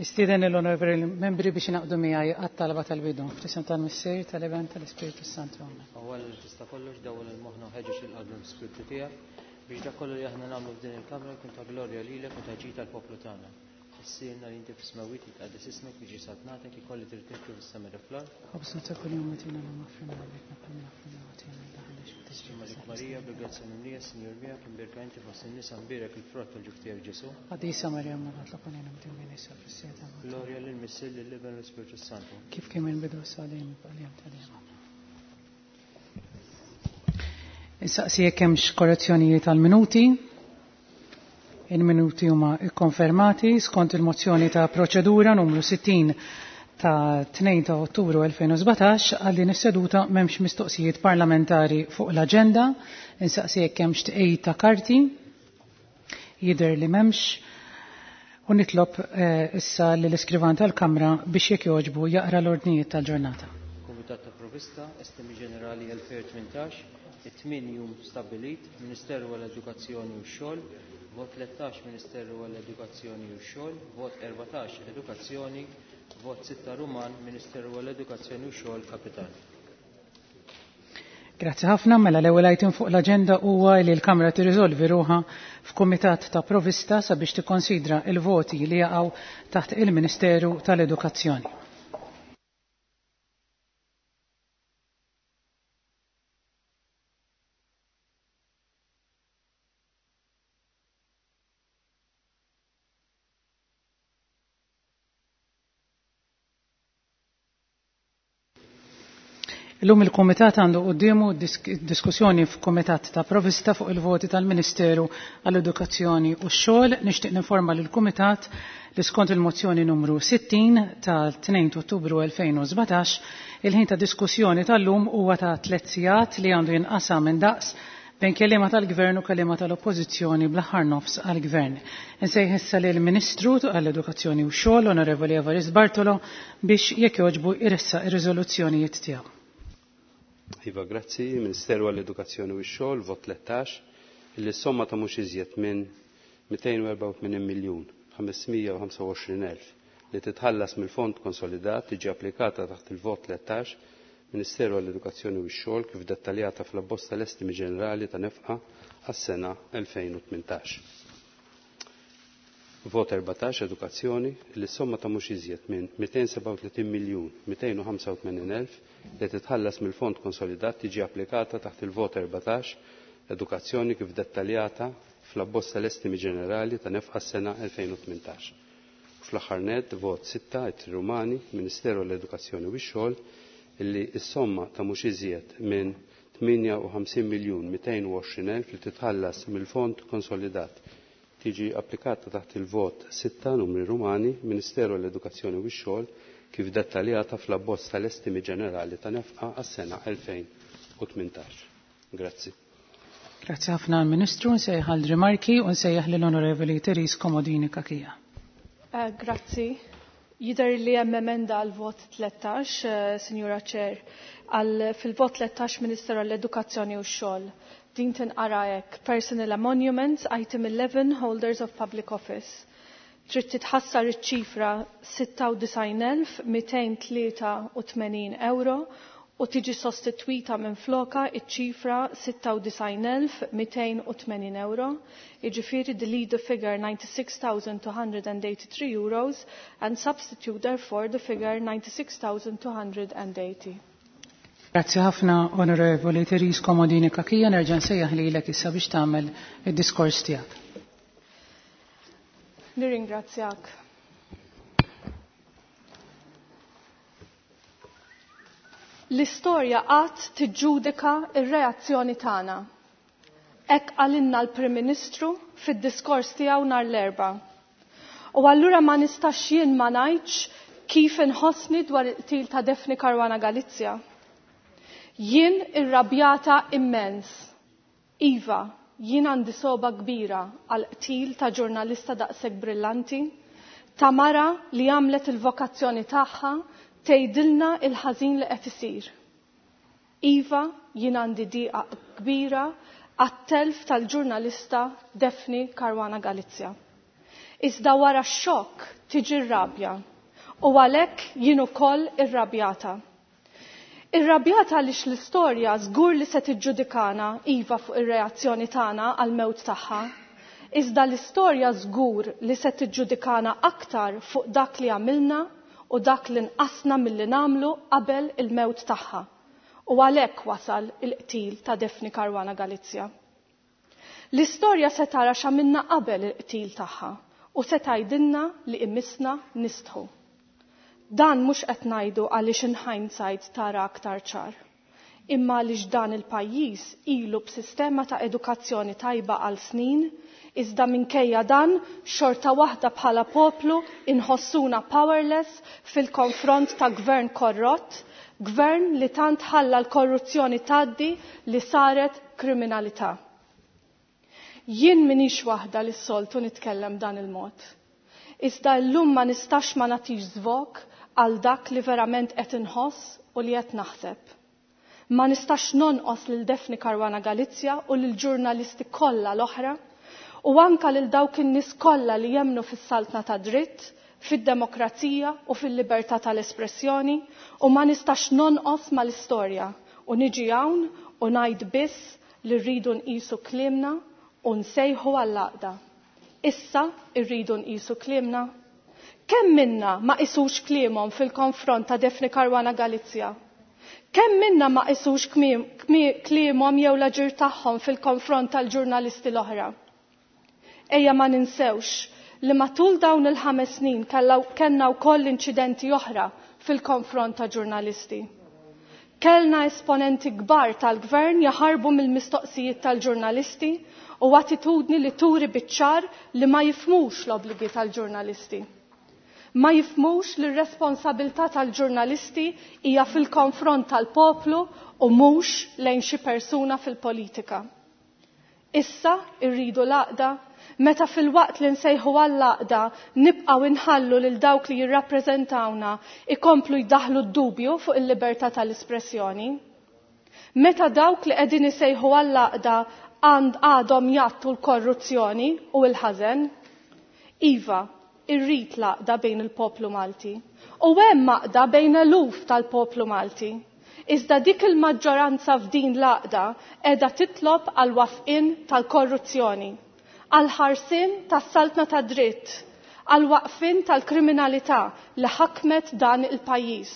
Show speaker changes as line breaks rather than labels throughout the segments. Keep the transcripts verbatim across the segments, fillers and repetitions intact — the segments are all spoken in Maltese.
Nistieden l-onorevoli membri biex ingħaqdu miegħi għat-talba tal-bidu. F'isem tal-Missier, tal-Iben, tal-Ispirtu Santu.
Awwel tista' kollox dawwal il-moħħna u ħeġġeġ il-qalb l-Ispirtu tiegħek biex dak kollu li aħna nagħmlu f'din il-kamra jkun ta' glorja lilek u ta' ġid tal-poplu tagħna. Missierna li inti fis-smewwiet jitqaddes ismek jiġi saltnatek ikolli trid titlu fis-sema fl-art.
Ħobżna ta' kuljum agħtina llum aħfrilna dnubietna bħalma naħfru lil ħaddiex
Malik Marija, bil-grazzja mimlija, Sinjur miegħek, imbierka inti fost in-nisa, mbierek il-frott tal-ġuf tiegħek Ġesù.
Qaddisa Marija Mama tlob għalina midinbin issa fis-siegħa ta' mewtna.
Glorja lill-Missier, lill-Iben u l-Ispirtu Santu.
Kif kien mill-bidu issa dejjem u għal ta' dejjem. Insaqsi jekk hemmx korrezzjonijiet għall-minuti. Il-minuti huma ikkonfermati skont il-mozzjoni ta' proċedura numru sittin ta' tnejn ta' Ottubru elfejn u sbatax għal din is-seduta m'hemmx mistoqsijiet parlamentari fuq l-aġenda. Insaqsi jekk hemmx tqejjid ta' karti. Jidher li m'hemmx. U nitlob, eh, issa lill-iskrivan tal-Kamra biex jekk jogħġbu jaqra l-ordnijiet tal-ġurnata.
Kumitat ta' Provista, Estimi Ġenerali elfejn u tmintax, it-tmien jum stabbilit, Ministeru għall-Edukazzjoni u x-Xogħol, vot tlettax Ministeru għall-Edukazzjoni u x-Xogħol, vot erbatax Edukazzjoni, vot sitta Ruman, Ministeru għall-Edukazzjoni u x-Xogħol, Kapital.
Grazzi ħafna. Mela l-ewwel item fuq l-aġenda huwa li l-Kamra tirriżolvi ruħha f'Kumitat ta' Provista sabiex tikkonsidra il-voti li jaqgħu taħt il-Ministeru tal-Edukazzjoni. Illum il-Kumitat għandu quddiemu disk-, diskussjoni f'Kumitat ta' Provista fuq il-voti tal-Ministeru għall-Edukazzjoni u x-Xogħol. Nixtieq ninforma lill-Kumitat li skont il-mozzjoni numru sittin tal-tnejn ta' Ottubru elfejn u sbatax, il-ħin ta' diskussjoni tal-lum huwa ta' tliet sigħat li għandu jinqasam minn daqs bejn kelliema tal-Gvern u kelliema tal-Oppożizzjoni bl-aħħar nofs għall-Gvern. Insejħ issa lill-Ministru għall-Edukazzjoni u x-Xogħol, Onorevoli Evarist Bartolo, biex jekk jogħġbu jressaq ir-riżoluzzjonijiet tiegħu.
Iva, grazzi. Ministeru għall-Edukazzjoni u x-Xogħol, vot tlettax, illi s-somma ta' mhux iżjed minn mitejn u erbgħa u tmenin miljun ħamesmija u ħamsa u għoxrin elf li titħallas mill-Fond Konsolidat tiġi applikata taħt il-vot tlettax Ministeru għall-Edukazzjoni u x-Xogħol kif dettaljata fl-abbozz tal-Estimi Ġenerali ta' nefqa għas-sena elfejn u tmintax. Vot erbatax Edukazzjoni li s-somma ta' mhux iżjed minn mitejn sebgħa u tletin miljun mitejn u ħamsa u tmenin elf li titħallas mill-Fond Konsolidat tiġi applikata taħt il-vot erbatax Edukazzjoni kif dettaljata fl-abbozz tal-Estimi Ġenerali ta' nefqa s-sena elfejn u tmintax. Fl-aħħar nett, vot sitta Ittri Rumani, Ministeru għall-Edukazzjoni u x-Xogħol, illi s-somma ta' mhux iżjed minn tmienja u ħamsin miljun mitejn u għoxrin elf li titħallas mill-Fond Konsolidat tiġi applikata taħt il-vot sitta numri Rumani, Ministeru għall-Edukazzjoni u x-Xogħol kif dettaljata fl-abbozz tal-Estimi Ġenerali ta' nefqa għas-sena elfejn u tmintax. Grazzi.
Grazzi ħafna għall-Ministru, nsejjaħ għal rimarki u nsejjaħ lill-Onorevoli Therese Comodini Cachia.
Eh, grazzi. Jidher li hemm emenda għal vot tlettax, eh, Sinjura Chair, għal fil-vot tlettax Ministeru għall-Edukazzjoni u x-Xogħol. Din tinqara hekk: Personal Emoluments, Item eleven, Holders of Public Office. Trid titħassar iċ-ċifra sitta u disgħin elf mitejn tlieta u tmenin euro u tiġi sostitwita minn floka iċ-ċifra sitta u disgħin elf mitejn u tmenin euro, jiġifieri delete the figure ninety-six thousand two hundred and eighty-three euros and substitute therefore the figure ninety-six thousand two hundred and eighty.
Grazzi ħafna, Onorevoli Therese Comodini Cachia, nerġa' nsejjaħ lilek issa biex tagħmel id-diskors tiegħek.
Nirringrazzjak. L-istorja qatt tiġġudika r-reazzjoni tagħna. Hekk qalilna l-Prim Ministru fid-diskors tiegħu nhar l-Erbgħa. U allura ma nistax jien ma ngħidx kif inħossni dwar il-qtil ta' Daphne Caruana Galizia. Jien irrabjata immens. Iva, jien għandi soba kbira għal qtil ta' ġurnalista daqshekk brillanti, ta' mara li għamlet il-vokazzjoni tagħha tgħidilna il-ħażin li qed isir. Iva, jien għandi diqa kbira għat-telf tal-ġurnalista Daphne Caruana Galizia. Iżda wara x-xokk tiġi r-rabja. U għalhekk jien ukoll irrabjata. Irrabjata għaliex l-istorja żgur li se tiġġudikana iva fuq ir-reazzjoni tagħna għall-mewt tagħha. Iżda l-istorja żgur li se tiġġudikana aktar fuq dak li għamilna u dak li nqasna milli nagħmlu qabel il-mewt tagħha. U għalhekk wasal il-qtil ta' Daphne Caruana Galizia. L-istorja se tara x'għamilna qabel il-qtil tagħha u se tgħidilna li imissna nistħu. Dan mhux qed ngħidu għaliex in hindsight tara aktar ċar. Imma għaliex dan il-pajjiż ilu b'sistema ta' edukazzjoni tajba għal snin, iżda minkejja dan xorta waħda bħala poplu inħossuna powerless fil-konfront ta' gvern korrott, gvern li tant ħalla l-korruzzjoni tgħaddi li saret kriminalità. Jien minix waħda li s-soltu nitkellem dan il-mod. Iżda llum ma nistax ma nagħtix żvok għal dak li verament qed inħoss u li qed naħseb. Ma nistax nonqos lil Daphne Caruana Galizia u lil ġurnalisti kollha l-oħra u anka lil dawk in-nies kollha li jemmnu fis-saltna ta' dritt, fid-demokrazija u fil-libertà tal-espressjoni u ma nistax nonqos mal-istorja u niġi hawn u ngħid biss li rridu nqisu kliemna u nsejħu għall-għaqda. Issa rridu nqisu kliemna. Kemm minna ma qisux kliemhom fil-konfront ta' Daphne Caruana Galizia? Kemm minna ma qisux kliemhom jew l-aġir tagħhom fil-konfront tal-ġurnalisti l-oħra? Ejja ma ninsewx li matul dawn il-ħames snin kellna wkoll inċidenti oħra fil-konfront ta' ġurnalisti. Kellna esponenti kbar tal-gvern jaħarbu mill-mistoqsijiet tal-ġurnalisti u attitudni li turi biċ-ċar li ma jifhmux l-obbligi tal-ġurnalisti. Ma jifhmux li r-responsabilità tal-ġurnalisti hija fil-konfront tal-poplu u mhux lejn xi persuna fil-politika. Issa rridu l-għaqda, meta fil-waqt li nsejħu għall-għaqda nibqgħu inħallu lil dawk li jirrappreżentawna ikomplu jdaħlu d-dubju fuq il-libertà tal-espressjoni. Meta dawk li qegħdin isejħu għall-għaqda għand għadhom jgħattu l-korruzzjoni u l-ħażen. Iva, irrid l-għaqda bejn il-poplu Malti. U hemm għaqda bejn eluf tal-poplu Malti. Iżda dik il-maġġoranza f'din l-għaqda qiegħda titlob għal wafqin tal-korruzzjoni, għal ħarsien tas-saltna ta' dritt, għal waqfin tal-kriminalità li ħakmet dan il-pajjiż.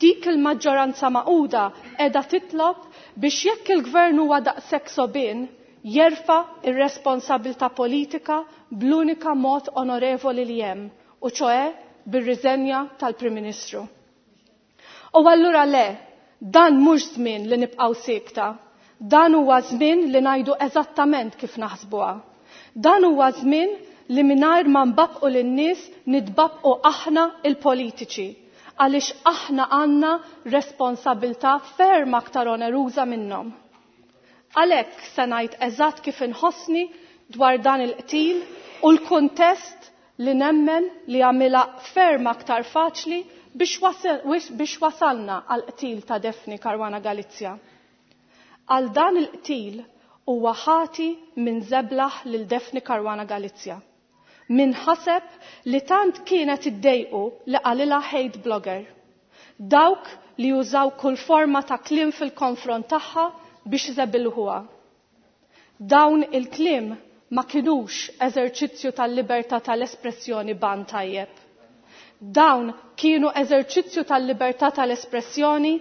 Dik il-maġġoranza magħquda qiegħda titlob biex jekk il-gvern huwa daqshekk sobien, jerfa' ir-responsabilità politika bl-unika mod onorevoli li hemm, u ċoe bir-riżenja tal-Prim Ministru. U allura le, dan mhux żmien li nibqgħu siekta, dan huwa żmien li ngħidu eżattament kif naħsbuha. Dan huwa żmien li mingħajr ma nbabqu lin-nies nitbabqu aħna il-politiċi, għaliex aħna għandna responsabilità ferm aktar oneruża minnhom. Għalhekk se ngħid eżatt kif inħossni dwar dan il-qtil u l-kuntest li nemmen li għamilha ferm aktar faċli biex wasalna għal qtil ta' Daphne Caruana Galizia. Għal dan il-qtil huwa ħati minn żeblaħ lil Daphne Caruana Galizia. Min ħaseb li tant kienet iddejqu li qalilha hate blogger. Dawk li jużaw kull forma ta' kliem fil-konfront tagħha biex iżebilħuha. Dawn il-kliem ma kinux eżerċizzju tal-libertà tal-espressjoni ban tajjeb. Dawn kienu eżerċizzju tal-libertà tal-espressjoni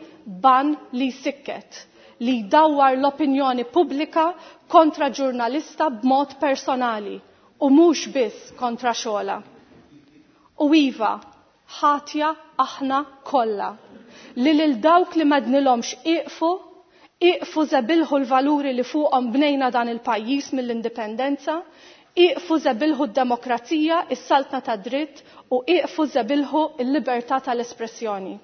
ban li jsikket, li jdawwar l-opinjoni pubblika kontra ġurnalista b'mod personali u mhux biss kontra xogħla. U iva, ħatja aħna kollha li lil dawk li m'għednilhomx iqfu, iqfu żebilħu l-valuri li fuqhom bnejna dan il-pajjiż mill-indipendenza, iqfu żebilħu d-demokrazija, is-saltna ta' dritt u iqfu żebilħu l-libertà tal-espressjoni.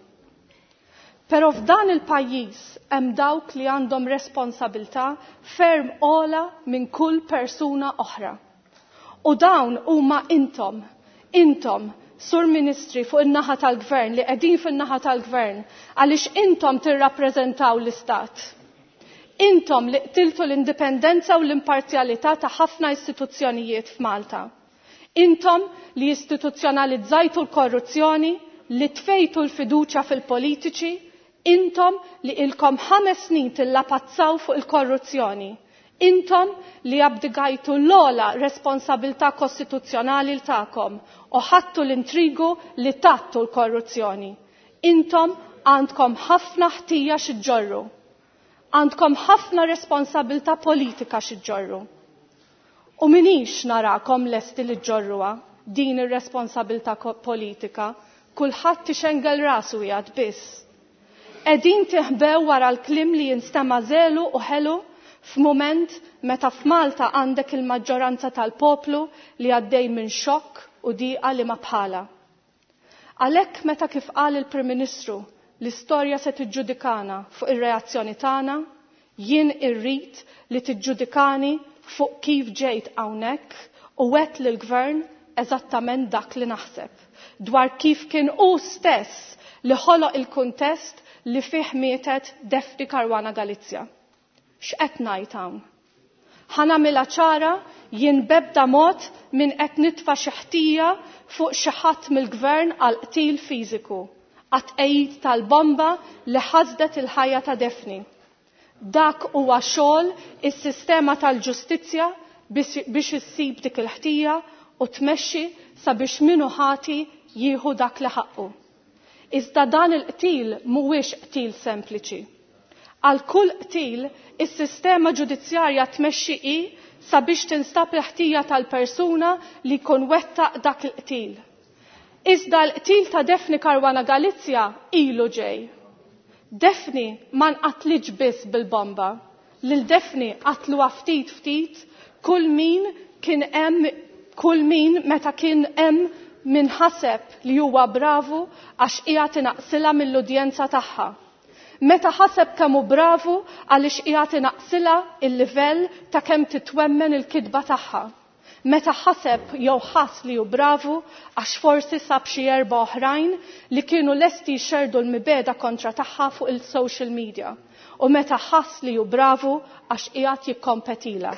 Però f'dan il-pajjiż hemm dawk li għandhom responsabilità ferm ogħla minn kull persuna oħra. U dawn huma intom, intom, Sur Ministri fuq in-naħa tal-Gvern li qegħdin fin-naħa tal-Gvern għaliex intom tirrappreżentaw l-Istat. Intom li qtiltu l-indipendenza u l-imparzjalità ta' ħafna istituzzjonijiet f'Malta. Intom li istituzzjonalizzajtu l-korruzzjoni, li tfejtu l-fiduċja fil-politiċi, intom li ilkom ħames snin tillapazzaw fuq il-korruzzjoni. Intom li abdigajtu l-ogħla responsabilità kostituzzjonali l tagħkom u ħadtu l-intrigu li tattu l-korruzzjoni. Intom għandkom ħafna ħtija xi ġġorru. Għandkom ħafna responsabilità politika xi ġġorru. U minix narakom lesti li ġġorruha din ir-responsabilità politika, kulħadd ixengel rasu jgħad biss. Qegħdin tiħbew wara l-kliem li jinstema' żelu u ħelu f'mument meta f'Malta għandek il-maġġoranza tal-poplu li għaddej minn xokk u diqa li ma bħala. Għalhekk meta kif qal il-Prim Ministru l-istorja se tiġġudikana fuq ir-reazzjoni tagħna, jien irrid li tiġġudikani fuq kif ġejt hawnhekk u għedt lill-gvern eżattament dak li naħseb dwar kif kien hu stess li ħoloq il-kuntest li fih mietet Daphne Caruana Galizia. X'qed ngħid hawn? Ħa nagħmilha ċara jien bebda mod min qed nitfa' xi ħtija fuq xi ħadd mill-gvern għal qtil fiżiku, għat-tqegħid tal-bomba li ħasdet il-ħajja ta' Daphne. Dak huwa xogħol is-sistema tal-ġustizzja biex issib dik il-ħtija u tmexxi sabiex min hu ħati jieħu dak li ħaqqu. Iżda dan il-qtil mhuwiex qtil sempliċi. Għal kull qtil, is-sistema ġudizzjarja tmexxi i sabiex tinstab il-ħtija tal-persuna li jkun wettaq dak il-qtil. Iżda l-qtil ta' Daphne Caruana Galizia ilu ġej. Daphne ma nqatlitx biss bil-bomba. Lil Daphne qatluha ftit ftit kull min kien hemm kull min meta kien hemm min ħaseb li huwa bravu għax qiegħed inaqsilha mill-udjenza tagħha. Meta ħaseb kemm hu bravu għaliex qiegħed inaqsilha il-livell ta' kemm titwemmen il-kitba tagħha. Meta ħaseb jew ħass li hu bravu għax forsi sab xi erba' oħrajn li kienu lesti jxerdu l-mibegħda kontra tagħha fuq il-social media. U meta ħass li hu bravu għax qiegħed jikkompetila.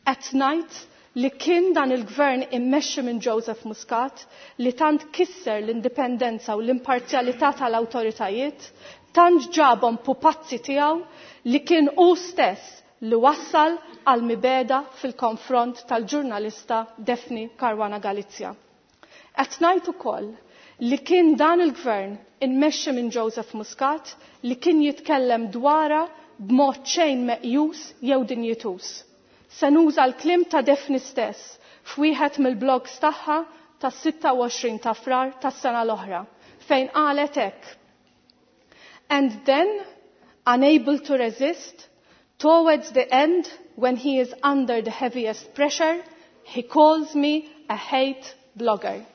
Qed ngħid li kien dan il-gvern immexxi minn Joseph Muscat li tant kisser l-indipendenza u l-imparzjalità tal-awtoritajiet, tant ġabhom pupazzi tiegħu li kien hu stess li wassal għal mibegħda fil-konfront tal-ġurnalista Daphne Caruana Galizia. Qed ngħid ukoll li kien dan il-gvern immexxi minn Joseph Muscat li kien jitkellem dwarha b'mod xejn meqjus jew dinjitus. Se nuża l-kliem ta' Daphne stess f'wieħed mill-blogs tagħha tas-sitta u għoxrin ta' Frar tas-sena l-oħra, fejn qalet hekk. And then, unable to resist, towards the end, when he is under the heaviest pressure, he calls me a hate blogger.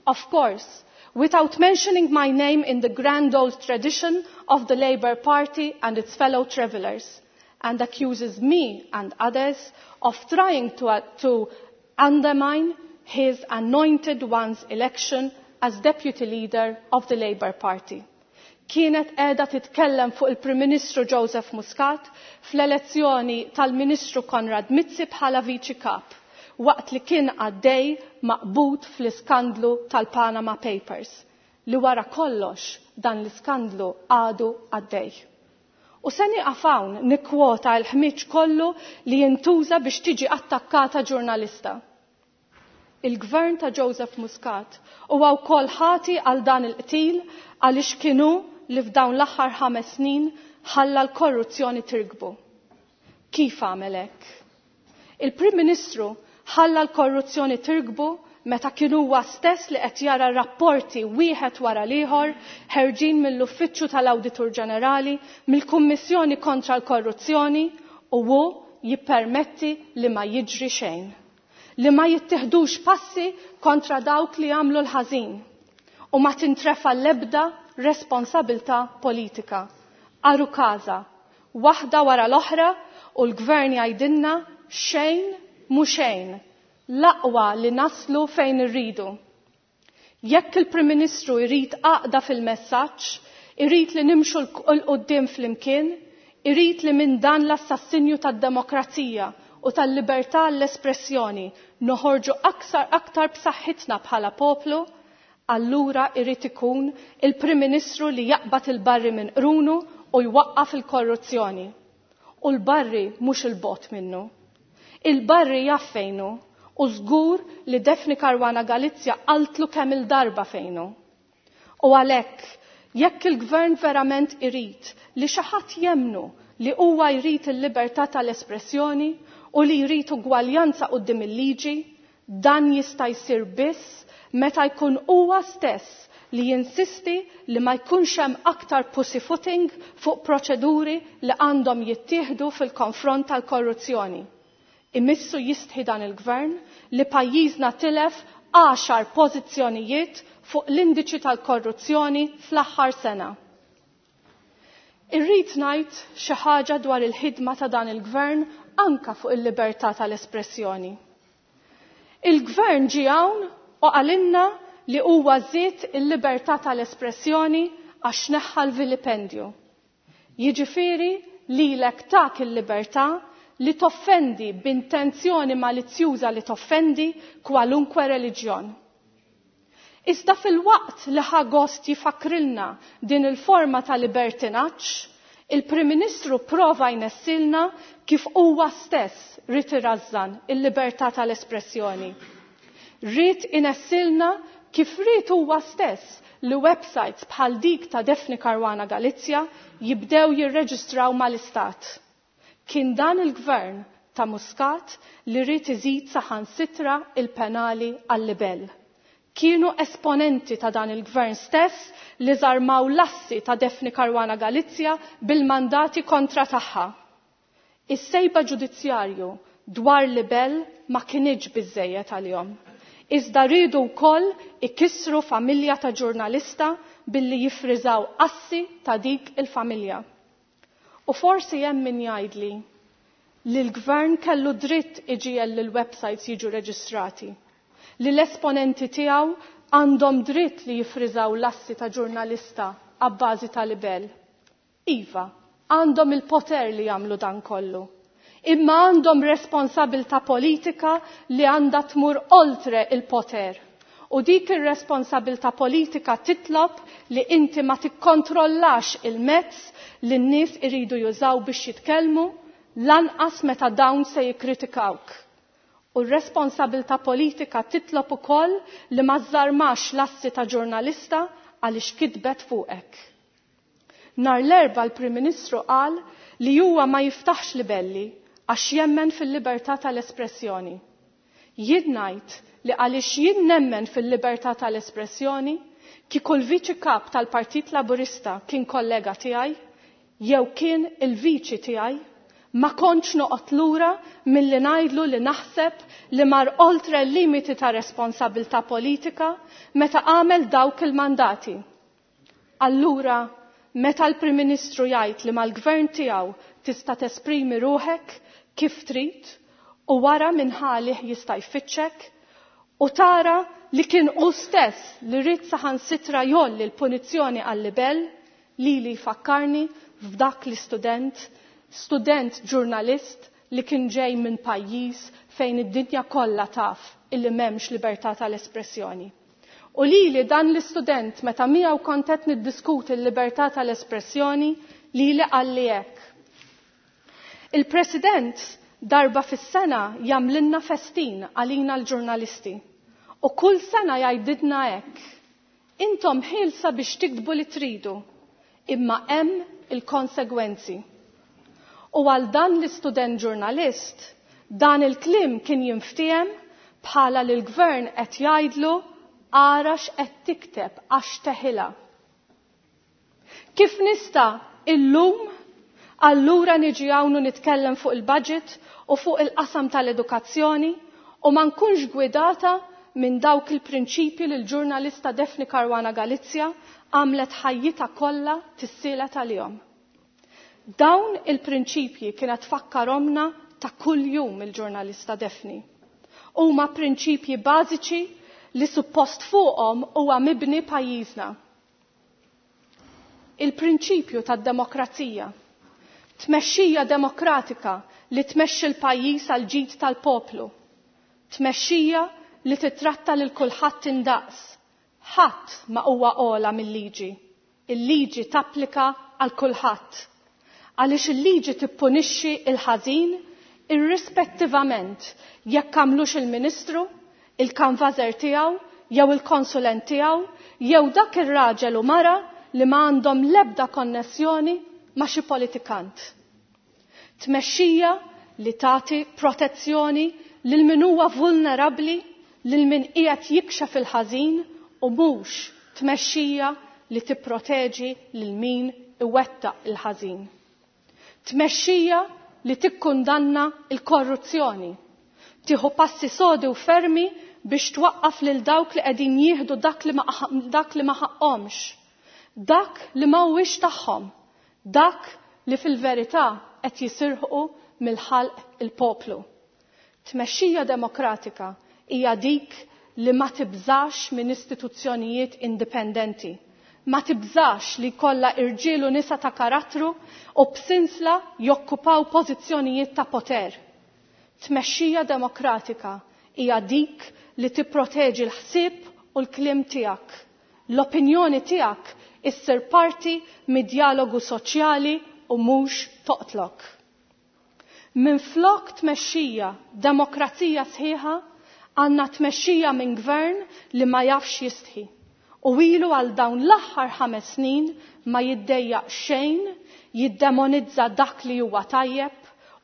Of course, without mentioning my name in the grand old tradition of the Labour Party and its fellow travellers, and accuses me and others of trying to, uh, to undermine his anointed one's election as deputy leader of the Labour Party. Kienet qiegħda titkellem fuq il-Prim Ministru Joseph Muscat fl-elezzjoni tal-Ministru Konrad Mizzi bħala Viċi Kap, waqt li kien għaddej maqbud fl-iskandlu tal-Panama Papers, li wara kollox dan l-iskandlu għadu għaddej. U se nieqaf hawn nikkwota l-ħmiġ kollu li jintuża biex tiġi attakkata ġurnalista. Il-gvern ta' Joseph Muscat huwa wkoll ħati għal dan il-qtil għaliex kienu li f'dawn l-aħħar ħames snin ħalla l-korruzzjoni tirkbu. Kif għamel hekk? Il-Prim Ministru ħalla l-korruzzjoni tirkbu meta kien huwa stess li qed jara rapporti wieħed wara l-ieħor ħerġin mill-Uffiċċju tal-Awditur Ġenerali, mill-Kummissjoni kontra l-Korruzzjoni, u hu jippermetti li ma jiġri xejn. Li ma jittieħdux passi kontra dawk li għamlu l-ħażin u ma tintrefa l-ebda responsabilità politika. Aru kaza, waħda wara l-oħra u l-gvern jgħidilna xejn mhu xejn, l-aqwa li naslu fejn irridu. Jekk il-Prim Ministru jrid għaqda fil-messaġġ, irid li nimxu l quddiem flimkien, irid li minn dan l-assassinju tad-demokrazija u tal-libertà l-espressjoni noħorġu aktar aktar b'saħħitna bħala poplu, allura irid ikun il-Prim Ministru li jaqbad il-barri minn qrunu u jwaqqaf il-korruzzjoni. U l-barri mhux il-bot minnu. Il-barri jaf fejnu u żgur li Daphne Caruana Galizia qaltlu kemm il-darba fejnu. U għalhekk, jekk il-gvern verament irid li xi ħadd jemnu li huwa jrid il-libertà tal-espressjoni u li jrid ugwaljanza quddiem il-liġi, dan jista' jsir biss meta jkun huwa stess li jinsisti li ma jkunx hemm aktar pussyfooting fuq proċeduri li għandhom jittieħdu fil-konfront tal-korruzzjoni. Imissu jistħi dan il-gvern li pajjiżna tilef għaxar pożizzjonijiet fuq l-indiċi tal-korruzzjoni fl-aħħar sena. Irrid ngħid xi ħaġa dwar il-ħidma ta' dan il-gvern anka fuq il-libertà tal-espressjoni. Il-gvern ġie hawn u qalilna li huwa żied il-libertà tal-espressjoni għax neħħa l-vilipendju. Jiġifieri lilek tak il-libertà li toffendi b'intenzjoni malizzjuża li toffendi kwalunkwe reliġjon. Iżda fil-waqt li ħa gost jifakrilna din il-forma ta' libertinaġġ, il-Prim Ministru prova jnessilna kif huwa stess ried irażżan il-libertà tal-espressjoni. Ried inessilna kif ried huwa stess li websites bħal dik ta' Daphne Caruana Galizia jibdew jirreġistraw mal-Istat. Kien dan il-gvern ta' Muscat li ried iżid saħansitra il-penali għal-libell. Kienu esponenti ta' dan il-gvern stess li żarmaw l-assi ta' Daphne Caruana Galizia bil-mandati kontra tagħha. Is-sejba ġudizzjarju dwar libell ma kienx biżejjed għalihom. Iżda rridu wkoll ikissru familja ta' ġurnalista billi jifriżaw assi ta' dik il-familja. U forsi hemm min jgħidli li l-gvern kellu dritt iġiegħel li l-websites jiġu reġistrati, li l-esponenti tiegħu għandhom dritt li jifriżaw l-assi ta' ġurnalista għabbażi ta' libell. Iva, għandhom il-poter li jagħmlu dan kollu. Imma għandhom responsabilta politika li għandha tmur oltre il-poter. U dik ir-responsabilta politika titlob li inti ma tikkontrollax il-mezz li n-nies iridu jużaw biex jitkellmu, lanqas meta dawn se jikkritikawk. U r-responsabilta politika titlob ukoll li ma żarmax l-assi ta' ġurnalista għaliex kitbet fuqek. Nar l-Erbgħa l-Prim Ministru qal li huwa ma jiftaħx libelli għax jemmen fil-libertà tal-espressjoni. Jien ngħid li għaliex jien nemmen fil-libertà tal-espressjoni, kieku l-viċi kap tal-Partit Laburista kien kollega tiegħi, jew kien il-viċi tiegħi, ma kontx noqgħod lura milli ngħidlu li naħseb li mar oltre l-limiti ta' responsabilità politika meta għamel dawk il-mandati. Allura, meta l-Prim Ministru jgħid li mal-gvern tiegħu tista' tesprimi ruħek kif trid u wara minn ħalih jista' jfittxek u tara li kien hu stess li ried saħansitra jolli l-punizzjoni għal-libell, li li jfakkarni f'dak l-istudent, student ġurnalist li kien ġej minn pajjiż fejn id-dinja kollha taf illi m'hemmx libertà tal-espressjoni. U li li dan l-istudent meta miegħu kont qed niddiskuti l-libertà tal-espressjoni li li qalli hekk. Il-President darba fis-sena jagħmlilna festin għalina l-ġurnalisti. U kull sena jgħidilna hekk. Intom ħielsa biex tiktbu li tridu, imma hemm il-konsegwenzi. U għal dan l-istudent ġurnalist, dan il-kliem kien jinftiehem bħala li l-gvern qed jgħidlu ara x'qed tikteb għax teħilha. Kif nista' illum allura niġi hawn u nitkellem fuq il-budget u fuq il-qasam tal-edukazzjoni u ma nkunx gwidata minn dawk il-prinċipji li l-ġurnalista Daphne Caruana Galizia għamlet ħajjitha kollha tissielet għalihom. Dawn il-prinċipji kienet tfakkarhomna ta' kull jum il-ġurnalista Daphne. Huma prinċipji bażiċi li suppost fuqhom huwa mibni pajjiżna. Il-prinċipju tad-demokrazija. Tmexxija demokratika li tmexxi l-pajjiż għal ġid tal-poplu. Tmexxija li titratta lil kulħadd indaqs. Ħadd ma huwa ogħla mill-liġi. Il-liġi tapplika għal kulħadd. Għaliex il-liġi tippunixxi il-ħażin irrispettivament jekk għamlux il-ministru, il-kanvażer tiegħu, jew il-konsulent tiegħu, jew dak ir-raġel u mara li ma għandhom l-ebda konnessjoni ma' xi politikant. Tmexxija li tagħti protezzjoni lil min huwa vulnerabbli, lil min qiegħed jikxef il-ħażin u mhux tmexxija li tipproteġi lil min iwettaq il-ħażin. Tmexxija li tikkundanna il-korruzzjoni, tieħu passi sodi u fermi biex twaqqaf lil dawk li qegħdin jieħdu dak li ma dak li ma ħaqhomx, dak li ma huwiex tagħhom, dak li fil-verità qed jisirħu mill-ħalq il-poplu. Tmexxija demokratika hija dik li ma tibżax minn istituzzjonijiet indipendenti, ma tibżax li kollha irġiel u nisa ta' karattru u b'sinsla jokkupaw pożizzjonijiet ta' poter. Tmexxija demokratika hija dik li tipproteġi l-ħsieb u l-kliem tiegħek. L-opinjoni tiegħek issir parti mid-dialogu soċjali u mhux toqtlok. Minflok tmexxija demokrazija sħiħa, għandna tmexxija minn gvern li ma jafx jistħi. U ilu għal dawn l-aħħar ħames snin ma jiddejjaq xejn, jiddemonizza dak li huwa tajjeb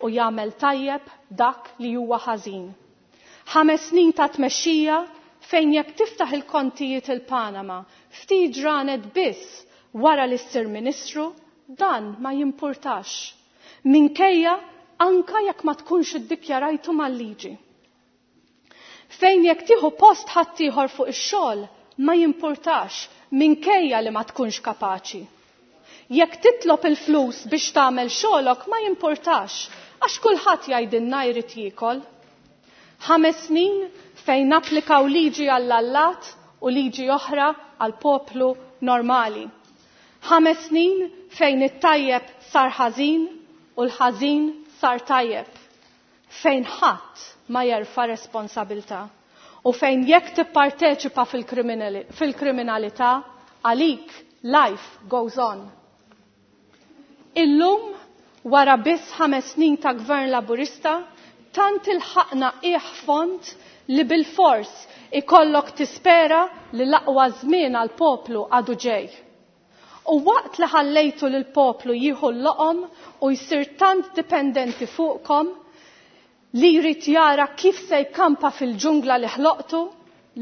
u jagħmel tajjeb dak li huwa ħażin. Ħames snin ta' tmexxija fejn jekk tiftaħ il-kontijiet il-Panama ftit ġranet biss wara li ssir ministru, dan ma jimpurtax. Minkejja anka jekk ma tkunx iddikjarajtu mal-liġi. Fejn jekk tieħu post ħaddieħor fuq ix-xogħol ma jimpurtax minkejja li ma tkunx kapaċi. Jekk titlob il-flus biex tagħmel xogħolok ma jimpurtax għax kulħadd jgħidilna jrid jiekol. Ħames snin fejn applikaw liġi għall-allat u liġi oħra għall-poplu normali. Ħames snin fejn it-tajjeb sar ħażin u l-ħażin sar tajjeb. Fejn ħadd ma jerfa' responsabilità u fejn jekk tipparteċipa fil-kriminalità għalik life goes on. Illum wara biss ħames snin ta' gvern laburista, tant ilħaqna qiegħ fond li bil-fors ikollok tispera li l-aqwa żmien għall-poplu għadu ġej. U waqt li ħallejtu lil poplu jieħu l-loqom u jsir tant dipendenti fuqkom li jrid jara kif se jkampa fil-ġungla li ħloqtu,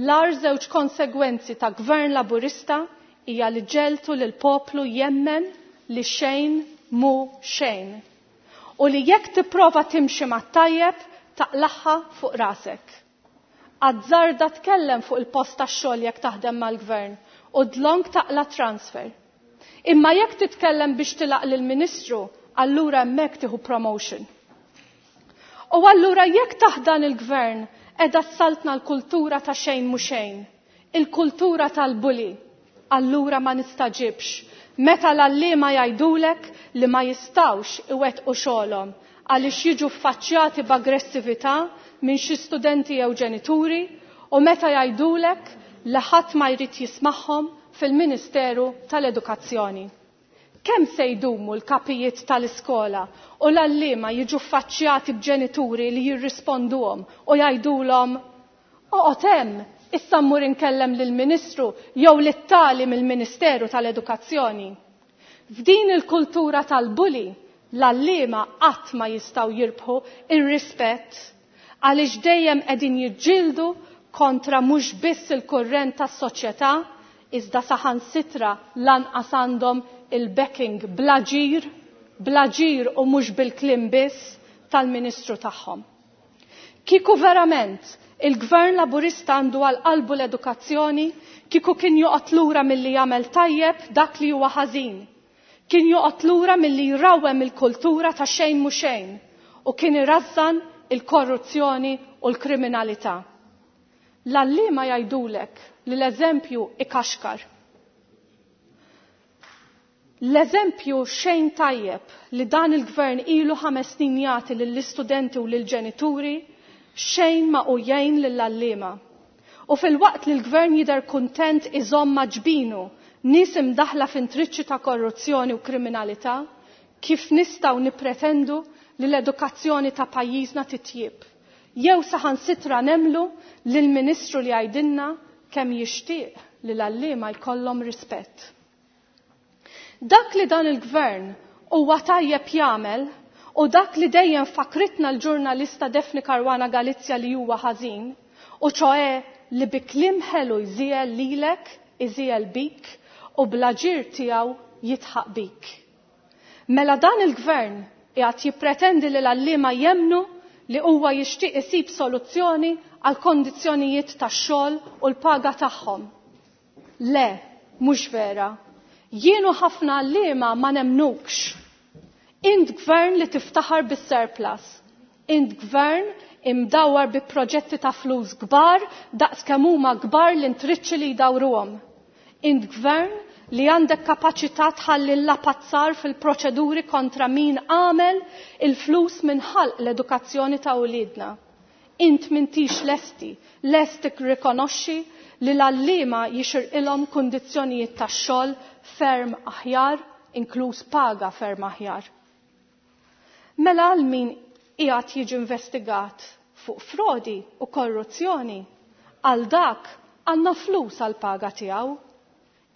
l-ar żewġ konsegwenzi ta' gvern laburista hija li ġeltu lil poplu jemmen li xejn mu xejn. U li jekk tipprova timxi mat-tajjeb taqlaħħa fuq rasek. Azzarda tkellem fuq il-post tax-xogħol jekk taħdem mal-gvern u dlonk taqla transfer. Imma jekk titkellem biex tilaq lill-ministru, allura hemmhekk tieħu promotion. U allura jekk taħdan il-gvern qiegħda ssaltna l-kultura ta' xejn mu xejn, il-kultura tal-bully, allura ma nistaġibx meta l-għalliema jgħidulek li ma jistawx iwettqu xogħolhom għaliex jiġu ffaċċjati b'aggressività minn xi studenti jew ġenituri u meta jgħidulek li ħadd ma jrid jismagħhom fil-Ministeru tal-Edukazzjoni. Kemm se jdumu l-kapijiet tal-iskola u l-għalliema jiġu ffaċċjati b'ġenituri li jirrisponduhom u jgħidulhom oqgħod hemm, issa mmur inkellem lill-Ministru jew lit-tali mill-Ministeru tal-Edukazzjoni. F'din il-kultura tal-bully, l-għalliema qatt ma jistgħu jirbħu ir-rispett għaliex dejjem qegħdin jiġġieldu kontra mhux biss il-kurrent tas-soċjetà, iżda saħansitra lanqas għandhom il-backing blaġir, blaġir u mhux bil-kliem biss tal-Ministru tagħhom. Kieku verament il-Gvern Laburista għandu għal qalbu l-edukazzjoni, kieku kien joqgħod lura milli jagħmel tajjeb dak li huwa ħażin. Kien joqgħod lura milli jrawwem il-kultura ta' xejn mu xejn u kien irażżan il-korruzzjoni u l-kriminalità. L-għalliema jgħidulek li l-eżempju ikaxkar. L-eżempju xejn tajjeb li dan il-gvern ilu ħames snin jagħti lill-istudenti u lill-ġenituri xejn ma hu jgħin lill-għalliema. U filwaqt li l-gvern jidher kuntent iżomm ma' ġbinu nies imdaħla f'intriċċi ta' korruzzjoni u kriminalità, kif nistgħu nippretendu li l-edukazzjoni ta' pajjiżna titjieb? Jew saħansitra nemmnu lill-Ministru li jgħidilna kemm jixtieq li l-għalliema jkollhom rispett. Dak li dan il-gvern huwa tajjeb jagħmel u dak li dejjem fakritna l-ġurnalista Daphne Caruana Galizia li huwa ħażin, u ċoe li bi kliem ħelu jżiegħel lilek, iżiegħel bik u bl-aġir tiegħu jitħaq bik. Mela dan il-gvern qiegħed jippretendi li l-għalliema jemmnu li huwa jixtieq isib soluzzjoni għal kondizzjonijiet tax-xogħol u l-paga tagħhom. Le, mhux vera. Jien u ħafna għalliema ma nemnukx. Int gvern li tiftaħar bis-surplus. Int gvern imdawar bi proġetti ta' flus kbar daqs kemm huma kbar l-intriċċi li jdawruhom. Int gvern li għandek kapaċità tħalli l-lapazzar fil-proċeduri kontra min għamel il-flus minn ħalq l-edukazzjoni ta' uliedna. Int m'intix lesti, lesti rikonoxxi li l-għalliema jixirqilhom kundizzjonijiet tax-xogħol ferm aħjar, inkluż paga ferm aħjar. Mela għal min qiegħed jiġi investigat fuq frodi u korruzzjoni, għal dak għandna flus għal paga tiegħu.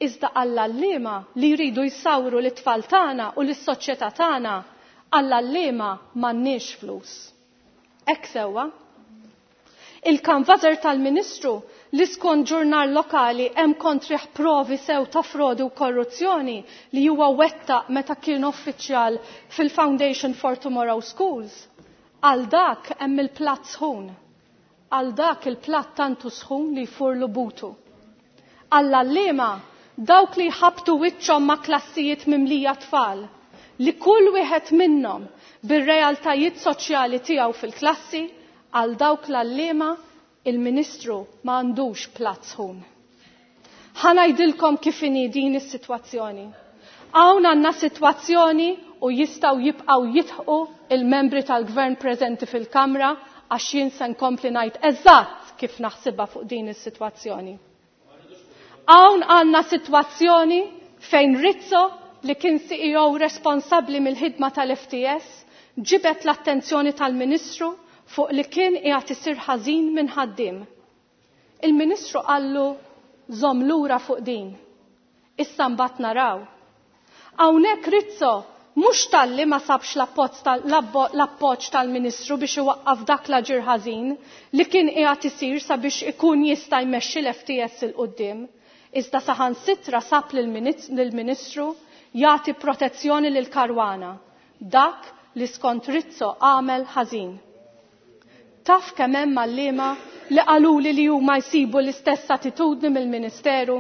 Iżda għall-għalliema li jridu jsawru l-tfal tagħna u lis-soċjetà tagħna, għall-għalliema m'għandniex flus. Hekk sewwa. Il-kanvażer tal-Ministru li skont ġurnal lokali hemm kontrih provi sew ta' frodi u korruzzjoni li huwa wettaq meta kien uffiċjal fil-Foundation for Tomorrow Schools. Għal dak hemm il-platt sħun. Għal dak il-platt tantu sħun li jfurlu butu. Għall-għalliema dawk li jħabtu wiċċhom ma' klassijiet mimlija tfal, li kull wieħed minnhom bir-realtajiet soċjali tiegħu fil-klassi, għal dawk l-għalliema il-Ministru ma għandux platt sħun. Ħa ngħidilkom kif inhi din is-sitwazzjoni. Hawn għandna sitwazzjoni u jistgħu jibqgħu jidħqu il-membri tal-gvern preżenti fil-Kamra għax jien se nkompli ngħid eżatt kif naħsibha fuq din is-sitwazzjoni. Hawn għandna sitwazzjoni fejn Rizzo, li kien C E O responsabbli mill-ħidma tal-F T S, ġibet l-attenzjoni tal-Ministru fuq li kien qiegħed isir ħażin minn ħaddiem. Il-Ministru qallu żomm lura fuq din. Issa mbagħad naraw. Hawnhekk Rizzo mhux talli ma sabx l-appoġġ tal-Ministru biex iwaqqaf dak l-aġir ħażin li kien qiegħed isir sabiex ikun jista' jmexxi l-F T S 'il quddiem. Iżda saħansitra sab lill-Ministru jagħti protezzjoni lil Caruana, dak li skont Rizzo għamel ħażin. Taf kemm hemm għalliema li qaluli li huma jsibu l-istess attitudni mill-Ministeru?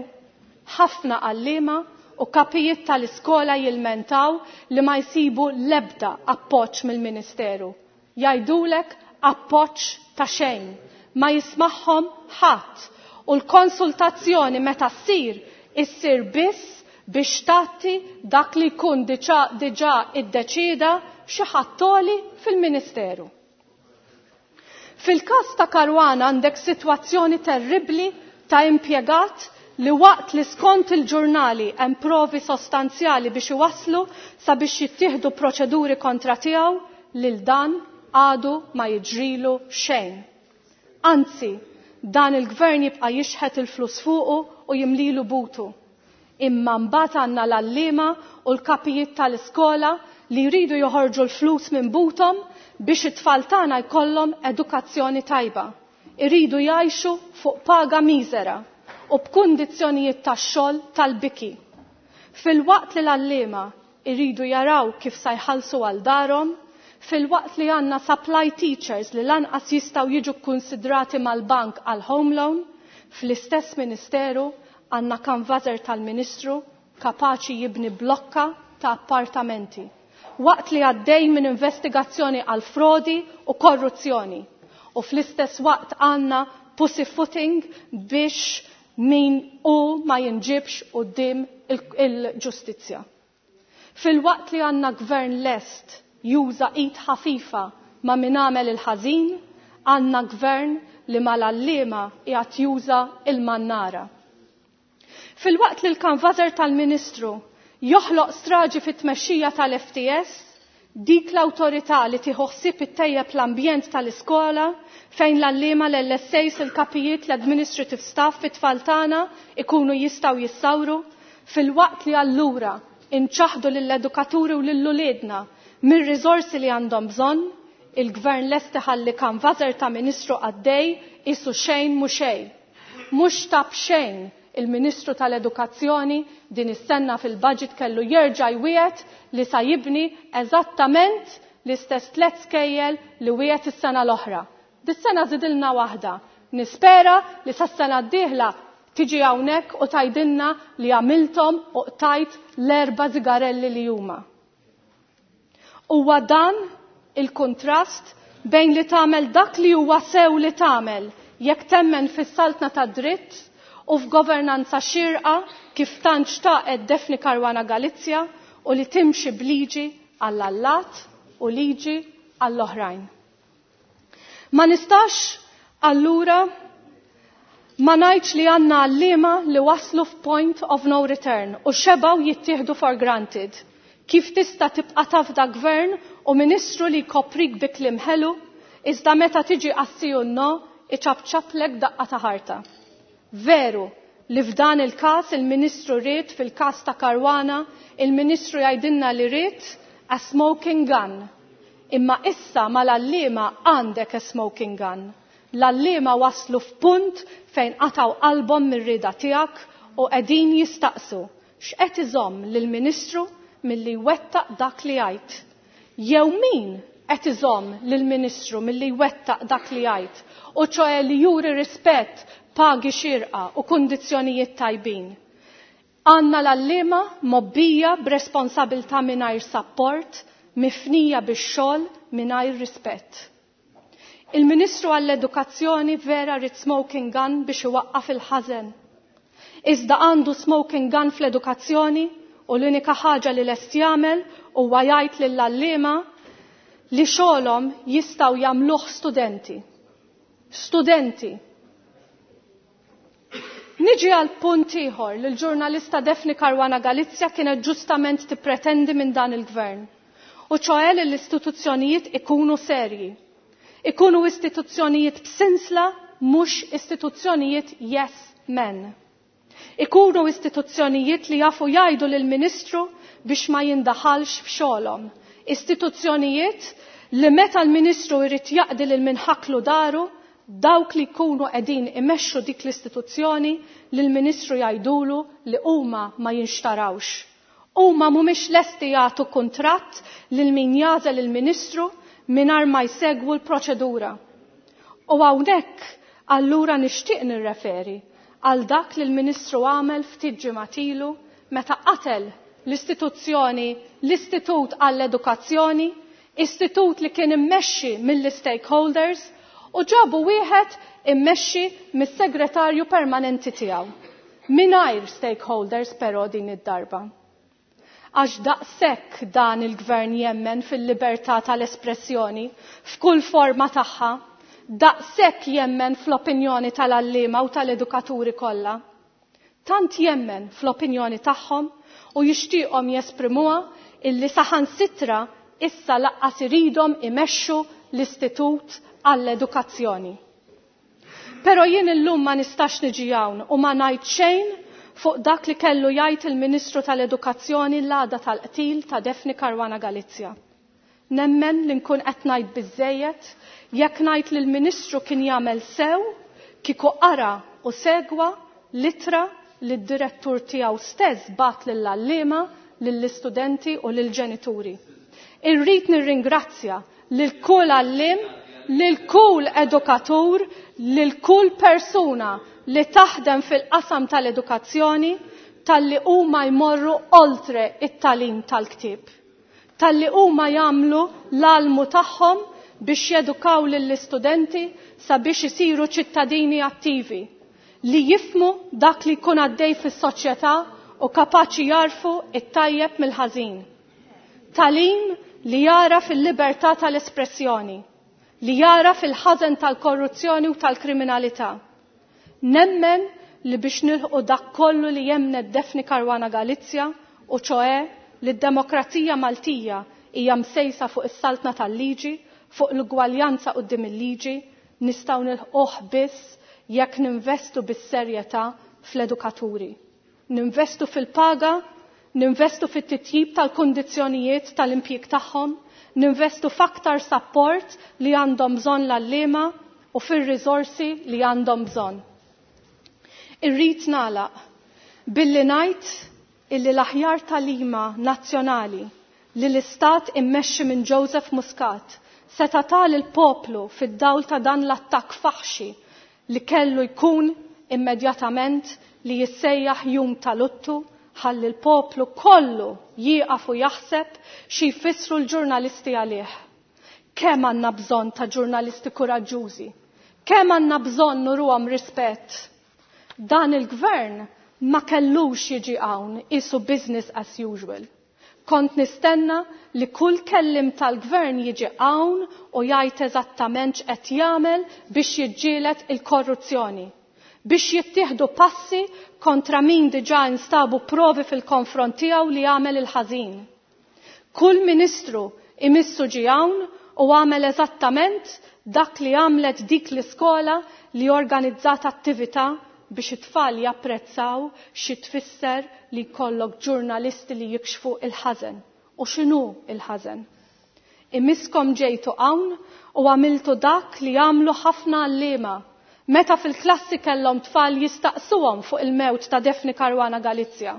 Ħafna għalliema u kapijiet tal-iskola jilmentaw li ma jsibu l-ebda appoġġ mill-Ministeru. Jgħidulek appoġġ ta' xejn, ma jismagħhom ħadd u l-konsultazzjoni meta ssir issir biss biex tagħti dak li jkun diġà diġà iddeċida xi ħadd fil-Ministeru. Fil-każ ta' Caruana għandek sitwazzjoni terribli ta' impjegat li waqt li skont il-ġurnali hemm provi sostanzjali biex iwaslu sabiex jittieħdu proċeduri kontra tiegħu, lil dan għadu ma jiġrilu xejn. Anzi, dan il-gvern jibqa' jixħet il-flus fuqu u jimlilu butu. Imma mbagħad għandna l-għalliema u l-kapijiet tal-iskola li jridu joħorġu l-flus minn butom biex it-tfal tagħna jkollhom edukazzjoni tajba. Iridu jgħixu fuq paga miżera u b'kundizzjonijiet tax-xogħol tal-biki. Filwaqt li l-għalliema iridu jaraw kif sa jħallsu għal darhom, filwaqt li għandna supply teachers li lanqas jistgħu jiġu konsidrati mal-bank għal home loan, fl-istess ministeru għandna kanvażer tal-Ministru kapaċi jibni blokka ta' appartamenti waqt li għaddej minn investigazzjoni għal frodi u korruzzjoni. U fl-istess waqt għandna pussyfooting biex min u ma jinġibx quddiem il-ġustizzja. Filwaqt li għandna gvern lest juża id ħafifa ma' min għamel il-ħażin, għandna gvern li mal-għalliema qiegħed juża il-mannara. Filwaqt li l-kanvażer tal-Ministru joħloq straġi fit-tmexxija tal-F T S, dik l-awtorità li tieħu ħsieb ittejjeb l-ambjent tal-iskola fejn l-għalliema, l-L S As, il-kapijiet, l-administrative staff, it-tfal tagħna ikunu jistgħu jissawru, filwaqt li allura inċaħdu lill-edukaturi u lil-uliedna mir-riżorsi li għandhom bżonn, il-gvern lest iħalli kanvażer ta' ministru għaddej qisu xejn mhu xejn. Mhux ta' b'xejn il-Ministru tal-Edukazzjoni din is-sena fil-budget kellu jerġa' jwiegħed li sa jibni eżattament l-istess tliet skejjel li wiegħed is-sena l-oħra. Dis-sena żidilna waħda. Nispera li sas-sena d-dieħla tiġi hawnhekk u tgħidilna li għamilthom u qtajt l-erba' zigarelli li huma. Huwa dan il-kontrast bejn li tagħmel dak li huwa sew li tagħmel jekk temmen fis-saltna tad-dritt u f'governanza xirqa kif tant xtaqet Daphne Caruana Galizia u li timxi b'liġi għall-allat u liġi għall-oħrajn. Ma nistax allura ma ngħidx li għandna għalliema li waslu f'point of no return u xebaw jittieħdu for granted. Kif tista' tibqa' tafda gvern u ministru li jkoprik bi kliem ħelu, iżda meta tiġi għas-sì u no, iċapċaplek daqqa ta' ħarta? Veru li f'dan il-każ il-Ministru ried, fil-każ ta' Caruana, il-Ministru jgħidilna li ried a smoking gun. Imma issa mal-għalliema għandek a smoking gun. L-għalliema waslu f'punt fejn qataw qalbhom mir-rieda tiegħek u qegħdin jistaqsu x'qed iżomm lill-Ministru milli jwettaq dak li jgħid. Jew min qed iżomm lill-Ministru milli jwettaq dak li jgħid, u ċoè li juri rispett, pagi xirqa u kundizzjonijiet tajbin. Għandna l-għalliema mgħobbija b'responsabilità mingħajr support, mifnija bix-xogħol mingħajr rispett. Il-Ministru għall-Edukazzjoni vera ried smoking gun biex iwaqqaf il-ħażen. Iżda għandu smoking gun fl-edukazzjoni u l-unika ħaġa li lest jagħmel huwa jgħid lill-għalliema li xogħolhom jistgħu jagħmluh studenti. Studenti. Niġi għal punt ieħor li l-ġurnalista Daphne Caruana Galizia kienet ġustament tippretendi minn dan il-gvern. U ċoè li l-istituzzjonijiet ikunu serji. Ikunu istituzzjonijiet b'sinsla, mhux istituzzjonijiet yes men. Ikunu istituzzjonijiet li jafu jgħidu lill-Ministru biex ma jindaħalx f'xogħolhom. Istituzzjonijiet li meta l-Ministru jrid jaqdi lil min ħaklu dahru, dawk li jkunu qegħdin imexxu dik l-istituzzjoni lill-Ministru jgħidulu li huma ma jinxtarawx. Huma mhumiex lesti jagħtu kuntratt lil min jagħżel il-Ministru mingħajr ma jsegwu l-proċedura. U hawnhekk allura nixtieq nirreferi għal dak li l-Ministru għamel ftit ġimgħat ilu meta qatel l-istituzzjoni, l-Istitut għall-Edukazzjoni, istitut li kien immexxi mill-stakeholders, u ġabu wieħed immexxi mis-segretarju permanenti tiegħu. Mingħajr stakeholders però din id-darba. Għax daqshekk dan il-gvern jemmen fil-libertà tal-espressjoni f'kull forma tagħha, daqshekk jemmen fl-opinjoni tal-għalliema u tal-edukaturi kollha. Tant jemmen fl-opinjoni tagħhom u jixtieqhom jesprimuha illi saħansitra issa lanqas iridhom imexxu l-Istitut għall-Edukazzjoni. Però jien illum ma nistax niġi hawn u ma ngħid xejn fuq dak li kellu jgħid il-Ministru tal-Edukazzjoni l-għada tal-qtil ta' Daphne Caruana Galizia. Nemmen li nkun qed ngħid biżejjed jekk ngħid li l-Ministru kien jagħmel sew kieku qara u segwa l-ittra li d-direttur tiegħu stess bagħat lill-għalliema, lill-istudenti u lill-ġenituri. Irrid nirringrazzja lil kull għalliem, lil kull edukatur, lil kull persuna li taħdem fil-qasam tal-edukazzjoni talli huma jmorru oltre it-tagħlim tal-ktieb. Talli huma jagħmlu l-almu tagħhom biex jedukaw lill-istudenti sabiex isiru ċittadini attivi li jifhmu dak li jkun għaddej fis-soċjetà u kapaċi jagħrfu it-tajjeb mill-ħażin. Tagħlim li jara fil-libertà tal-espressjoni, li jara fil-ħażen tal-korruzzjoni u tal-kriminalità. Nemmen li biex nilħqu dak kollu li jemnet Daphne Caruana Galizia, u ċoe li d-demokrazija Maltija hija msejsa fuq is-saltna tal-liġi, fuq l-ugwaljanza quddiem il-liġi, nistgħu nilħquh biss jekk ninvestu bis-serjetà fl-edukaturi. Ninvestu fil-paga, ninvestu fit-titjib tal-kundizzjonijiet tal-impjieg tagħhom, ninvestu f'aktar sapport li għandhom bżonn l-għalliema u fir-riżorsi li għandhom bżonn. Irrid nagħlaq billi ngħid illi l-aħjar tagħlima nazzjonali li l-Istat immexxi minn Joseph Muscat seta' tal il-poplu fid-dawl ta' dan l-attakk faħxi li kellu jkun immedjatament li jissejjaħ jum ta' luttu ħalli l-poplu kollu jieqaf u jaħseb xi jfissru l-ġurnalisti għalih. Kemm għandna bżonn ta' ġurnalisti kuraġġużi? Kemm għandna bżonn nuruhom rispett? Dan il-gvern ma kellux jiġi hawn isu business as usual. Kont nistenna li kull kellim tal-gvern jiġi hawn u jgħid eżattament x'qed jagħmel biex jiġġieled il-korruzzjoni, biex jittieħdu passi kontra min diġà instabu provi fil-konfront tiegħu li għamel il-ħażin. Kull ministru imissu ġie hawn u għamel eżattament dak li għamlet dik l-iskola li organizzat attività biex it-tfal japprezzaw xi tfisser li jkollok ġurnalisti li jikxfu il-ħażen u x'inhu il-ħażen. Imiskom ġejtu hawn u għamiltu dak li għamlu ħafna għalliema meta fil-klassi kellhom tfal jistaqsuhom fuq il-mewt ta' Daphne Caruana Galizia.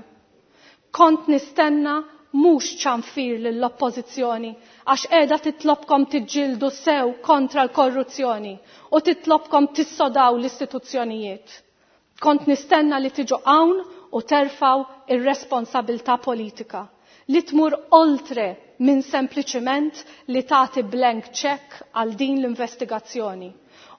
Kont nistenna mhux ċanfir lill-oppożizzjoni għax qiegħda titlobkom tiġġieldu sew kontra l-korruzzjoni u titlobkom tissodaw l-istituzzjonijiet. Kont nistenna li tiġu hawn u terfaw ir-responsabilità politika li tmur oltre minn sempliċiment li tagħti blank check għal din l-investigazzjoni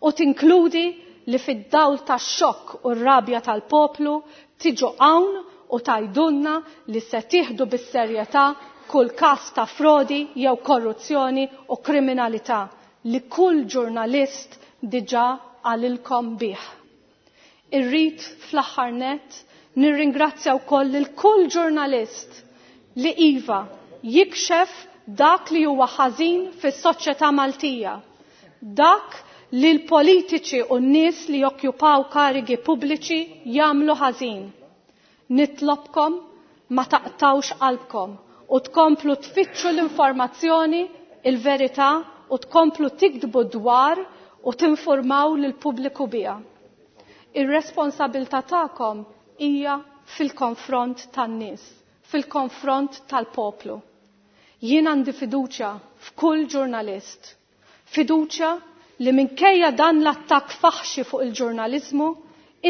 u tinkludi li fid-dawl tax-xokk u r-rabja tal-poplu tiġu hawn u tgħidulna li se tieħdu bis-serjetà kull każ ta' frodi jew korruzzjoni u kriminalità li kull ġurnalist diġà qalilkom bih. Irrid fl-aħħar nett nirringrazzja wkoll lil kull ġurnalist li iva jikxef dak li huwa ħażin fis-soċjetà Maltija, dak li l-politiċi u n-nies li jokkjupaw karigi pubbliċi jagħmlu ħażin. Nitlobkom ma taqtawx qalbkom u tkomplu tfittxu l-informazzjoni, il-verità u tkomplu tiktbu dwar u tinformaw lill-pubbliku biha. Ir-responsabilità tagħkom hija fil-konfront tan-nies, fil-konfront tal-poplu. Jien għandi fiduċja f'kull ġurnalist, fiduċja li minkejja dan l-attakk faħxi fuq il-ġurnaliżmu,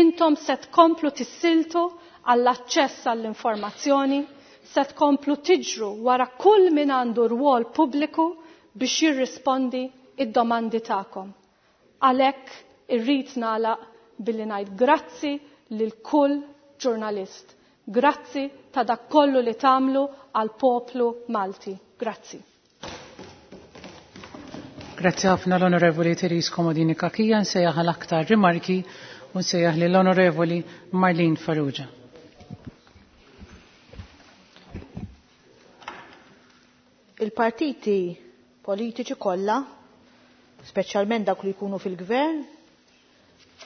intom se tkomplu tissiltu għall-aċċess għall-informazzjoni, se tkomplu tiġru wara kull min għandu rwol pubbliku biex jirrispondi id-domandi tagħkom. Għalhekk irrid nagħlaq billi ngħid grazzi lil kull ġurnalist. Grazzi ta' dak kollu li tagħmlu għal poplu Malti. Grazzi.
Grazzi ħafna l-Onorevoli Therese Comodini Cachia, nsejjaħ għal aktar rimarki u nsejjaħ lill-Onorevoli Marlene Farrugia.
Il-partiti politiċi kollha, speċjalment dawk li jkunu fil-gvern,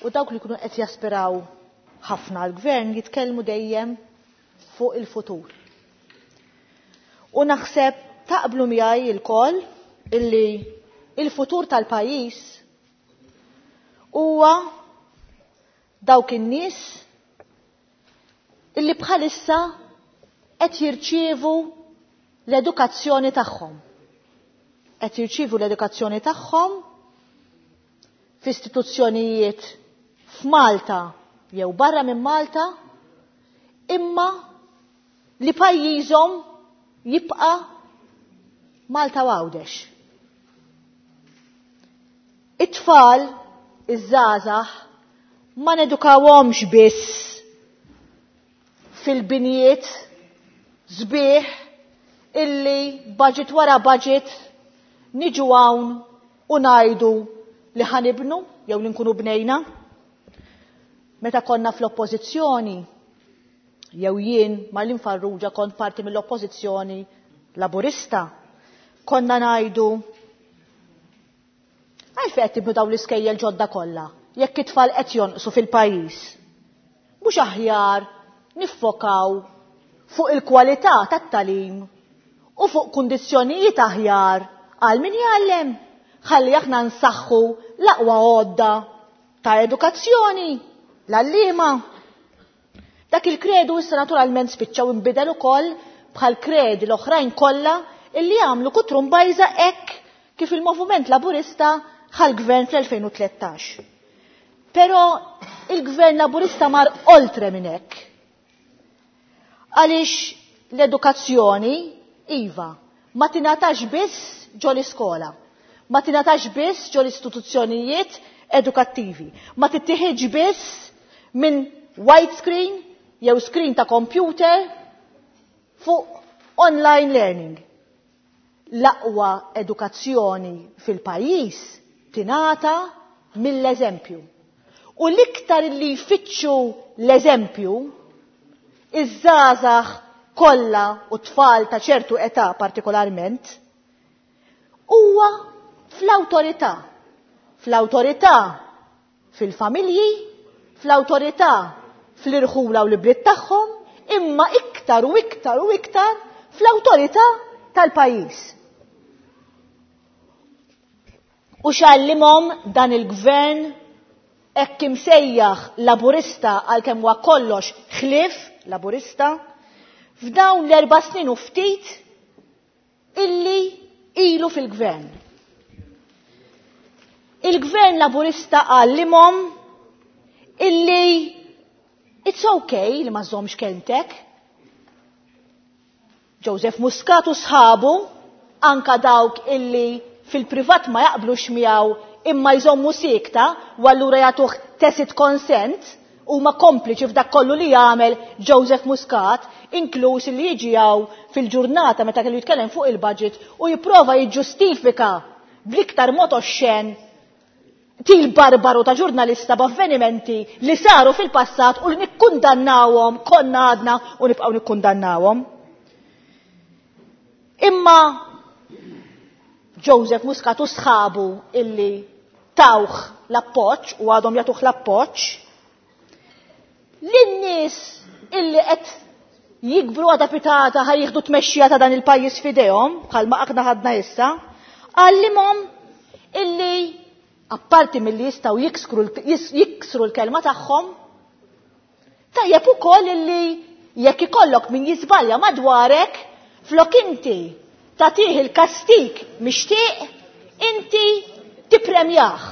u dawk li jkunu qed jaspiraw ħafna għall-gvern jitkellmu dejjem fuq il-futur. U naħseb taqblu miegħi lkoll illi il-futur tal-pajjiż huwa dawk in-nies illi bħalissa qed jirċievu l-edukazzjoni tagħhom. Qed jirċievu l-edukazzjoni tagħhom f'istituzzjonijiet f'Malta jew barra minn Malta, imma li pajjiżhom jibqa' Malta u Għawdex. It-tfal, iż-żgħażagħ, ma nedukawhomx biss fil-binjiet sbieħ illi budget wara budget niġu hawn u ngħidu li ħanibnu jew li nkunu bnejna. Meta konna fl-oppożizzjoni, jew jien Marlene Farrugia kont parti mill-oppożizzjoni Laburista, konna ngħidu għalfejn qed tibnu dawn l-iskejjel ġodda kollha jekk it-tfal qed jonqsu fil-pajjiż. Mhux aħjar niffokaw fuq il-kwalità tat-tagħlim u fuq kundizzjonijiet aħjar għal min jgħallem, ħalli aħna nsaħħu l-aqwa għodda ta' edukazzjoni, l-għalliema. Dak il-kredu issa naturalment spiċċaw inbidel ukoll bħal kredi l-oħrajn kollha illi għamlu kutrumbajża hekk kif il-Moviment Laburista ħal-gvern fl-elfejn u tlettax. Però il-Gvern Laburista mar oltre minn hekk. Għaliex l-edukazzjoni, iva, ma tingħatax biss ġo l-iskola, ma tingħatax biss ġo l-istituzzjonijiet edukattivi, ma tittieħedx biss minn white screen jew screen ta' computer fuq online learning. L-aqwa edukazzjoni fil-pajjiż tingħata mill-eżempju. U l-iktar li jfittxu l-eżempju, iż-żgħażagħ kollha u tfal ta' ċertu età partikolarment, huwa fl-awtorità. Fl-awtorità fil-familji, fl-awtorità fl-irħula u l-bliet tagħhom, imma iktar u iktar u iktar fl-awtorità tal-pajjiż. U x'għallimhom dan il-gvern hekk imsejjaħ Laburista għalkemm huwa kollox ħlief Laburista, f'dawn l-erba' snin u ftit illi ilu fil-gvern. Il-gvern Laburista għallimhom illi it's okay li ma żommx kelmtek. Joseph Muscat u sħabu, anka dawk illi fil-privat ma jaqblux miegħu imma jżommu sikta u allura jagħtuh tacit consent huma kompliċi f'dak kollu li jagħmel Joseph Muscat, inkluż li jiġi hawn fil-ġurnata meta kellu jitkellem fuq il-budget u jipprova jiġġustifika bl-iktar mod oxxen til barbaru ta' ġurnalista b'avvenimenti li saru fil-passat u li nikkundannawhom, konna għadna u nibqgħu nikkundannawhom. Imma Joseph Muscat u sħabu illi tawh l-appoġġ u għadhom jagħtuh l-appoġġ, lin-nies illi qed jikbru għada pitata ħaj jieħdu tmexxija ta' dan il-pajjiż f'idejhom, bħalma aħna ħadna issa, għallimhom illi apparti milli jistgħu jiksru l-, jiksru l-kelma tagħhom, tajjeb ukoll illi jekk ikollok min jiżbalja madwarek, flok inti tagħtih il-kastik mixtieq, inti tippremjah.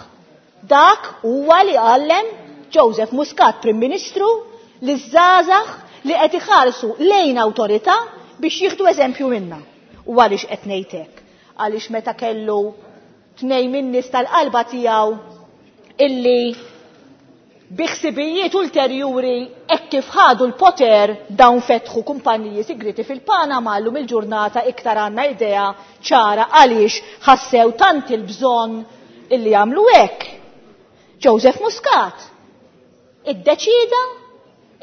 Dak huwa li għallem Joseph Muscat, Prim Ministru, li żgħażagħ li qed iħarsu lejn awtorità biex jieħdu eżempju minna. U għaliex qed ngħid hekk? Għaliex meta kellu tnejn min-nies tal-qalba tiegħu illi biħsibijiet ulterjuri hekk kif ħadu l-poter dawn fetħu kumpaniji sigriti fil-Panama, llum il-ġurnata iktar għandna idea ċara għaliex ħassew tant il-bżonn illi jagħmlu hekk. Joseph Muscat iddeċida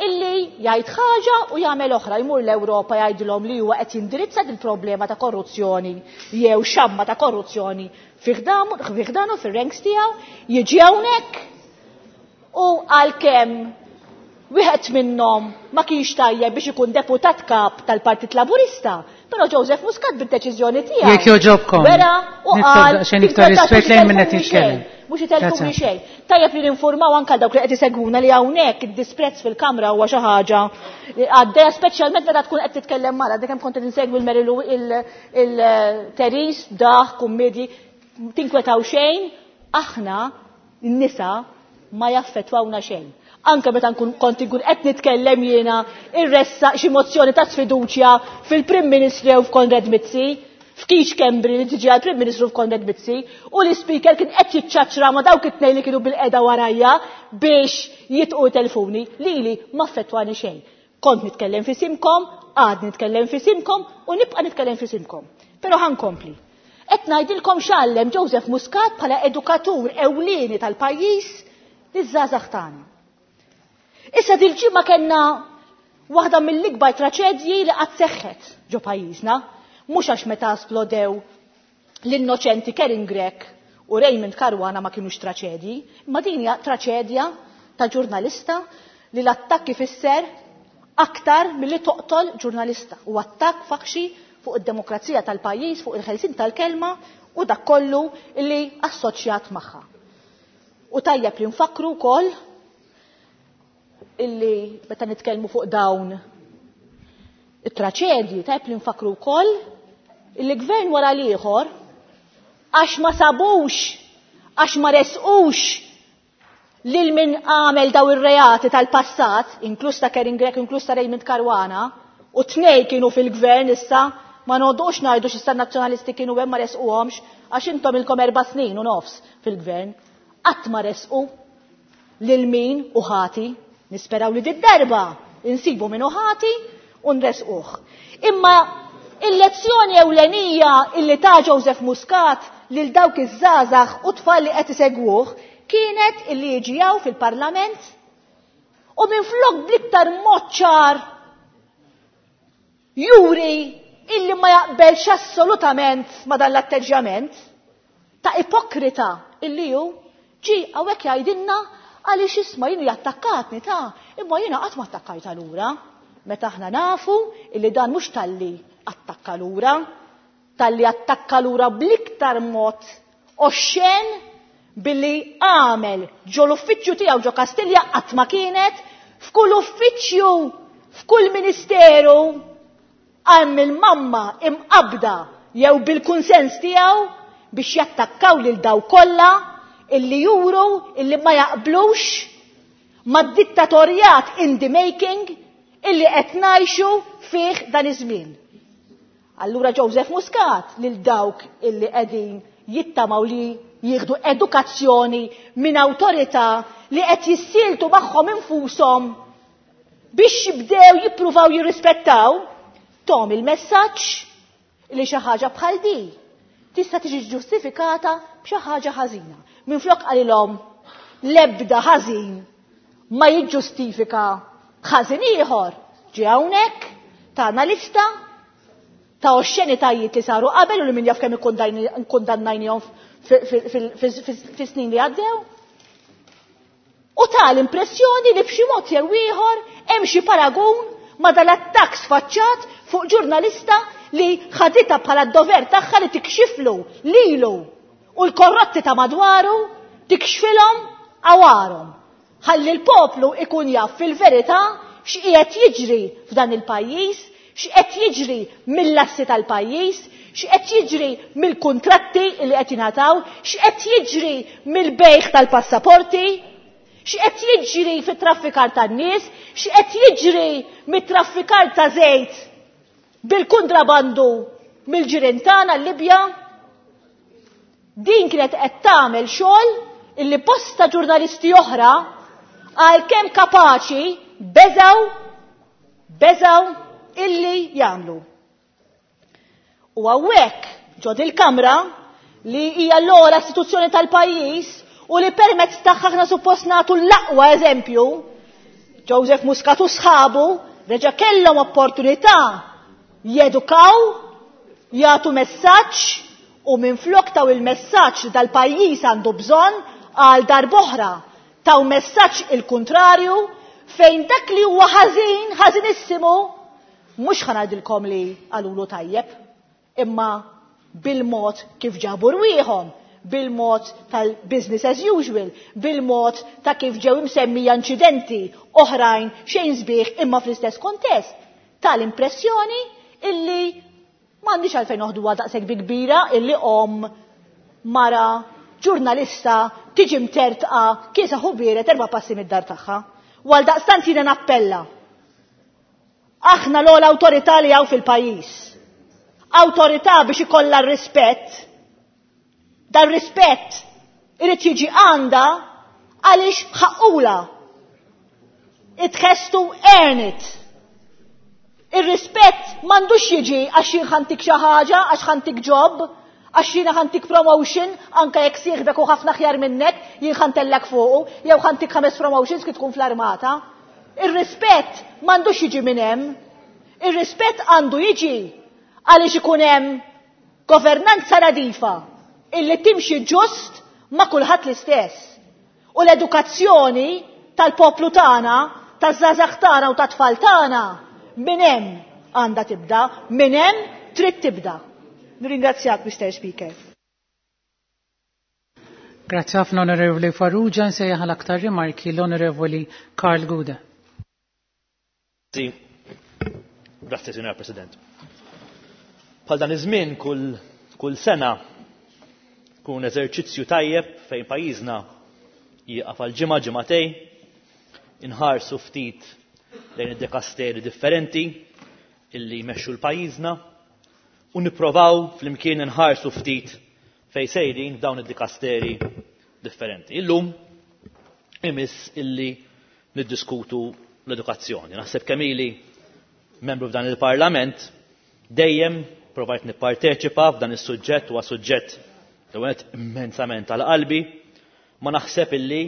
illi jgħid ħaġa u jagħmel oħra, jmur l-Ewropa jgħidilhom li huwa qed jindirizza din problema ta' korruzzjoni jew xamma ta' korruzzjoni fi ħdanu fir-ranks tiegħu, jiġi hawnhekk u għalkemm wieħed minnhom ma kienx tajjeb biex ikun deputat kap tal-Partit Laburista, però Joseph Muscat bid-deċiżjoni tiegħu.
Jekk jogħġobkom.
Wera u
Nitlob
qal
daqsxejn iktar
kif
rispett lejn min qed
mhux
jitkellem.
xejn. Mhux itelfuni
Grazie.
xejn. Tajjeb li ninformaw anke dawk li qed isegwuna li hawnhekk id-disprezz fil-kamra huwa xi ħaġa li għaddejja, speċjalment meta tkun qed titkellem mara, dik hemm kont qed insegwi l-Mary Lou, il-Teris, daħ, kummedji, tinkwetaw xejn, aħna n-nisa ma jaffettwawna xejn. Anke meta nkun kont inkun qed nitkellem jiena irressa xi mozzjoni ta' sfiduċja fil-Prim Ministru jew f'Konrad Mizzi, f'Keith Schembri li tiġi għall-Prim Ministru f'Konrad Mizzi, u l-Speaker kien qed jiċċaċċra ma' dawk it-tnejn li kienu bil-qeda warajja biex jitqu telefoni, lili ma affettwani xejn. Kont nitkellem fi simkom, għad nitkellem f'isimkom u nibqa' nitkellem f'isimkom. Però ħankompli. Qed ngħidilkom x'għallem Joseph Muscat bħala edukatur ewlieni tal-pajjiż liż-żgħażagħ tagħna. Issa dil-ġimgħa kellna waħda mill-ikbar traċedji li qatt seħħet ġo pajjiżna, mhux għax meta splodew l-innoċenti Karin Grech u Raymond Caruana ma kienux traċedji, imma din hija traċedja ta' ġurnalista li l-attakk ifisser aktar milli toqtol ġurnalista u attakk faħxi fuq id-demokrazija tal-pajjiż, fuq il-ħelsin tal-kelma u dak kollu li assoċjat magħha. U tajjeb li nfakru wkoll illi meta nitkellmu fuq dawn it-traċedji, tajjeb li nfakru wkoll illi gvern wara l-ieħor għax ma sabux, għax ma resqux lil min għamel daw ir-reati tal-passat, inkluż ta' Karin Grech, inkluż ta' Raymond Caruana, u tnej kienu fil-gvern issa, ma noqogħdux ngħidu x'issa nazzjonalisti kienu hemm ma resquhomx, għax intom ilkom erba' snin u nofs fil-gvern. Qatt ma resqu lil min u ħati, nisperaw li did-darba insibu min u ħati u nresquh. Imma il-lezzjoni ewlenija illi ta' Joseph Muscat lil dawk iż-żgħażagħ u tfal li qed isegwuh kienet illi jiġi hawn fil-Parlament u minflok bl-iktar mod ċar juri illi ma jaqbelx assolutament ma dan l-atteġġjament ta' ipokrita illi hu ġi hawnhekk jgħidilna għaliex isma' jien jattakkatni ta' imma jiena qatt ma attakkajta lura. Meta aħna nafu illi dan mhux talli attakka lura, talli attakka lura bl-iktar mod oxxen billi għamel ġo l-uffiċċju tiegħu ġo Kastilja qatt ma kienet, f'kull uffiċċju, f'kull ministeru għam il-mamma imqabda jew bil-kunsens tiegħu biex jattakkaw lil daw kollha illi juru illi ma jaqblux mad-dittatorjat in the making illi qed ngħixu fih dan iż-żmien. Allura Joseph Muscat lil dawk illi qegħdin jittamaw li jieħdu edukazzjoni minn awtorità li qed jissieltu magħhom infushom biex jibdew jippruvaw jirrispettaw, tom il-messaġġ li xi ħaġa bħal di tista' tiġi ġustifikata b'xi ħaġa ħażina. Minflok qalilhom l-ebda ħażin ma jiġġustifika ħażin ieħor. Ġie hawnhekk tagħna lista ta' oxxenitajiet li saru qabel u li min jaf kemm ikkundannajnihom fis-snin li għaddew. U ta' l-impressjoni li b'xi mod jew ieħor hemm xi paragun ma' dal-attakk sfaċċat fuq ġurnalista li ħaditha bħala d-dover tagħha li tikxiflu lilu u l-korrotti ta' madwaru tikxfilhom għawarhom. Ħalli l-poplu ikun jaf fil-verità x'qiegħed jiġri f'dan il-pajjiż, x'qed jiġri mill-assi tal-pajjiż, x'qed jiġri mill-kuntratti li qed jingħataw, x'qed jiġri mill-bejħ tal-passaporti, x'qed jiġri fit-traffikar tan-nies, x'qed jiġri mit-traffikar ta' żejt bil-kontrabandu mill-ġirien tagħna l-Libja. Din kienet qed tagħmel xogħol illi bosta ġurnalisti oħra għalkemm kapaċi beżaw beżaw illi jagħmlu. U hawnhekk ġod il-Kamra li hija l-ogħla istituzzjoni tal-pajjiż u li permezz tagħha aħna suppost nagħtu l-aqwa eżempju, Joseph Muscat u sħabu reġa' kellhom opportunità jedukaw, jagħtu messaġġ u minflok taw il-messaġġ li dal-pajjiż għandu bżonn għal darb'oħra taw messaġġ il-kontrarju fejn dak li huwa ħażin, ħażinissimu, mhux ħa ngħidilkom li qalulu tajjeb, imma bil-mod kif ġabu rwieħhom, bil-mod tal-business as usual, bil-mod ta' kif ġew imsemmija inċidenti oħrajn xejn sbieħ imma fl-istess kontest, tal-impressjoni illi m'għandix għalfejn noħduha daqshekk bi kbira illi om mara ġurnalista tiġi mtertqa kiesa ħubieret erba' passi mid-dar tagħha. U għal daqstant jiena nappella. Aħna l-ogħla awtorità li hawn fil-pajjiż. Awtorità biex ikollha r-rispett. Dan rispett irid jiġi għandha għaliex ħaqqula. It has to earn it. Ir-rispett m'għandux jiġi għax jien ħa ntik xi ħaġa, għax ħa ntik job, għax jiena ħa ntik promotion, anke jekk sieħbek u ħafna aħjar minnek, jien ħa ntellgħek fuqu, jew ħa ntik ħames promotions kif tkun fl-armata. Ir-rispett m'għandux jiġi minn hemm. Ir-rispett għandu jiġi għaliex ikun hemm governanza nadifa illi timxi ġust ma' kulħadd l-istess. U l-edukazzjoni tal-poplu tagħna, taż-żgħażagħ tagħna u tat-tfal tagħna minn hemm għandha tibda, minn hemm trid tibda. Nirringrazzjak, Mister Speaker.
Grazzi ħafna, Onorevoli Farrugia. Nsejjaħ għal aktar rimarki l-Onorevoli Karl Gouder.
Grazzi, Signor President. Bħal dan iż-żmien kull, kull sena kun eżerċizzju tajjeb fejn pajjiżna jieqaf għal ġimgħa ġimagħtejn, inħarsu ftit lejn id-dekasteri differenti illi jmexxu l-pajjiżna u nipprovaw flimkien inħarsu ftit fejn sejrin f'dawn id-dikasteri differenti. Illum imiss illi niddiskutu l-edukazzjoni. Naħseb kemm ili membru f'dan il-Parlament dejjem provajt nipparteċipa f'dan is-suġġett, huwa suġġett li għenet immensament għal qalbi, ma naħseb illi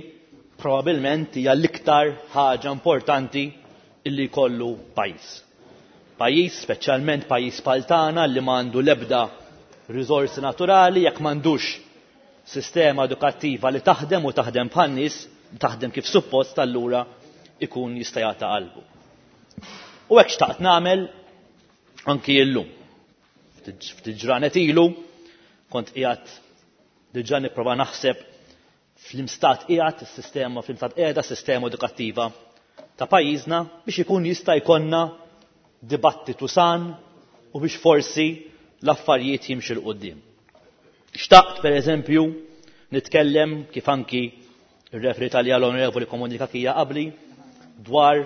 probabilment hija l-iktar ħaġa importanti illi jkollu pajjiż. Pajjiż, speċjalment pajjiż bħal tagħna li m'għandu l-ebda riżorsi naturali, jekk m'għandux sistema edukattiva li taħdem u taħdem bħan-nies, taħdem kif suppost, allura ikun jista' jagħta qalbu. U hekk xtaqt nagħmel anki llum. Ftit ġranet ilu kont qiegħed diġà nipprova naħseb fl-imstat qiegħed is-sistema, fl-imstat qiegħda s-sistema edukattiva ta' pajjiżna biex ikun jista' jkollna dibattitu san u biex forsi l-affarijiet jimxu 'l quddiem. Xtaqt pereżempju nitkellem kif anki ir-referi tal l-Onorevoli Komunika Kija qabli dwar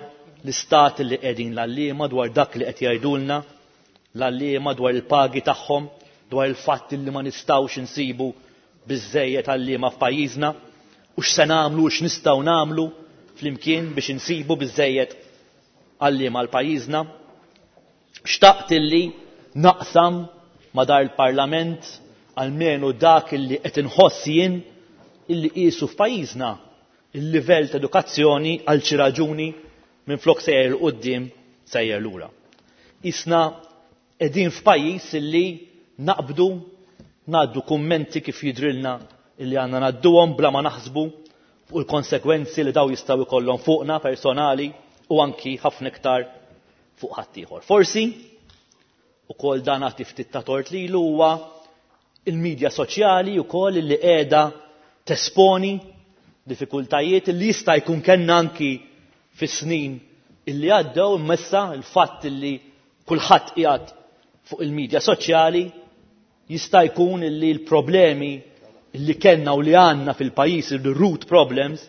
l-istat li qegħdin l-għalliema, dwar dak li qed jgħidulna l-għalliema, dwar il-pagi tagħhom, dwar il-fatt li ma nistgħux insibu biżżejjed għalliema f'pajjiżna u x'se nagħmlu u x'nistgħu nagħmlu flimkien biex insibu biżżejjed għalliema għal pajjiżna. Xtaqt illi naqsam ma dar il-Parlament almenu dak illi qed inħoss jien illi qisu f'pajjiżna il-livell ta' edukazzjoni għal xi raġuni minflok sejjer 'il quddiem sejjer lura. Isna qegħdin f'pajjiż illi naqbdu ngħaddu kummenti kif jidrilna illi għandna ngħadduhom bla ma naħsbu fuq il-konsekwenzi li daw jistgħu jkollhom fuqna personali u anki ħafna iktar fuq ħaddieħor. Forsi ukoll dan għati ftit ta' tort lilu huwa il-medja soċjali wkoll illi qiegħda tesponi diffikultajiet illi jista' jkun kellna anki fis-snin illi għaddew, imma issa il-fatt illi kulħadd qiegħed fuq il-medja soċjali jista' jkun illi l-problemi illi kellna u li għandna fil-pajjiż, il-root problems,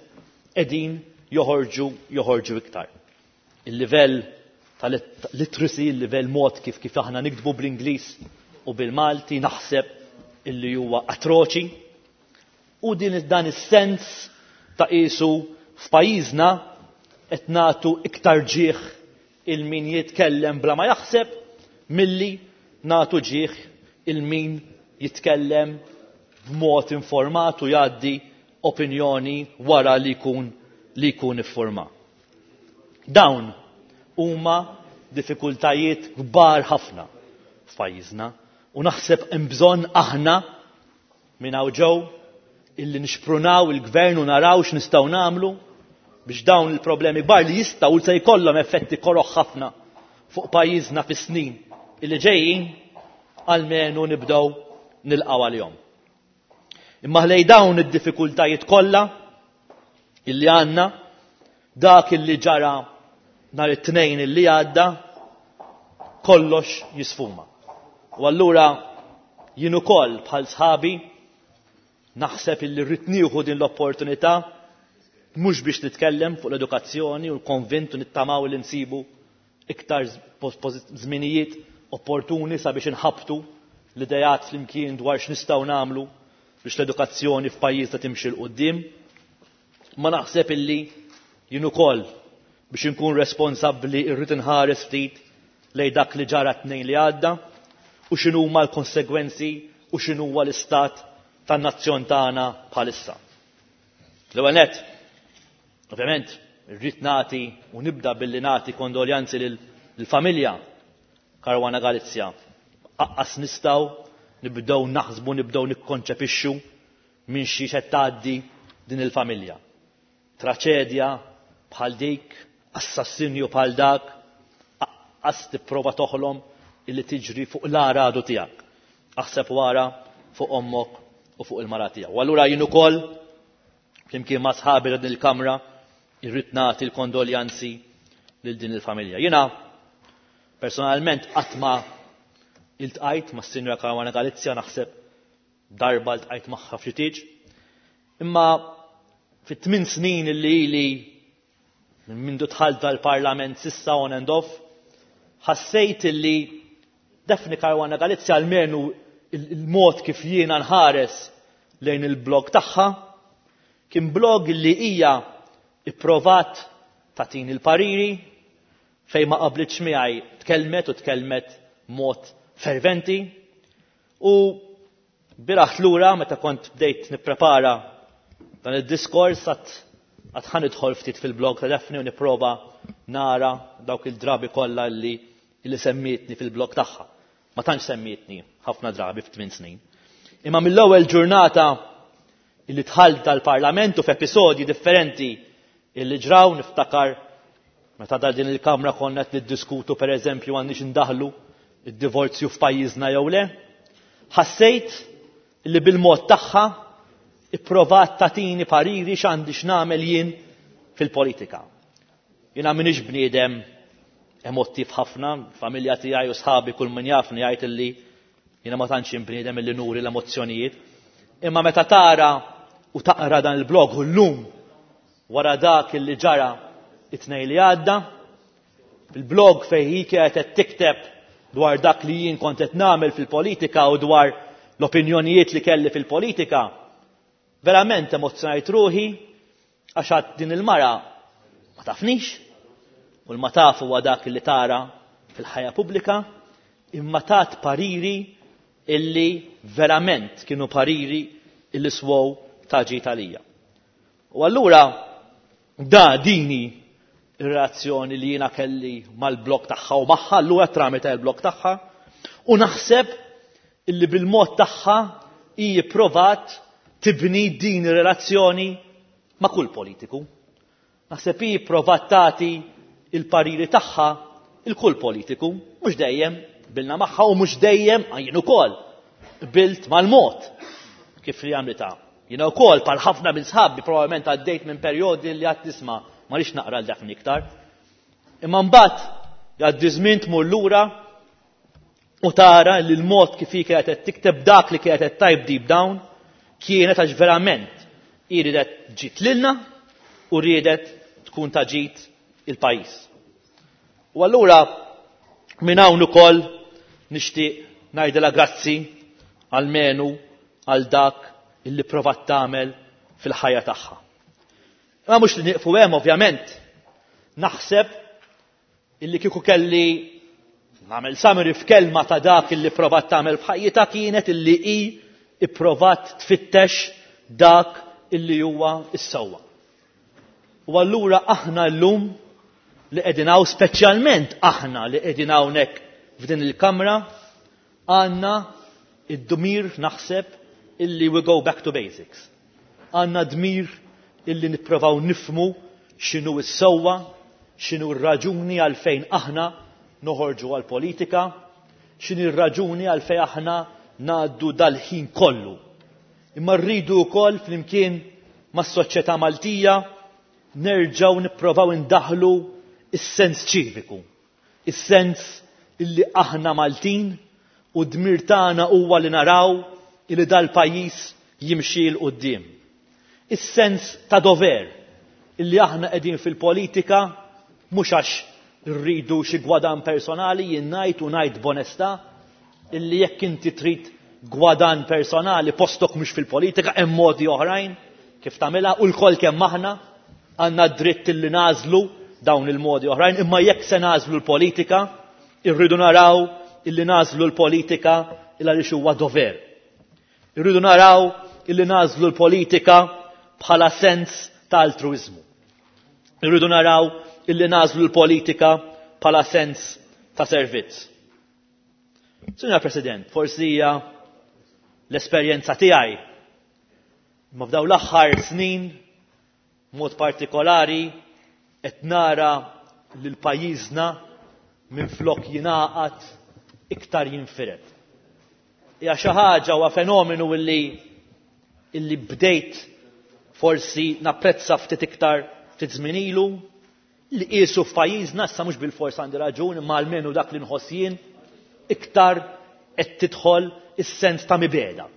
qegħdin joħorġu, joħorġu iktar. Il-livell tal-literacy, il-livell mod kif, kif aħna niktbu bl-Ingliż u bil-Malti naħseb illi huwa atroċi, u din dan is-sens ta' qisu f'pajjiżna qed nagħtu iktar ġieħ il-min jitkellem bla ma jaħseb milli nagħtu ġieħ il-min jitkellem b'mod informat u jgħaddi opinjoni wara li jkun li jkun iffurmat. Dawn huma diffikultajiet kbar ħafna f'pajjiżna u naħseb hemm bżonn aħna minn hawn ġew illi nixprunaw il-gvern u naraw x'nistgħu nagħmlu biex dawn il-problemi kbar li jistgħu se jkollhom effetti koroħ ħafna fuq pajjiżna fis-snin illi ġejjin almenu nibdew nilqgħu għalihom. Imma ħlej dawn id-diffikultajiet kollha illi għandna, dak illi ġara nhar it-tnejn illi għadda, kollox jisfuma. U allura jien ukoll bħal sħabi naħseb illi rrid nieħu din l-opportunità mhux biex nitkellem fuq l-edukazzjoni u l-konvint u nittamaw li nsibu iktar żminijiet opportuni sabiex inħabtu l-idejat flimkien dwar x'nistgħu nagħmlu biex l-edukazzjoni f'pajjiżna timxi 'l quddiem. Ma naħseb illi jien ukoll biex inkun responsabbli rrid inħares ftit lejn dak li ġara t-Tnejn li għadda u x'inhuma l-konsegwenzi u x'inhuwa l-istat tan-nazzjon tagħna bħalissa. L-ewwel nett, ovvjament, irrid nagħti u nibda billi nagħti kondoljanzi lill-familja Caruana Galizia. Aqqas nistgħu nibdew naħsbu, nibdew nikkonċepixxu minn xi qed tgħaddi din il-familja. Traċedja bħal dik, assassinju bħal dak, aqqas tipprova toħlom illi tiġri fuq l-aradu tiegħek. Aħseb wara fuq ommok u fuq il-mara tiegħek. U allura jien ukoll flimkien ma' sħabi din il-kamra irrid nagħti l-kondoljanzi lil din il-familja. Jiena personalment qatt ma iltqajt ma' Sinjora Caruana Galizia, naħseb darba ltqajt magħha f'xi tieġ. Imma fit-tmien snin illi ili minn mindu dħalt dal-Parlament s'issa on and off, ħassejt illi Daphne Caruana Galizia, almenu il-mod kif jiena nħares lejn il-blog tagħha, kien blog li hija ipprovat tagħtini il-pariri fejn ma qablitx miegħi, tkellmet u tkellmet mod ferventi. U bieraħ lura meta kont bdejt nipprepara dan id-diskors għat għat ħa nidħol ftit fil-blog ta' Daphne u nipprova nara dawk il-drabi kollha li li semmietni fil-blog tagħha. Ma tantx semmietni ħafna drabi f'tmien snin. Imma mill-ewwel ġurnata illi dħalt dal-Parlament u f'episodji differenti illi ġraw, niftakar meta dal din il-kamra konna qed niddiskutu pereżempju għandniex indaħlu id-divorzju f'pajjiżna jew le, ħassejt li bil-mod tagħha ipprovat tagħtini pariri x'għandi x'nagħmel jien fil-politika. Jiena m'iniex bniedem emottiv ħafna, familja tiegħi u sħabi kull min jafni jgħid illi jiena ma tantx bniedem illi nuri l-emozzjonijiet. Imma meta tara u taqra dan il-blog u llum wara dak illi ġara it-Tnejn li għadda, il-blog fejn hi kienet qed tikteb dwar dak li jien kont qed nagħmel fil-politika u dwar l-opinjonijiet li kelli fil-politika, verament emozzjonajt ruħi għax għad din il-mara ma tafnix, u l-ma taf huwa dak li tara fil-ħajja pubblika, imma tat pariri illi verament kienu pariri illi swow ta' ġid għalija. U allura da dini ir-reazzjoni li jiena kelli mal-blog tagħha u magħha, allura tramite il-blog tagħha, u naħseb illi bil-mod tagħha hi provat tibni din ir-relazzjoni ma' kull politiku. Naħseb hi provat tagħti il-pariri tagħha il kull politiku, mhux dejjem qbilna magħha u mhux dejjem jien ukoll qbilt mal-mod kif li għamlitha. Jiena wkoll bħal ħafna minn sħabi probabbilment għaddejt minn perjodi li għad nisma' ma rridx naqra l Daphne iktar. Imma mbagħad jgħaddi żmien tmur lura u tara li l-mod kif hi kienet qed tikteb dak li kienet qed tgħid deep down kienet għax verament hi riedet ġid lilna u riedet tkun ta' ġid il-pajjiż. U allura minn hawn ukoll nixtieq ngħidilha grazzi almenu għal dak illi provat tagħmel fil-ħajja tagħha. Imma mhux li nieqfu hemm, ovvjament. Naħseb illi kieku kelli nagħmel summary f'kelma ta' dak illi provat tagħmel f'ħajjitha kienet illi hi ipprovat tfittex dak illi huwa s-sewwa. U allura aħna llum li qegħdin hawn, speċjalment aħna li qegħdin hawnhekk f'din il-kamra, għandna id-dmir, naħseb, illi we go back to basics. Għandna dmir illi nipprovaw nifhmu x'inhu s-sewwa, x'inhu r-raġuni għalfejn aħna noħorġu għal-politika, x'inhi r-raġuni għalfejn aħna ngħaddu dal-ħin kollu. Imma rridu wkoll flimkien mas-soċjetà Maltija nerġgħu nipprovaw indaħlu is-sens ċiviku, is-sens illi aħna Maltin u dmir tagħna huwa li naraw illi dal-pajjiż jimxi 'l quddiem. Is-sens ta' dover illi aħna qegħdin fil-politika mhux għax rridu xi gwadan personali. Jien ngħid u ngħid b'onestà illi jekk inti trid gwadan personali, postok mhux fil-politika, hemm modi oħrajn kif tagħmilha u lkoll kemm aħna għandna dritt illi nagħżlu dawn il-modi oħrajn, imma jekk se nagħżlu l-politika, Irridu naraw illi nagħżlu l-politika il għaliex huwa dover. Irridu naraw illi nagħżlu l-politika bħala sens ta' altruiżmu. Irridu naraw illi nagħżlu l-politika bħala sens ta' servizz. Signor President, forsi hija l-esperjenza tiegħi imma f'dawn l-aħħar snin mod partikolari qed nara lil pajjiżna minflok jingħaqad iktar jinfired. Hija xi ħaġa huwa fenomenu illi illi bdejt forsi napprezza ftit iktar ftit żmien ilu li qisu f'pajjiżna issa mhux bilfors għandi raġun imma almenu dak li nħoss jien iktar qed tidħol is-sens ta' mibegħda.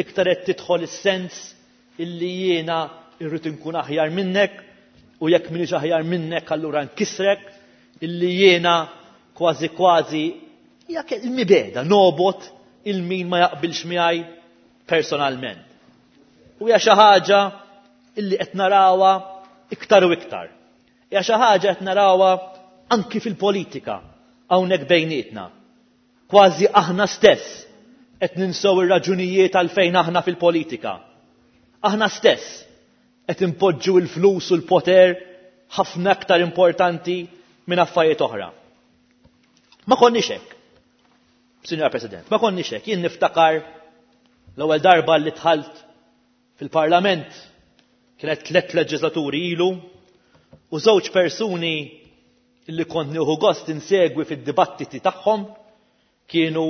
Iktar qed tidħol is-sens illi jiena irrid inkun aħjar minnek u jekk m'iniex aħjar minnek allura nkissrek, illi jiena kważi kważi jekk il-mibegħda nobgħod lil min ma jaqbilx miegħi personalment. U hija xi ħaġa illi qed narawha iktar u iktar. Hija xi ħaġa qed narawha anki fil-politika hawnhekk bejnietna. Kważi aħna stess qed ninsew ir-raġunijiet għalfejn aħna fil-politika. Aħna stess qed impoġġu l-flus u l-poter ħafna aktar importanti minn affarijiet oħra. Ma konniex hekk. Signor President, ma konniex hekk. Jien niftakar l-ewwel darba li dħalt fil-Parlament kienet tliet leġislaturi ilu u żewġ persuni li kont nieħu gost insegwi fid-dibattiti tagħhom kienu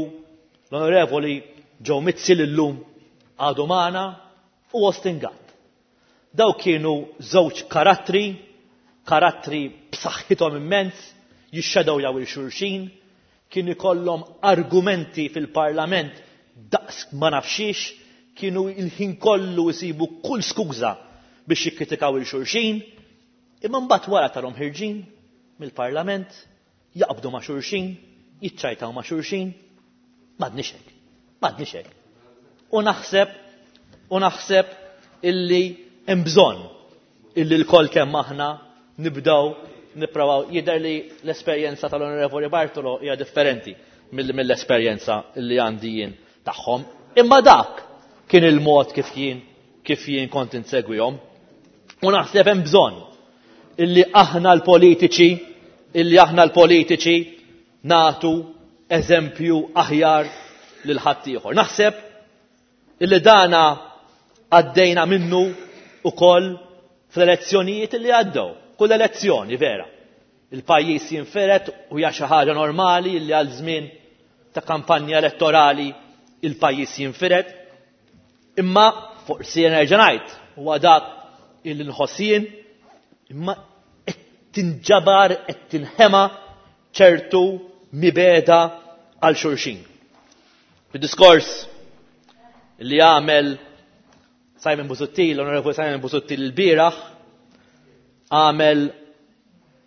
l-Onorevoli Joe Mizzi l-lum għadu magħna u Austin Gatt. Daw kienu żewġ karattri, karattri b'saħħithom immens, jixxedawjaw lil xulxin, kienu jkollhom argumenti fil-Parlament daqs ma nafxiex, kienu il-ħin kollu jsibu kull skuża biex jikkritikaw lil xulxin, imma mbagħad wara tarahom ħerġin mill-Parlament, jaqbdu ma' xulxin, jiċċajtaw ma' xulxin, m'għadniex hekk, m'għadniex hekk. U naħseb, u naħseb illi hemm bżonn illi lkoll kemm aħna nibdew nipprovaw. Jidher li l-esperjenza tal-Onorevoli Bartolo hija differenti mill-esperjenza li għandi jien tagħhom. Imma dak kien il-mod kif jien kif jien kont insegwihom. U naħseb hemm bżonn illi aħna l-politiċi illi aħna l-politiċi nagħtu eżempju aħjar lil ħaddieħor. Naħseb illi dana għaddejna minnu ukoll fl-elezzjonijiet illi għaddew. Kull elezzjoni vera. Il-pajjiż jinfired u hija xi ħaġa normali illi għal żmien ta' kampanja elettorali il-pajjiż jinfired. Imma forsi nerġa' ngħid huwa dak illi nħoss jien, imma qed tinġabar qed tinħema ċertu mibegħda għal xulxin. Fid-diskors li għamel Simon Busuttil, l-Onorevoli Simon Busuttil il-bieraħ, għamel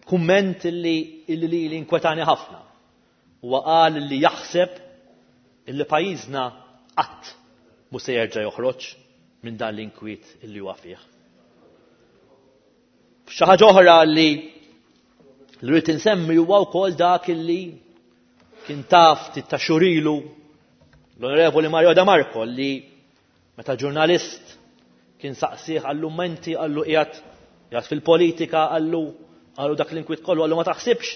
kumment illi illi li li inkwetani ħafna. Huwa qal li jaħseb illi pajjiżna qatt mhu se jerġa' joħroġ minn dan l-inkwiet illi huwa fih. Xi ħaġa oħra li li rrid insemmi huwa wkoll dak illi kien taf ftit ta' xhur ilu l-Onorevoli Mario De Marco li meta ġurnalist kien saqsih qallu menti qallu qiegħed qiegħed fil-politika qallu qallu dak l-inkwiet kollu qallu ma taħsibx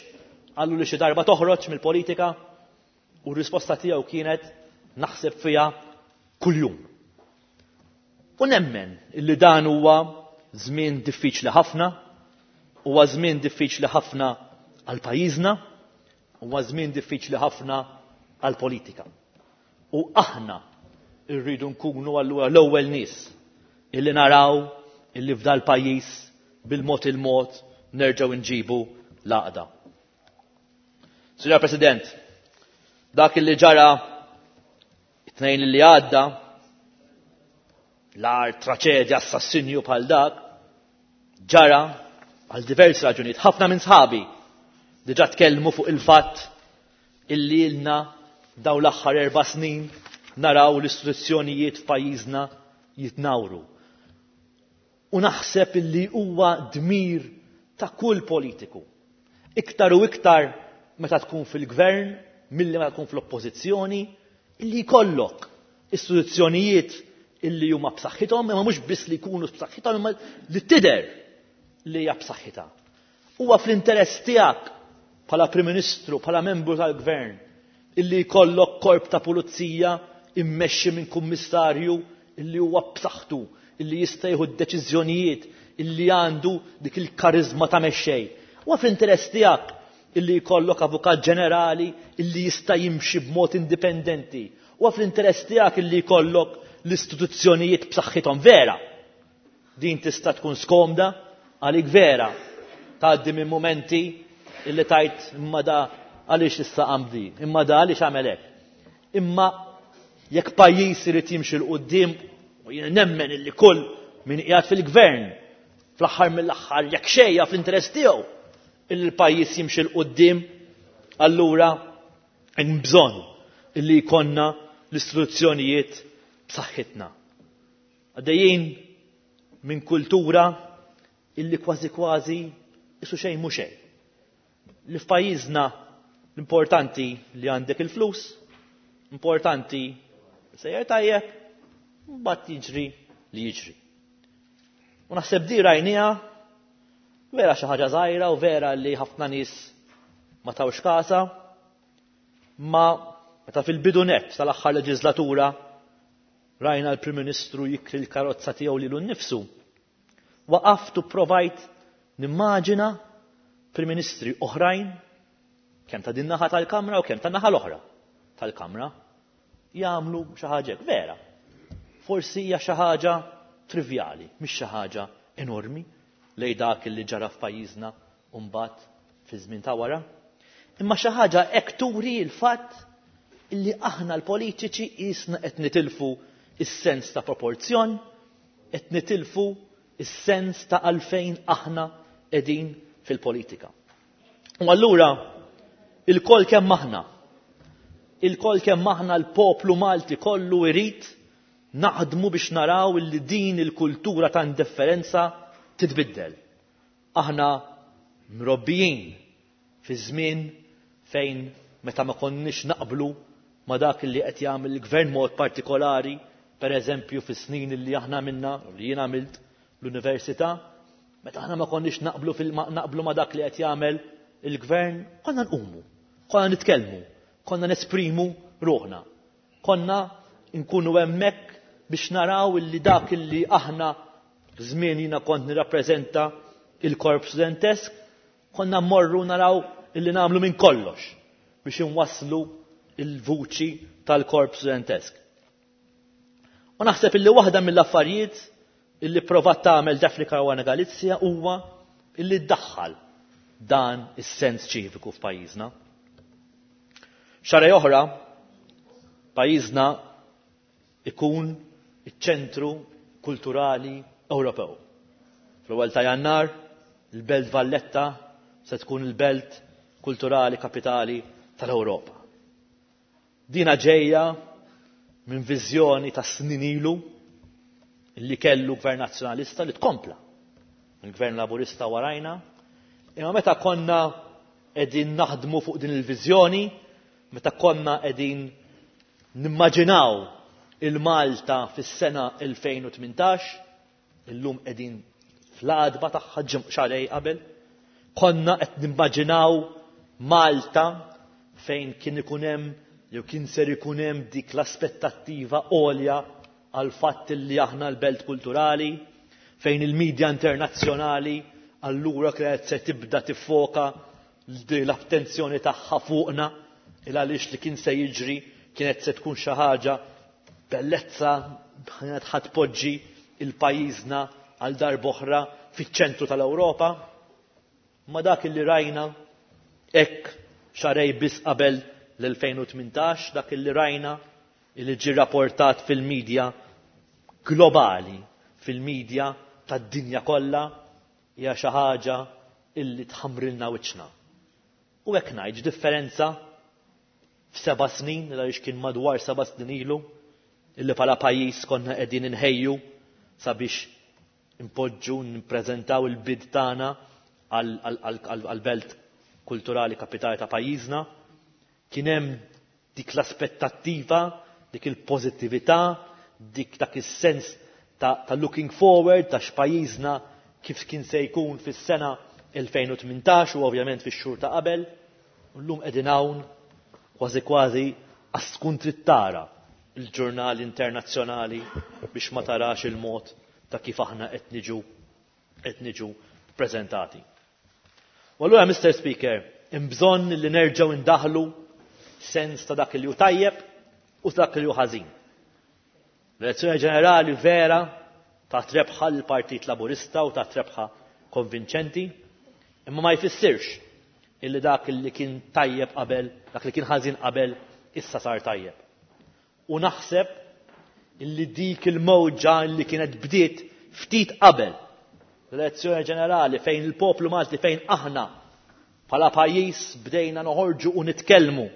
qallu li xi darba toħroġ mill-politika u r-risposta tiegħu kienet naħseb fiha kuljum. U nemmen illi dan huwa żmien diffiċli ħafna, huwa żmien diffiċli ħafna għal pajjiżna, huwa żmien diffiċli ħafna għal politika. U aħna rridu nkunu allura l-ewwel nies illi naraw illi f'dal pajjiż bil-mod il-mod nerġgħu nġibu l-għaqda. Signor President, dak illi ġara it-tnejn li għadda, l-agħar traċedja assassinju bħal dak, ġara għal diversi raġunijiet. Ħafna minn sħabi diġà tkellmu fuq il-fatt illi ilna daw l-aħħar erba' snin naraw l-istituzzjonijiet f'pajjiżna jitnawru. U naħseb illi huwa dmir ta' kull politiku. Iktar u iktar meta tkun fil-gvern milli meta tkun fl-oppożizzjoni illi jkollok istituzzjonijiet illi huma b'saħħithom, imma mhux biss li jkunu b'saħħithom, imma li tidher li hija b'saħħitha. Huwa fl-interess tiegħek bħala Prim Ministru, bħala membru tal-Gvern, illi jkollok korp ta' pulizija immexxi minn kummissarju illi huwa b'saħħtu, illi jista' jieħu d-deċiżjonijiet, illi għandu dik il-karizma ta' mexxej. Huwa fl-interess tiegħek illi jkollok avukat ġenerali illi jista' jimxi b'mod indipendenti. Huwa fl-interess tiegħek illi jkollok l-istituzzjonijiet b'saħħithom vera. Din tista' tkun skomda għalik vera. Tgħaddi minn mumenti illi tajt imma da għaliex issa għamdi, imma da għaliex għamel hekk. Imma jekk pajjiż irid jimxi 'l quddiem, u jien nemmen illi kull min qiegħed fil-gvern fl-aħħar mill-aħħar jekk xejja fl-interess tiegħu illi l-pajjiż jimxi 'l quddiem, allura hemm bżonn illi jkollna l-istituzzjonijiet b'saħħitna. Għaddejjin minn kultura illi kważi kważi isu xejn mhu xejn. Li f'pajjiżna l-importanti li għandek il-flus, importanti sejjer tajjeb, mbagħad jiġri li jiġri. U naħseb di rajniha vera xi ħaġa żgħira u vera li ħafna nies ma tawx kasa, ma meta fil-bidu nett tal-aħħar leġislatura rajna l-Prim Ministru jikri l-karozza tiegħu lilu nnifsu. Waqaft u provajt nimmaġina Prim Ministri oħrajn, kemm ta' din naħa tal-Kamra u kemm ta' naħa l-oħra tal-Kamra, jagħmlu xi ħaġa vera. Forsi hija xi ħaġa trivjali, mhix xi ħaġa enormi lej dak li ġara f'pajjiżna u mbagħad fi żmien ta' wara. Imma xi ħaġa hekk turi l-fatt illi aħna l-politiċi qisna qed nitilfu is-sens ta' proporzjon, qed nitilfu is-sens ta' għalfejn aħna qegħdin fil-politika. U allura il-koll kemm aħna, il-koll kemm aħna l-poplu Malti kollu irid naħdmu biex naraw illi din il-kultura ta' indifferenza titbiddel. Aħna mrobbijin fi żmien fejn meta ma konniex naqblu ma dak li qed jagħmel il-gvern mod partikolari, per eżempju fis-snin li aħna minna, li jien għamilt l-università, meta aħna ma konniex naqblu fil naqblu ma dak li qed jagħmel il-gvern, konna nqumu, konna nitkellmu, konna nesprimu ruħna, konna nkunu hemmhekk biex naraw illi dak illi aħna żmien jiena kont nirrappreżenta il-korp studentesk, konna mmorru naraw illi nagħmlu minn kollox biex inwasslu il-vuċi tal-korp studentesk. U naħseb illi waħda mill-affarijiet illi provat tagħmel Daphne Caruana Galizia huwa illi ddaħħal dan is-sens ċiviku f'pajjiżna. Xahar oħra, pajjiżna ikun iċ-ċentru kulturali Ewropew. Fl-ewwel ta' Jannar, il-Belt Valletta se tkun il-belt kulturali kapitali tal-Ewropa. Dina ġejja minn viżjoni ta' snin ilu li kellu gvern nazzjonalista li tkompla. Il-gvern laburista warajna. Imma meta konna qegħdin naħdmu fuq din il-viżjoni, meta konna qegħdin nimmaġinaw il-Malta fis-sena elfejn u tmintax, illum qegħdin fl-għadba tagħha xahrejn qabel, konna qed nimmaġinaw Malta fejn kien ikun hemm jew kien ser ikun hemm dik l-aspettattiva għolja għal fatt li aħna l-belt kulturali, fejn il-medja internazzjonali allura kienet se tibda tiffoka l-attenzjoni tagħha fuqna, il għaliex li kien se jiġri kienet se tkun xi ħaġa bellezza kienet ħadd poġġi il-pajjiżna għal darb'oħra fiċ-ċentru tal-Ewropa. Ma dak li rajna hekk xarej biss qabel l-elfejn u tmintax, dak li rajna li ġie rapportat fil-medja globali, fil-medja tad-dinja kollha, hija xi ħaġa illi tħamrilna wiċċna. U hekk ngħid differenza f'seba' snin, għaliex kien madwar seba' snin ilu, illi bħala pajjiż konna qegħdin inħejju sabiex impoġġu nippreżentaw il-bid tagħna għal-belt kulturali kapitali ta' pajjiżna, kien hemm dik l-aspettattiva, dik il-pożittività, dik dak is-sens ta', ta' looking forward ta' x'pajjiżna kif kien se jkun fis-sena elfejn u tmintax u ovvjament fix-xhur ta' qabel. U llum qegħdin hawn kważi kważi għas tkun trid tara il-ġurnali internazzjonali biex ma tarax il-mod ta' kif aħna qed niġu qed niġu preżentati. U allura, Mister Speaker, hemm bżonn li nerġgħu ndaħlu sens ta' dak li hu tajjeb u dak li hu ħażin. L-elezzjoni ġenerali vera ta' trebħa l-Partit Laburista u ta' trebħa konvinċenti, imma ma jfissirx illi dak li kien tajjeb qabel, dak li kien ħażin qabel, issa sar tajjeb. U naħseb illi dik il-mowġa li kienet bdiet ftit qabel l-elezzjoni ġenerali fejn il-poplu Malti, fejn aħna bħala pajjiż bdejna noħorġu u nitkellmu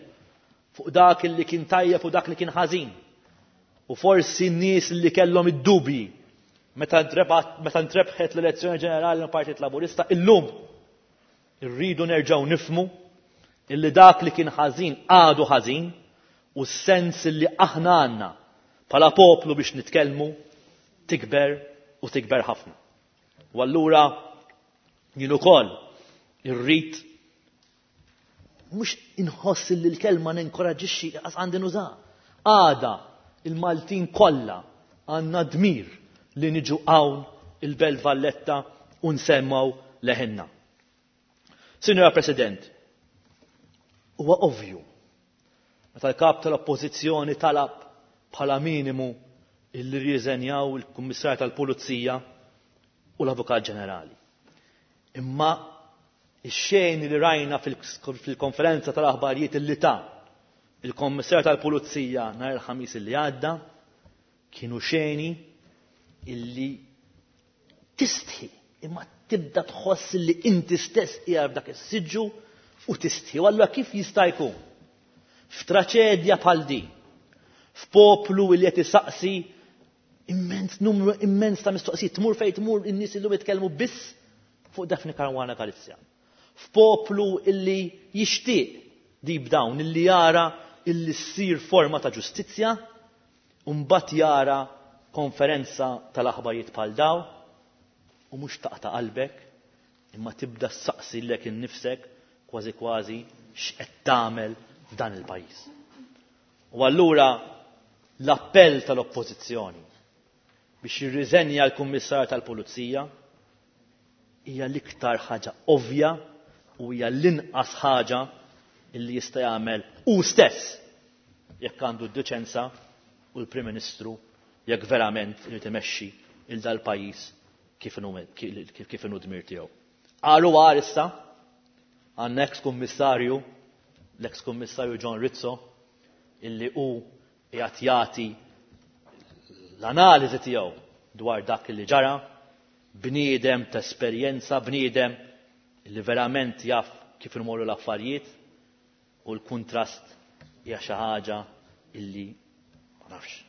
fuq dak li kien tajjeb u dak li kien ħażin. U forsi n-nies li kellhom id-dubji meta meta ntrebħet l-elezzjoni ġenerali mill-Partit Laburista, illum irridu nerġgħu nifhmu illi dak li kien ħażin għadu ħażin u s-sens li aħna għandna bħala poplu biex nitkellmu tikber u tikber ħafna. U allura jien ukoll irrid mhux inħoss li l-kelma ninkoraġixxi qas għandi nuża. Għada il-Maltin kollha għandna dmir li niġu hawn il-Belt Valletta u nsemmaw leħinna. Sinjora President, huwa ovvju meta l-kap tal-Oppożizzjoni talab bħala minimu illi rriżenjaw il-Kummissarju tal-Pulizija u l-Avukat Ġenerali. Imma ix-xejn li rajna fil-konferenza tal-aħbarijiet illi ta' il-Kummissarju tal-Pulizija nhar il-Ħamis illi għadda kienu xeni illi tistħi, imma tibda tħoss li inti stess qiegħed f'dak is-siġġu u tistħi. U allura kif jista' jkun f'traċedja bħal din, f'poplu li qed isaqsi immens numru immens ta' mistoqsijiet, tmur fejn tmur in-nies illum jitkellmu biss fuq Daphne Caruana Galizia. F'poplu illi jixtieq deep down, illi jara illi ssir forma ta' ġustizzja, u mbagħad jara konferenza tal-aħbarijiet bħal daw, u mhux taqta' qalbek, imma tibda ssaqsi lilek innifsek kważi kważi x'qed tagħmel f'dan il-pajjiż. U allura l-appell tal-Oppożizzjoni biex jirriżenja l-Kummissarju tal-Pulizija hija l-iktar ħaġa ovvja u hija l-inqas ħaġa illi jista' jagħmel hu stess jekk għandu d-deċenza u l-Prim Ministru jekk verament irid imexxi il dal-pajjiż kif inhu kif inhu dmir tiegħu. Qalu għar issa għandna ex-kummissarju, l-ex-kummissarju John Rizzo, illi hu qiegħed jagħti l-analiżi tiegħu dwar dak li ġara, bniedem ta' esperjenza, bniedem li verament jaf kif imorru l-affarijiet, u l-kuntrast hija xi ħaġa illi ma nafx,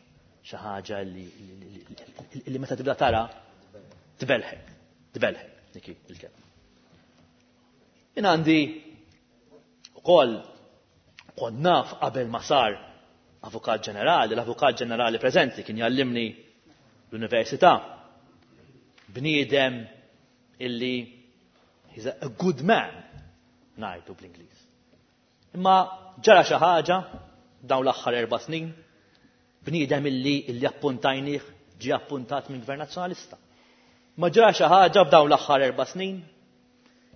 xi ħaġa illi, illi meta tibda tara tbelħek, tbelħek dik il-kelma. Jien għandi ukoll kont naf qabel ma sar Avukat Ġenerali, l-Avukat Ġenerali preżenti kien jallimni l-università, bniedem illi he's a good man, ngħidu bl-Ingliż. Imma ġara xi ħaġa dawn l-aħħar erba' snin, bniedem illi illi appuntajnih ġie appuntat minn Gvern Nazzjonalista. Ma ġara xi ħaġa f'dawn l-aħħar erba' snin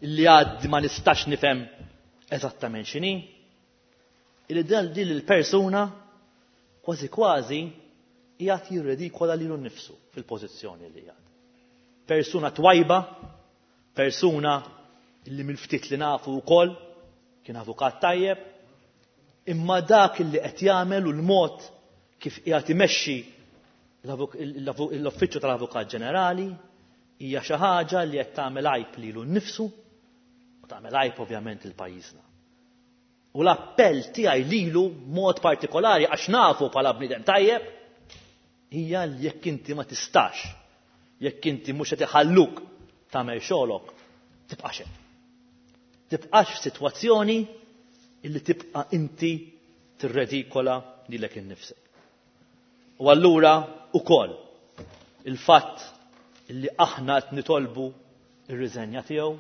illi għad ma nistax nifhem eżattament x'inhi, illi dan din il-persuna kważi kważi qiegħed jirredikola lilu nnifsu fil-pożizzjoni li qiegħed. Persuna twajba, persuna illi mill-ftit li nafu wkoll kien avukat tajjeb, imma dak illi qed jagħmel u l-mod kif qiegħed imexxi l-uffiċċju tal-Avukat Ġenerali hija xi ħaġa li qed tagħmel għajb lilu nnifsu u tagħmel għajb ovvjament il pajjiżna. U l-appell tiegħi lilu mod partikolari għax nafu bħala bniedem tajjeb hija li jekk inti ma tistax, jekk inti mhux qed iħalluk tagħmel xogħolok, tibqax hemm. Tibqax f'sitwazzjoni illi tibqa' inti tirredikola lilek innifsek. U allura ukoll il-fatt illi aħna qed nitolbu ir-riżenja tiegħu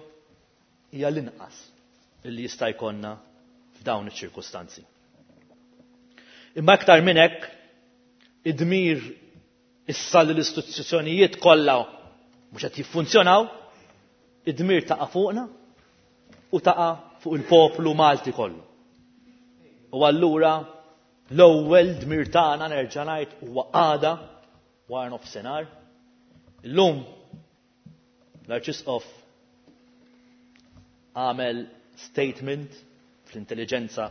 hija l-inqas illi jista' jkollna f'dawn iċ-ċirkustanzi. Imma aktar minn hekk, id-dmir issa li l-istituzzjonijiet kollha mhux qed jiffunzjonaw, id-dmir taqa' fuqna u taqa' fuq il-poplu Malti kollu. U allura l-ewwel dmir tagħna nerġa' ngħid huwa għada wara nofsinhar. Illum l-Arċisqof għamel statement fl-intelligenza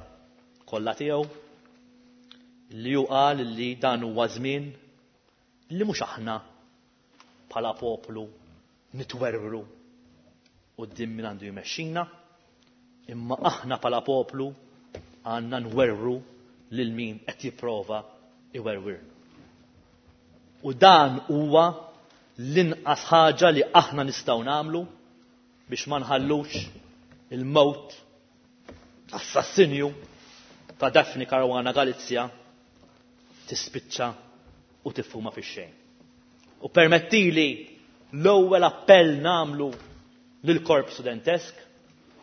kollha tiegħu li hu qal li dan huwa żmien li mhux aħna bħala poplu nitwerwru quddiem min għandu jmexxina, imma aħna bħala poplu għandna nwerwru lil min qed jipprova iwerwirna. U dan huwa l-inqas ħaġa li aħna nistgħu nagħmlu biex ma nħallux il-mewt, l-assassinju ta' Daphne Caruana Galizia tispiċċa u tifhuma fix-xejn. U permettili l-ewwel appell nagħmlu lill-Korp Studentesk.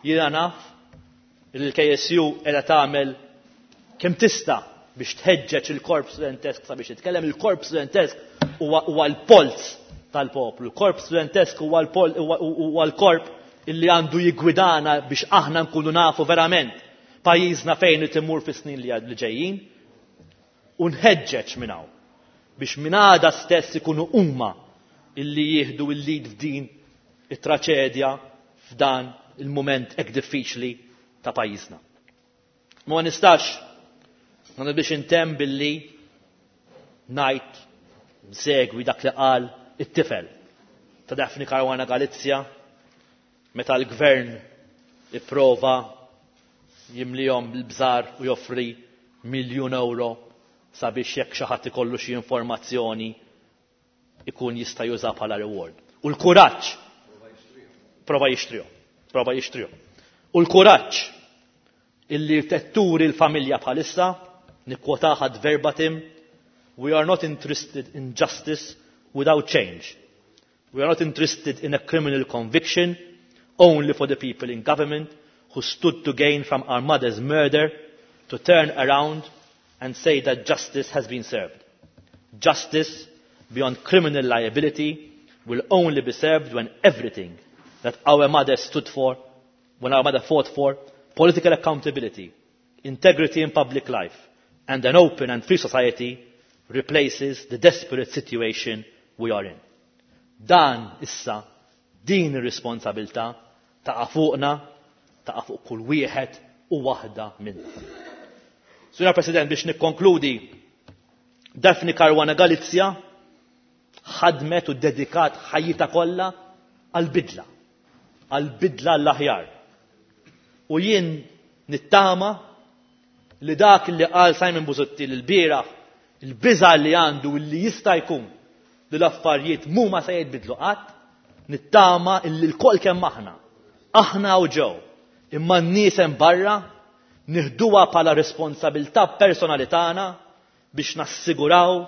Jiena naf li l-K S U qiegħda tagħmel kemm tista' biex tħeġġeġ il-Korp Studentesk sabiex jitkellem. Il-Korp Studentesk huwa l-polz tal-poplu. Il-Korp Studentesk huwa l-korp illi għandu jigwidana biex aħna nkunu nafu verament pajjiżna fejn itimur fis-snin li ġejjin. U nħeġġeġ minn hawn biex minn għada stess ikunu huma illi jieħdu il-lead f'din it-traċedja, f'dan il-moment hekk diffiċli ta' pajjiżna. Ma nistax ma biex intemm billi ngħid, nsegwi dak li qal it-tifel ta' Daphne Caruana Galizia meta l-gvern ipprova jimlihom bil-bżar u joffri miljun euro sabiex jekk xi ħadd ikollu xi informazzjoni ikun jista' juża bħala reward. U l-kuraġġ prova jixtrihom, prova jixtrihom. U l-kuraġġ illi tetturi l-familja bħalissa, nikkwotaha verbatim: "We are not interested in justice without change. We are not interested in a criminal conviction only for the people in government who stood to gain from our mother's murder to turn around and say that justice has been served. Justice beyond criminal liability will only be served when everything that our mother stood for, when our mother fought for, political accountability, integrity in public life, and an open and free society replaces the desperate situation we are in." Dan issa din ir-responsabilità taqa' fuqna, taqa' fuq kull wieħed u waħda minna. Sura President, biex nikkonkludi, Daphne Caruana Galizia ħadmet u dedikat ħajjitha kollha għal-bidla, għal-bidla l-aħjar. U jien nittama li dak li qal Simon Busuttil il-bieraħ, il-biża li għandu li jista' jkun li l-affarijiet mhuma se jitbidlu qatt, nittama illi lkoll kemm aħna, aħna u ġew, imma n-nies hemm barra nieħduha bħala responsabilità personali tagħna biex nassiguraw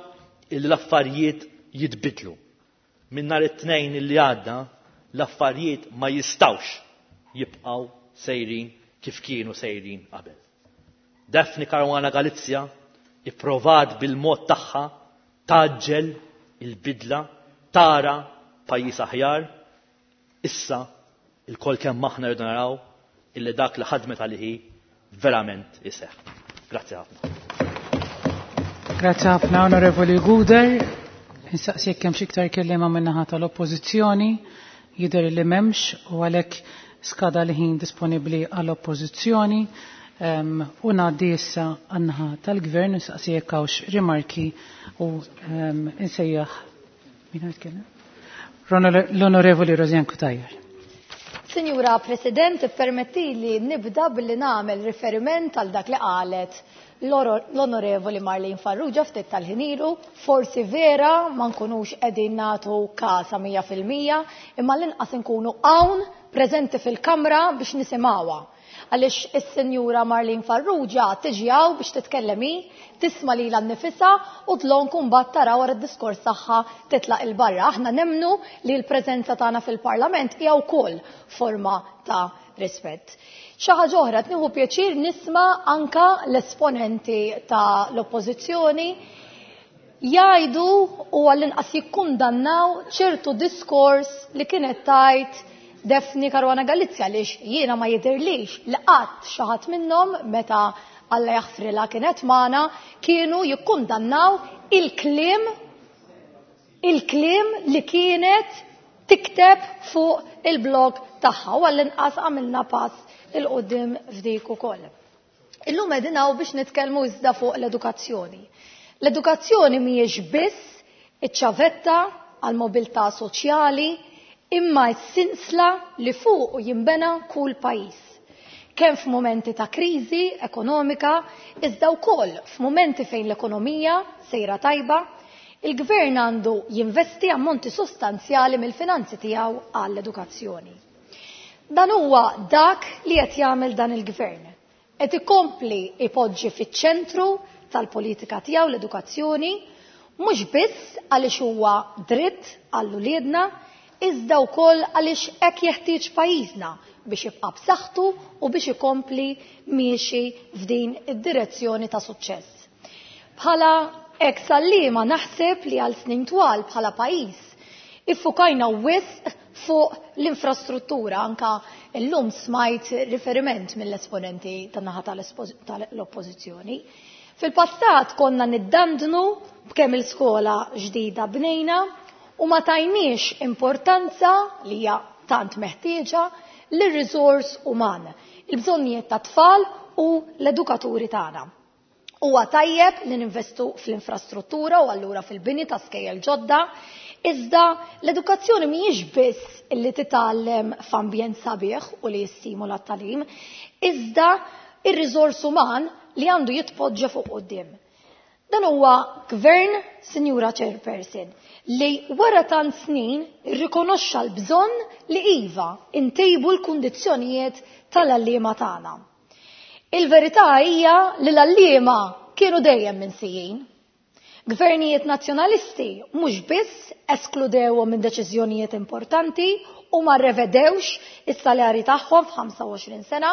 illi l-affarijiet jitbidlu. Minn nhar it-Tnejn illi għadda, l-affarijiet ma jistawx jibqgħu sejrin kif kienu sejrin qabel. Daphne Caruana Galizia ipprovat bil-mod tagħha tgħaġġel il-bidla, tara pajjiż aħjar. Issa ilkoll kemm aħna rridu naraw illi dak li ħadmet għalihi verament iseħħ. Grazzi ħafna.
Grazzi ħafna, Onorevoli Gouder. Insaqsi jekk hemm xi iktar kelliema min-naħa tal-Oppożizzjoni. Jidher li m'hemmx u għalhekk skada l-ħin disponibbli għall-Oppożizzjoni. Um, u ngħaddi issa għan-naħa tal-Gvern, insaqsi jekk hawnx rimarki u um, insejjaħ min jitkellem? L-Onorevoli Rosianne Cutajar.
Sinjura President, permetti li nibda billi nagħmel riferiment għal dak li qalet l-Onorevoli Marlene Farrugia ftit tal-ħin ilu. Forsi vera ma nkunux qegħdin nagħtu kasa mija fil-mija, imma l-inqas nkunu hawn preżenti fil-kamra biex nisimgħuha. Għaliex is-Sinjura Marlene Farrugia tiġi hawn biex titkellem hi, tisma' lilha nnifisha u dlonk mbagħad tara wara d-diskors tagħha titlaq 'il barra. Aħna nemmnu li l-preżenza tagħna fil-Parlament hija wkoll forma ta' rispett. Xi ħaġa oħra, nieħu pjaċir nisma' anka l-esponenti ta' l-Oppożizzjoni jgħidu u għall-inqas jikkundannaw ċertu diskors li kienet tajt Daphne Caruana Galizia, għaliex jiena ma jidhirlix li qatt xi ħadd minnhom meta Alla jaħfrilha kienet magħna kienu jikkundannaw il-kliem il-kliem li kienet tikteb fuq il-blog tagħha, u għall-inqas għamilna pass 'il quddiem f'dik ukoll. Illum qegħdin hawn biex nitkellmu iżda fuq l-edukazzjoni. L-edukazzjoni mhijiex biss iċ-ċavetta għall-mobilità soċjali, imma s-sinsla li fuq jinbena kull pajjiż. Kemm f'mumenti ta' kriżi ekonomika, iżda wkoll f'mumenti fejn l-ekonomija sejra tajba, il-gvern għandu jinvesti ammonti sostanzjali mill-finanzi tiegħu għall-edukazzjoni. Dan huwa dak li qed jagħmel dan il-gvern. Qed ikompli ipoġġi fiċ-ċentru tal-politika tiegħu l-edukazzjoni, mhux biss għaliex huwa dritt għal uliedna, iżda wkoll għaliex hekk jeħtieġ pajjiżna biex jibqa' b'saħħtu u biex ikompli miexi f'din id-direzzjoni ta' suċċess. Bħala ex għalliema naħseb li għal snin twal bħala pajjiż iffukajna wisq fuq l-infrastruttura, anka llum smajt riferiment mill-esponenti tan-naħa tal-oppożizzjoni. Fil-passat konna niddandnu b'kemm il-skola ġdida bnejna u ma tajniex importanza li hija tant meħtieġa lir-riżors uman, il-bżonnijiet ta' tfal u l-edukaturi tagħna. Huwa tajjeb li ninvestu fl-infrastruttura u allura fil-bini ta' skejjel ġodda, iżda l-edukazzjoni mhijiex biss li titgħallem f'ambjent sabiħ u li jistimula t-tagħlim, iżda ir-riżors uman li għandu jitpoġġa fuq quddiem. Dan huwa gvern, Sinjura Chairperson, li wara tant snin irrikonoxxa l-bżonn li iva intejbu l-kundizzjonijiet tal-għalliema tagħna. Il-verità hija li l-għalliema kienu dejjem minsijin. Gvernijiet nazzjonalisti mhux biss eskludewhom minn deċiżjonijiet importanti u ma rrevedewx is-salarji tagħhom f'ħamsa u għoxrin sena,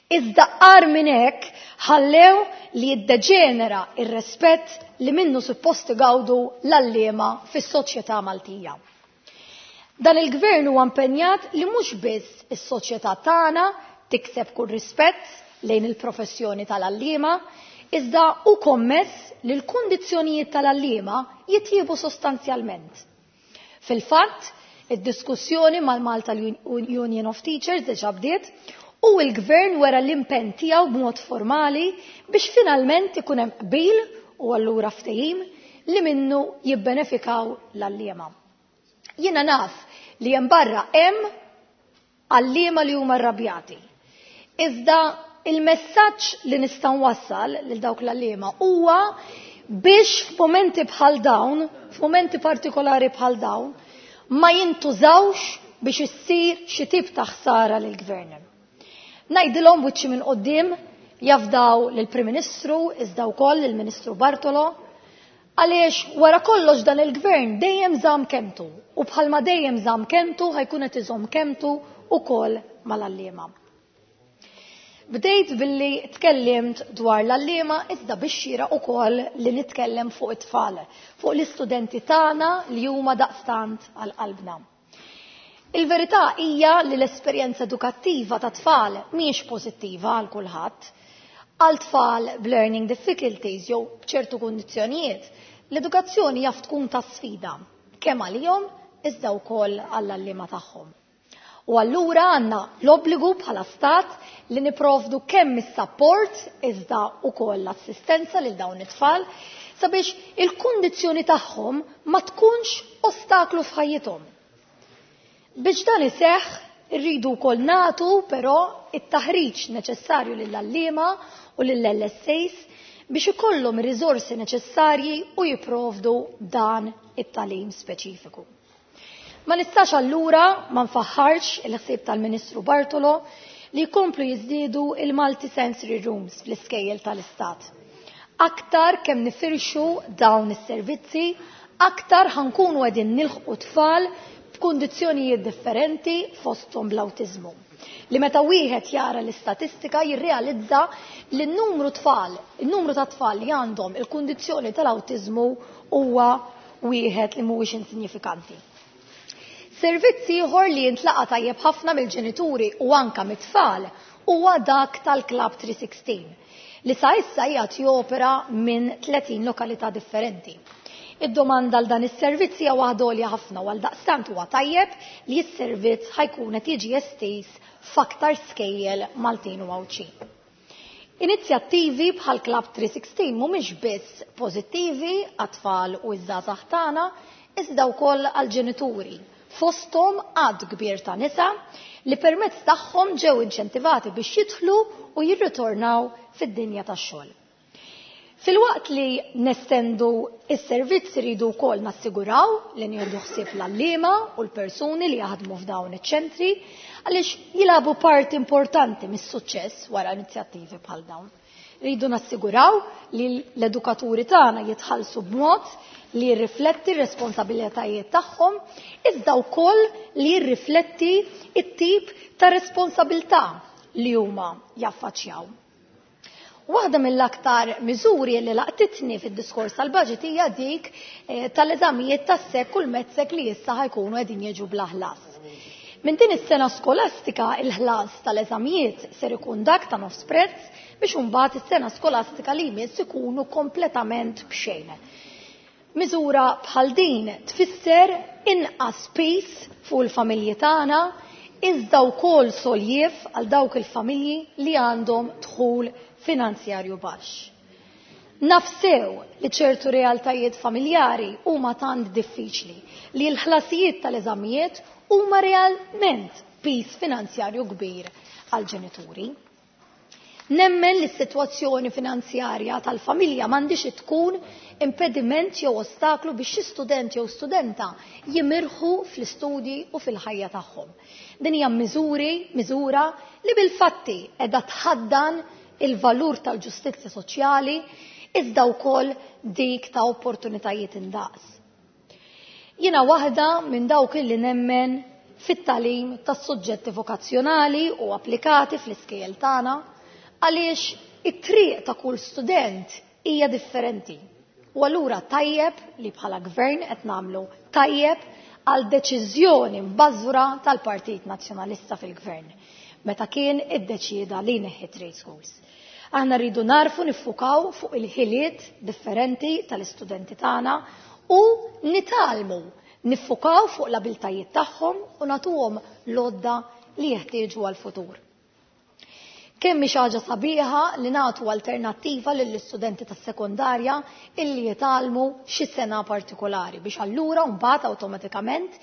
iżda qar minn hekk ħallew li jiddeġenera ir-rispett li minnu suppost igawdu l-għalliema fis-soċjetà Maltija. Dan il-gvern huwa impenjat li mhux biss is-soċjetà tagħna tikseb kull rispett lejn il-professjoni tal-għalliema, iżda hu kommess li l-kundizzjonijiet tal-għalliema jitjiebu sostanzjalment. Fil-fatt, id-diskussjoni mal-Malta Union of Teachers diġà bdiet u l-gvern wera l-impenn tiegħu b'mod formali biex finalment ikun hemm qbil u allura ftehim li minnu jibbenefikaw l-għalliema. Jiena naf li hemm barra hemm għalliema li huma rrabjati. Iżda il-messaġġ li nista' nwassal lil dawk l-għalliema huwa biex f'mumenti bħal dawn, f'mumenti partikolari bħal dawn, ma jintużawx biex issir xi tip ta' ħsara lill-gvern. Ngħidilhom wiċċi minn quddiem jafdaw lill-Prim Ministru iżda wkoll lill-Ministru Bartolo, għaliex wara kollox dan il-gvern dejjem żamm kemtu u bħalma dejjem żamm kemtu ħajkun qed iżomm kemtu wkoll mal-għalliema. Bdejt billi tkellimt dwar l-għalliema iżda biex xieraq ukoll li nitkellem fuq it-tfal, fuq l-istudenti tagħna li huma daqstant għal qalbna. Il-verità hija li l-esperjenza edukattiva ta' tfal mhijiex pożittiva għal kulħadd. Għal tfal b'learning difficulties jew b'ċertu kundizzjonijiet, l-edukazzjoni jaf tkun ta' sfida kemm għalihom iżda wkoll għall-għalliema tagħhom. U allura għandna l-obbligu bħala stat li niprovdu kemm is-support iżda wkoll l-assistenza lil dawn it-tfal sabiex il-kundizzjoni tagħhom ma tkunx ostaklu f'ħajjithom. Biex dan iseħħ irridu wkoll nagħtu però it-taħriġ neċessarju lill-għalliema u lill-L S As biex ikollhom ir-riżorsi neċessarji u jipprovdu dan it-tagħlim speċifiku. Ma nistax allura ma nfaħħarx il-ħsieb tal-Ministru Bartolo li jkomplu jiżdiedu il-multisensory rooms fl-iskejjel tal-Istat. Aktar kemm nifirxu dawn is-servizzi, aktar ħankunu qegħdin nilħqu tfal b'kundizzjonijiet differenti fosthom bl-awtiżmu. Li meta wieħed jara l-istatistika jirrealizza li n-numru tfal, il-numru ta' tfal li għandhom il-kundizzjoni tal-awtiżmu huwa wieħed li mhuwiex insignifikanti. Servizz ieħor li jintlaqa tajjeb ħafna mill-ġenituri u anka mit-tfal huwa dak tal-Club three sixteen li sa issa qiegħed jopera minn tletin lokalità differenti. Id-domanda għal dan is-servizz hija waħda għolja ħafna u għaldaqstant huwa tajjeb li s-servizz ħajkun qed jiġi estiż f'aktar skejjel Maltin u Għawdxin. Inizjattivi bħal Club three sixteen mhumiex biss pożittivi għat-tfal u ż-żgħażagħ tagħna, iżda wkoll għall-ġenituri. Fosthom għadd kbir ta' nisa li permezz tagħhom ġew inċentivati biex jidħlu u jirritornaw fid-dinja tax-xogħol. Filwaqt li nestendu is-servizz iridu wkoll nassiguraw li nieħdu ħsieb l-għalliema u l-persuni li jaħdmu f'dawn iċ-ċentri għaliex jilagħbu parti importanti mis-suċċess wara inizjattivi bħal dawn. Rridu nassiguraw li l-edukaturi tagħna jitħallsu b'mod li jirrifletti r-responsabilitajiet tagħhom, iżda wkoll li jirrifletti t-tip ta' responsabilità li huma jaffaċċjaw. Waħda mill-aktar miżuri li laqtitni fid-diskors tal-budget hija dik, eh, tal-eżamijiet tas-SEC u l-METSEC li issa ħajkunu qegħdin jiġu bla ħlas. Minn din is-sena skolastika il-ħlas tal-eżamijiet ser ikun dak ta' nofs prezz biex imbagħad is-sena skolastika li jmiss ikunu kompletament b'xejn. Miżura bħal din tfisser inqas piż fuq il-familji tagħna, iżda wkoll soljiev għal dawk il-familji li għandhom dħul finanzjarju baxx. Nafsew li ċertu realtajiet familjari huma tant diffiċli li l-ħlasijiet tal-eżamijiet huma realment piż finanzjarju kbir għall-ġenituri. Nemmen li s-sitwazzjoni finanzjarja tal-familja m'għandix tkun impediment jew ostaklu biex xi student jew studenta jimirħu fl-istudji u fil-ħajja tagħhom. Din hija miżuri, miżura li bil-fatti qiegħda tħaddan il-valur tal-ġustizzja soċjali iżda wkoll dik ta' opportunitajiet indaqs. Jiena waħda minn dawk illi nemmen fit-tagħlim tas-suġġetti vokazzjonali u applikati fl-iskejjel tagħna għaliex it-triq ta' kull student hija differenti. U allura tajjeb li bħala gvern qed nagħmlu tajjeb għal deċiżjoni mbażwra tal-Partit Nazzjonalista fil-gvern meta kien iddeċieda li jneħħi trade schools. Aħna rridu narfu niffukaw fuq il-ħiliet differenti tal-istudenti tagħna u nitgħallmu niffukaw fuq l-abiltajiet tagħhom u nagħtuhom l-għodda li jeħtieġu għall-futur. Kemm hi xi ħaġa sabiħa li nagħtu alternattiva lill-istudenti tas-sekondarja illi jitgħallmu xi sena partikolari biex allura mbagħad awtomatikament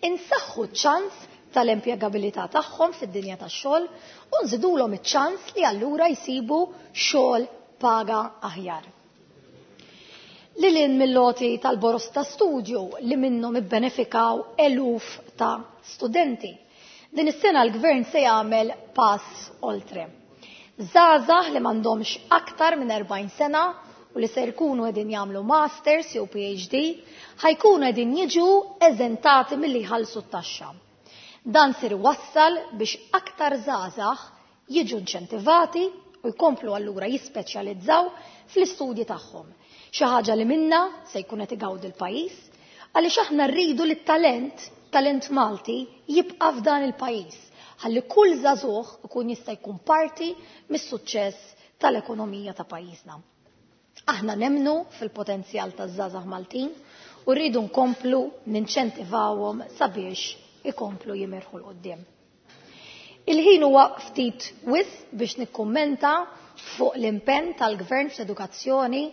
insaħħu ċ-ċans tal-impjegabilità tagħhom fid-dinja tax-xogħol u nżidulhom iċ-ċans li allura jsibu xogħol paga aħjar. Lil hinn mill-loti tal-boros ta' studju li minnhom ibbenefikaw eluf ta' studenti. Din is-sena l-gvern se jagħmel pass oltre. Żgħażagħ li m'għandhomx aktar minn erbgħin sena u li ser jkunu qegħdin jagħmlu masters jew P H D ħajkunu qegħdin jiġu eżentati milli jħallsu t-taxxa. Dan ser iwassal biex aktar żgħażagħ jiġu inċentivati u jkomplu allura jispeċjalizzaw fl-istudji tagħhom. Xi ħaġa li minna se jkun qed igawdi l-pajjiż għaliex aħna rridu li t-talent, talent Malti jibqa' f'dan il-pajjiż ħalli kull żagħżugħ ikun jista' jkun parti mis-suċċess tal-ekonomija ta' pajjiżna. Aħna nemmnu fil-potenzjal taż-żgħażagħ Maltin u rridu nkomplu ninċentivawhom sabiex ikomplu jimirħu l-qudiem. Il-ħin huwa ftit wisq biex nikkummenta fuq l-impenn tal-gvern fl-edukazzjoni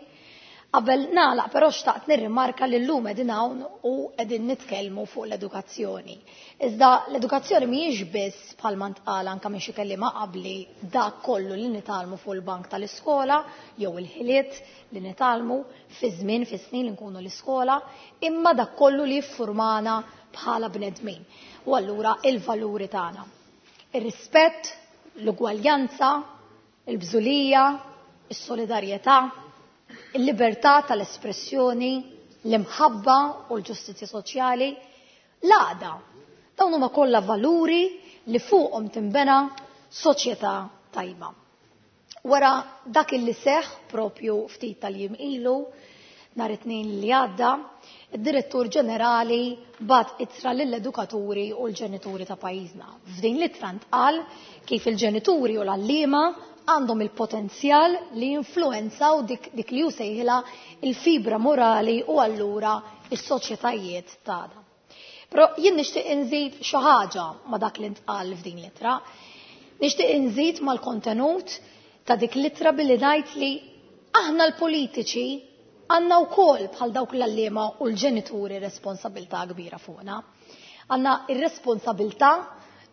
Qabel nagħlaq però xtaqt nirrimarka li llum qegħdin hawn u qegħdin nitkellmu fuq l-edukazzjoni. Iżda l-edukazzjoni mhijiex biss bħalma ntqal anke minn xi kelliema qabli dak kollu li nitgħallmu fuq il-bank tal-iskola jew il-ħiliet li nitgħallmu fi żmien fi snin li nkunu l-iskola, imma dak kollu li jiffurmana bħala bnedmin. U allura il-valuri tagħna. Ir-rispett, l-ugwaljanza, il-bżulija, is-solidarjetà, il-libertà tal-espressjoni, l-imħabba u l-ġustizzja soċjali, l-għaqda. Dawn huma kollha valuri li fuqhom tinbena soċjetà tajba. Wara dak illi seħħ propju ftit tal-jiem ilu, nhar it-tnejn li għadda, id-Direttur Ġenerali bat ittra lill-edukaturi u l-ġenituri ta' pajjiżna. F'din l-ittra ntqal kif il-ġenituri u l-għalliema għandhom il-potenzjal li jinfluwenzaw dik, dik li hu sejħilha il-fibra morali u allura is-soċjetajiet tagħna. Però jien nixtieq inżid xi ħaġa ma' dak li ntqal f'din l-ittra. Nixtieq inżid mal-kontenut ta' dik l-ittra billi ngħid li aħna l-politiċi għandna wkoll bħal dawk l-għalliema u l-ġenituri responsabilità kbira fuqna. Għandna ir-responsabilità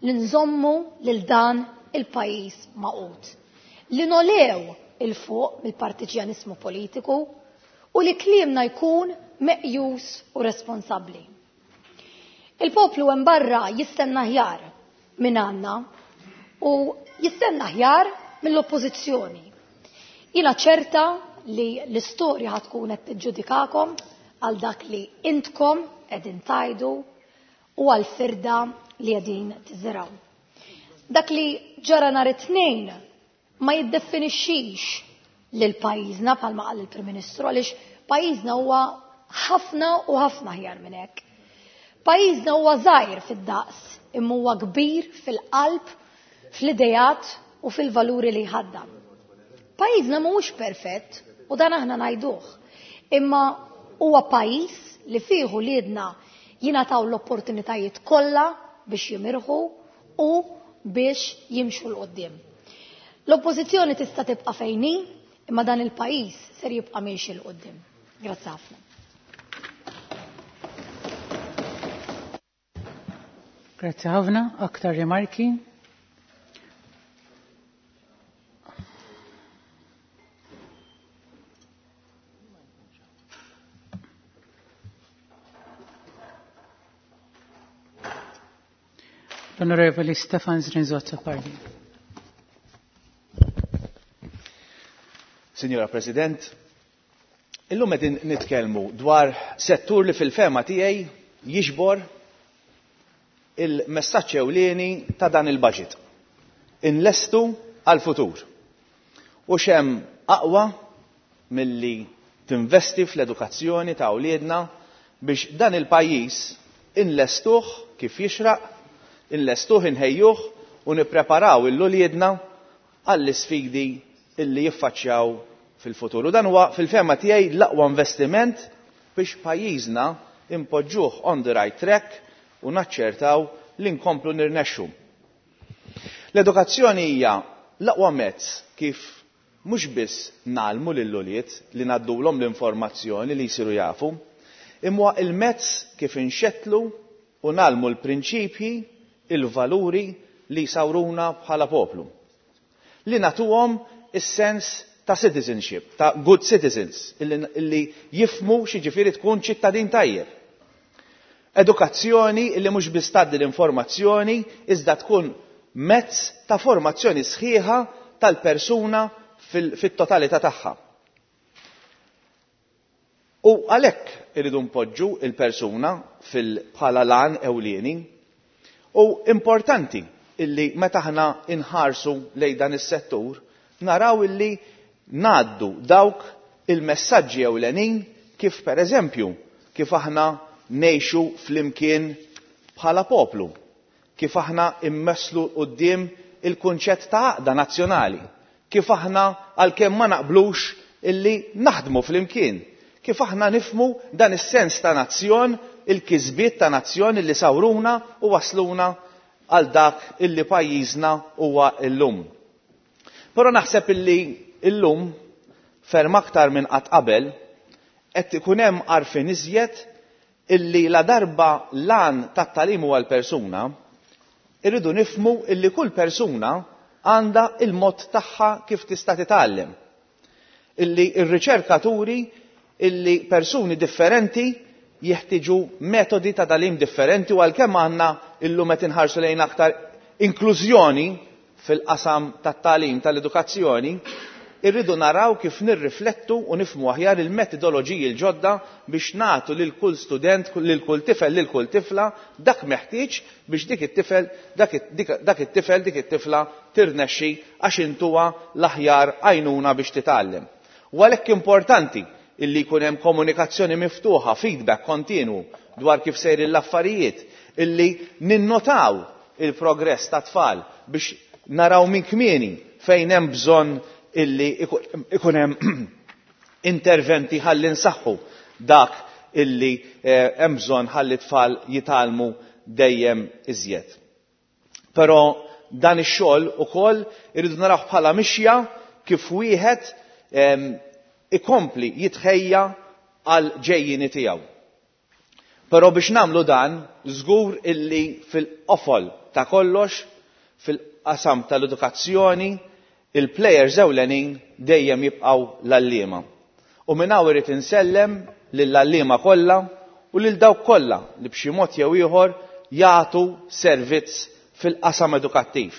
li nżommu lil dan il-pajjiż magħqud. Li nolew il-fuq mill-partiġjanismu politiku u li kliemna jkun meqjus u responsabbli. Il-poplu hemm barra jistenna ħjar minn għandna u jistenna ħjar mill-oppożizzjoni. Jiena ċerta li l-istorja ħatkun qed tiġġudikakom għal dak li intkom qegħdin tajdu u għal firda li qegħdin tiżraw. Dak li ġara nhar it-tnejn ma jiddefinixxix lil pajjiżna bħalma qal il-Prim Ministru, għaliex pajjiżna huwa ħafna u ħafna ħjar minn hekk. Pajjiżna huwa żgħir fid-daqs, imma huwa kbir fil-qalb, fl-idejat u fil-valuri li jħaddam. Pajjiżna mhuwiex perfett u dan aħna ngħiduh, imma huwa pajjiż li fih uliedna jingħataw l-opportunitajiet kollha biex jimirħu u biex jimxu 'l quddiem. L-oppożizzjoni tista' tibqa' fejn hi, imma dan il-pajjiż ser jibqa' miexi 'l quddiem. Grazzi ħafna.
Grazzi ħafna. Aktar rimarki? L-Onorevoli Stefan Zrinzo Azzopardi.
Signora President, illum qegħdin nitkellmu dwar settur li fil-fema tiegħi jiġbor il-messaġġ ewlieni ta' dan il-budget. Inlestu għal-futur. U xem aqwa milli tinvesti fl-edukazzjoni ta' wliedna biex dan il-pajjiż inlestuh kif jixraq, inlestuh inħejjuh u nippreparaw il-uliedna għall-isfidi illi jiffaċċjaw fil-futur. U dan huwa fil-fema tiegħi l-aqwa investiment biex pajjiżna impoġġuh on the right track u naċċertaw li nkomplu nirnexxu. L-edukazzjoni hija l-aqwa mezz kif mhux biss nagħlmu lill-ulied li ngħaddulhom l-informazzjoni li jsiru jafu, imma il-mezz kif inxettlu u nagħlmu l-prinċipji, il-valuri li jsawruna bħala poplu. Li nagħtuhom is-sens ta' citizenship, ta' good citizens, illi, illi jifmu x'jiġifieri tkun ċittadin tajjeb. Edukazzjoni illi mhux biss tgħaddi l-informazzjoni, iżda tkun mezz ta' formazzjoni sħiħa tal-persuna fit-totalità tagħha. U għalhekk iridu npoġġu il-persuna bħala lan ewlieni. U importanti illi meta aħna inħarsu lejn dan is-settur, naraw illi ngħaddu dawk il-messaġġi ewlenin kif pereżempju kif aħna ngħixu flimkien bħala poplu, kif aħna immesslu quddiem il-kunċett ta' għaqda nazzjonali, kif aħna għalkemm ma naqblux illi naħdmu flimkien, kif aħna nifmu dan is-sens ta' nazzjon, il-kisbiet ta' nazzjon illi sawruna u wasluna għal dak illi pajjiżna huwa illum. Però naħseb illi illum ferm aktar minn qatt qabel qed ikun hemm għarfien iżjed illi la darba l-għan tat-tagħlim huwa l-persuna, irridu nifhmu illi kull persuna għandha il-mod tagħha kif tista' titgħallem. Illi r-riċerkaturi illi persuni differenti jeħtieġu metodi ta' tagħlim differenti, u għalkemm għandna illum qed inħarsu lejn aktar inklużjoni fil-qasam tat-tagħlim tal-edukazzjoni, irridu naraw kif nirriflettu u nifhmu aħjar il-metodoloġiji l-ġodda biex nagħtu lil kull student, lil kull tifel, lil kull tifla dak meħtieġ biex dik it-tifel, dak it-, dak it-tifel, dik it-tifla tirnexxi għax intuha l-aħjar għajnuna biex titgħallem. U għalhekk importanti illi jkun hemm komunikazzjoni miftuħa, feedback kontinwu dwar kif sejrin l-affarijiet, illi ninnotaw il-progress ta' tfal biex naraw minn kmieni fejn hemm bżonn illi ikun hemm interventi ħalli nsaħħu dak illi, eh, hemm bżonn ħalli tfal jitgħallmu dejjem iżjed. Però dan ix-xogħol ukoll irridu naraw bħala mixja kif wieħed, ehm, ikompli jitħejja għal ġejjini tiegħu. Però biex nagħmlu dan, żgur illi fil-qofol ta' kollox, fil-qasam tal-edukazzjoni, il-plejers ewlenin dejjem jibqgħu l-għalliema. U minn hawn irid insellem lill-għalliema kollha u lil dawk kollha li b'xi mod jew ieħor jagħtu servizz fil-qasam edukattiv.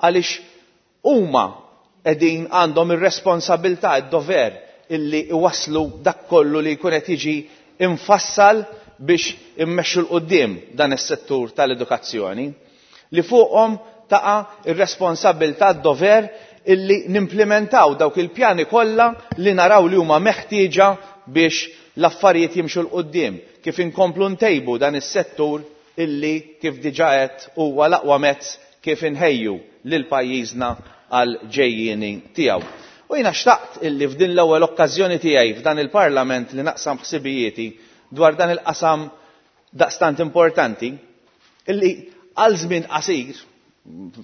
Għaliex huma qegħdin għandhom ir-responsabilità, id-dover illi iwasslu dak kollu li jkun qed jiġi infassal biex immexxu 'l quddiem dan is-settur tal-edukazzjoni, li fuqhom taqa' ir-responsabilità, d-dover illi nimplementaw dawk il-pjani kollha li naraw li huma meħtieġa biex l-affarijiet jimxu 'l quddiem, kif inkomplu ntejbu dan is-settur illi kif diġà qed huwa l-aqwa mezz kif inħejju lil pajjiżna għal ġejjieni tiegħu. U jiena xtaqt illi f'din l-ewwel okkażjoni tiegħi f'dan il-Parlament li naqsam ħsibijieti dwar dan il-qasam daqstant importanti, illi għal żmien qasir,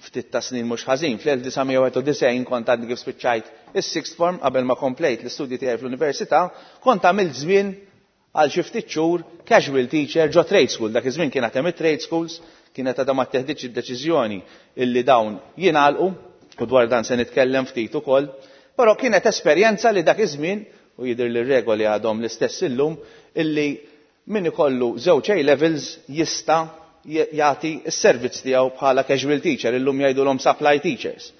ftit ta' snin mhux ħażin, fl-elf disa' mija wieħed u disgħin kont għadni kif spiċċajt is-sixth form qabel ma komplejt l-istudji tiegħi fl-università, kont għamilt żmien għal xi ftit xhur casual teacher ġo trade school. Dak iż-żmien kien hemm it-trade schools, kienet għadha ma teħdiġ id-deċiżjoni illi dawn jingħalqu, u dwar dan se nitkellem ftit ukoll, però kienet esperjenza li dak iż-żmien, u jidher li r-regoli għadhom l-istess illum, illi min ikollu żewġ A levels jista' jagħti s-servizz tiegħu bħala casual teacher, illum jgħidulhom supply teachers.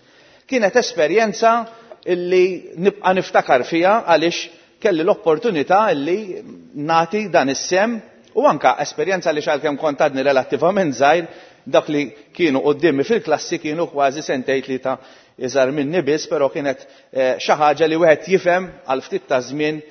Kienet esperjenza illi nibqa' niftakar fiha għaliex kelli l-opportunità illi nagħti dan is-sem, u anka esperjenza li xalkemm kont għadni relattivament żgħir, dak li kienu quddiemi fil-klassi kienu kważi sentejn tlieta iżgħar minni biss, però kienet, eh, xi ħaġa li wieħed jifhem għal ftit ta' żmien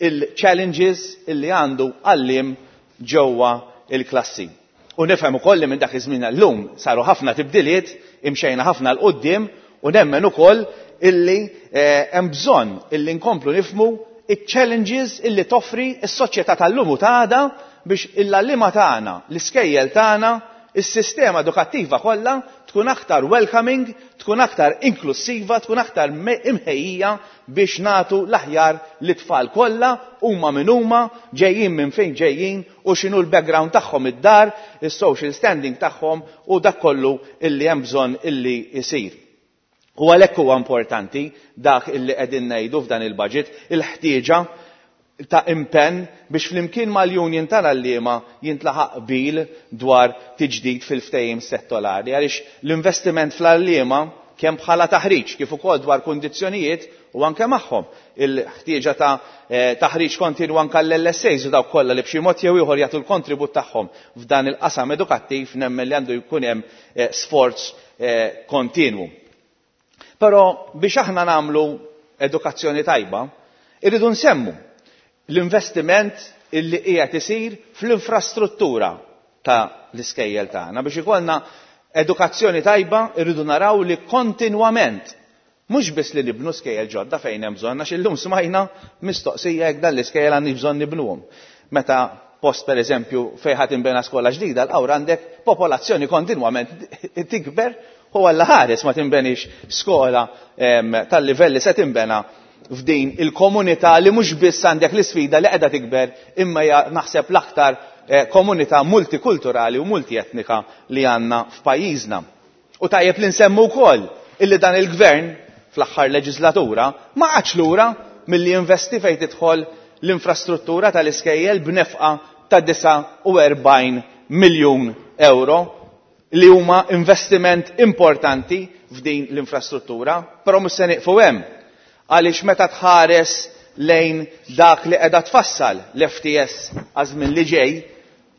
il-challenges illi għandu għalliem ġewwa il-klassi. U nifhem ukoll li minn dak iż-żmien llum saru ħafna tibdiliet, imxejna ħafna 'l quddiem, u nemmen ukoll illi, eh, hemm bżonn illi nkomplu nifhmu iċ-challenges illi toffri s-soċjetà tal-lum u ta' għada biex il-għalliema tagħna, l-iskejjel tagħna, is-sistema edukattiva kollha tkun aktar welcoming, tkun aktar inklusiva, tkun aktar me-, imħejjija biex nagħtu l-aħjar lit-tfal kollha, huma min huma, ġejjin minn fejn ġejjin u x'inhu l-background tagħhom id-dar, is-social standing tagħhom u dak kollu illi hemm bżonn illi jsir. U għalhekk huwa importanti dak illi qegħdin ngħidu f'dan il-budget, il-ħtieġa ta' impenn biex flimkien mal-union tal-għalliema jintlaħaq qbil dwar tiġdid fil-ftehim settorali, għaliex l-investiment fl-għalliema kemm bħala taħriġ kif ukoll dwar kundizzjonijiet u anke magħhom il-ħtieġa ta', eh, taħriġ kontinwu anke l-L S As u dawk kollha li b'xi mod jew ieħor jagħtu l-kontribut tagħhom f'dan il-qasam edukattiv, nemmen li għandu jkun hemm, eh, sforz, eh, kontinwu. Però biex aħna nagħmlu edukazzjoni tajba, irridu nsemmu l-investiment illi qiegħed isir fl-infrastruttura ta' l-iskejjel tagħna. Biex ikollna edukazzjoni tajba, irridu naraw li kontinwament, mhux biss li nibnu skejjel ġodda fejn hemm bżonn, għax illum smajna mistoqsija jekk dan l-iskejjel għandni bżonn nibnuhom. Meta post per eżempju fejn ħadd inbena skola ġdida, l-qawra għandek popolazzjoni kontinwament tikber u għalla ħares ma tinbenix skola, em, tal-livell li se tinbena f'din il-komunità li mhux biss għandek l-isfida li qiegħda tikber imma hija naħseb l-aktar komunità multikulturali u multietnika li għandna f'pajjiżna. U tajjeb li nsemmu wkoll illi dan il-gvern fl-aħħar leġislatura ma qagħadx lura milli jinvesti fejn tidħol l-infrastruttura tal-iskejjel b'nefqa ta' disgħa u erbgħin miljun euro li huma investiment importanti f'din l-infrastruttura, però mhux se nieqfu hemm għaliex meta tħares lejn dak li qiegħda tfassal l-F T S għaż-żmien li ġej,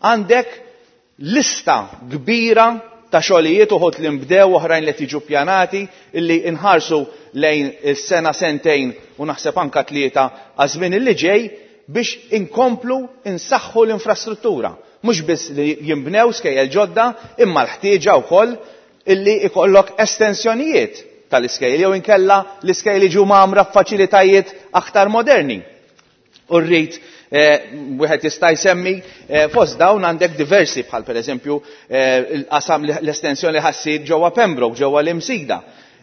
għandek lista kbira ta' xogħlijiet uħud li nbdew oħrajn li tiġu pjanati illi inħarsu lejn is-sena sentejn u naħseb anka tlieta għaż-żmien li ġej biex inkomplu insaħħu l-infrastruttura. Mhux biss li jinbnew skejjel ġodda imma l-ħtieġa wkoll illi ikollok estensjonijiet tal-iskejjel jew inkella l-iskejjel jiġu mgħammra f'faċilitajiet aktar moderni. U rrid wieħed jista' jsemmi fost dawn għandek diversi bħal pereżempju l-qasam l-estensjoni li ħassir ġewwa Pembroke, ġewwa l-Imsida,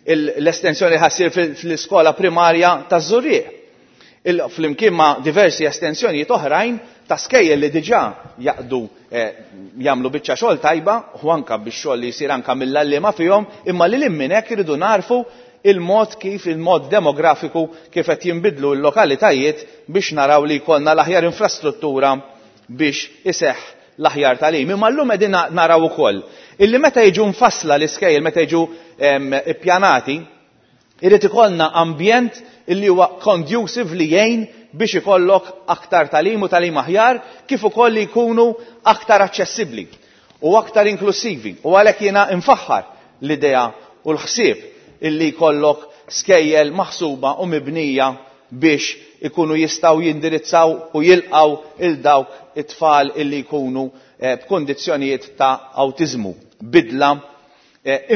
l-estensjoni li ħassir fl-iskola primarja taż-Żurrieq. Flimkien ma' diversi estensjonijiet oħrajn ta' skejjel li diġà jaqdu jagħmlu biċċa xogħol tajba u anke biex xogħol li jsir anke mill-għalliema fihom, imma li lil minn hekk iridu narfu il-mod kif il-mod demografiku kif qed jinbidlu l-lokalitajiet biex naraw li jkollna l-aħjar infrastruttura biex iseħħ l-aħjar tagħlim. Imma llum qegħdin naraw ukoll illi meta jiġu mfassla l-iskejjel, meta jiġu ippjanati, irid ikollna ambjent illi huwa conducive li jgħin biex ikollok aktar tagħlim u tagħlim aħjar, kif ukoll li jkunu aktar aċċessibbli u aktar inklusivi. U għalhekk jiena nfaħħar l-idea u l-ħsieb illi jkollok skejjel maħsuba u mibnija biex ikunu jistgħu jindirizzaw u jilqgħu il dawk it-tfal illi jkunu b'kundizzjonijiet ta' awtiżmu, bidla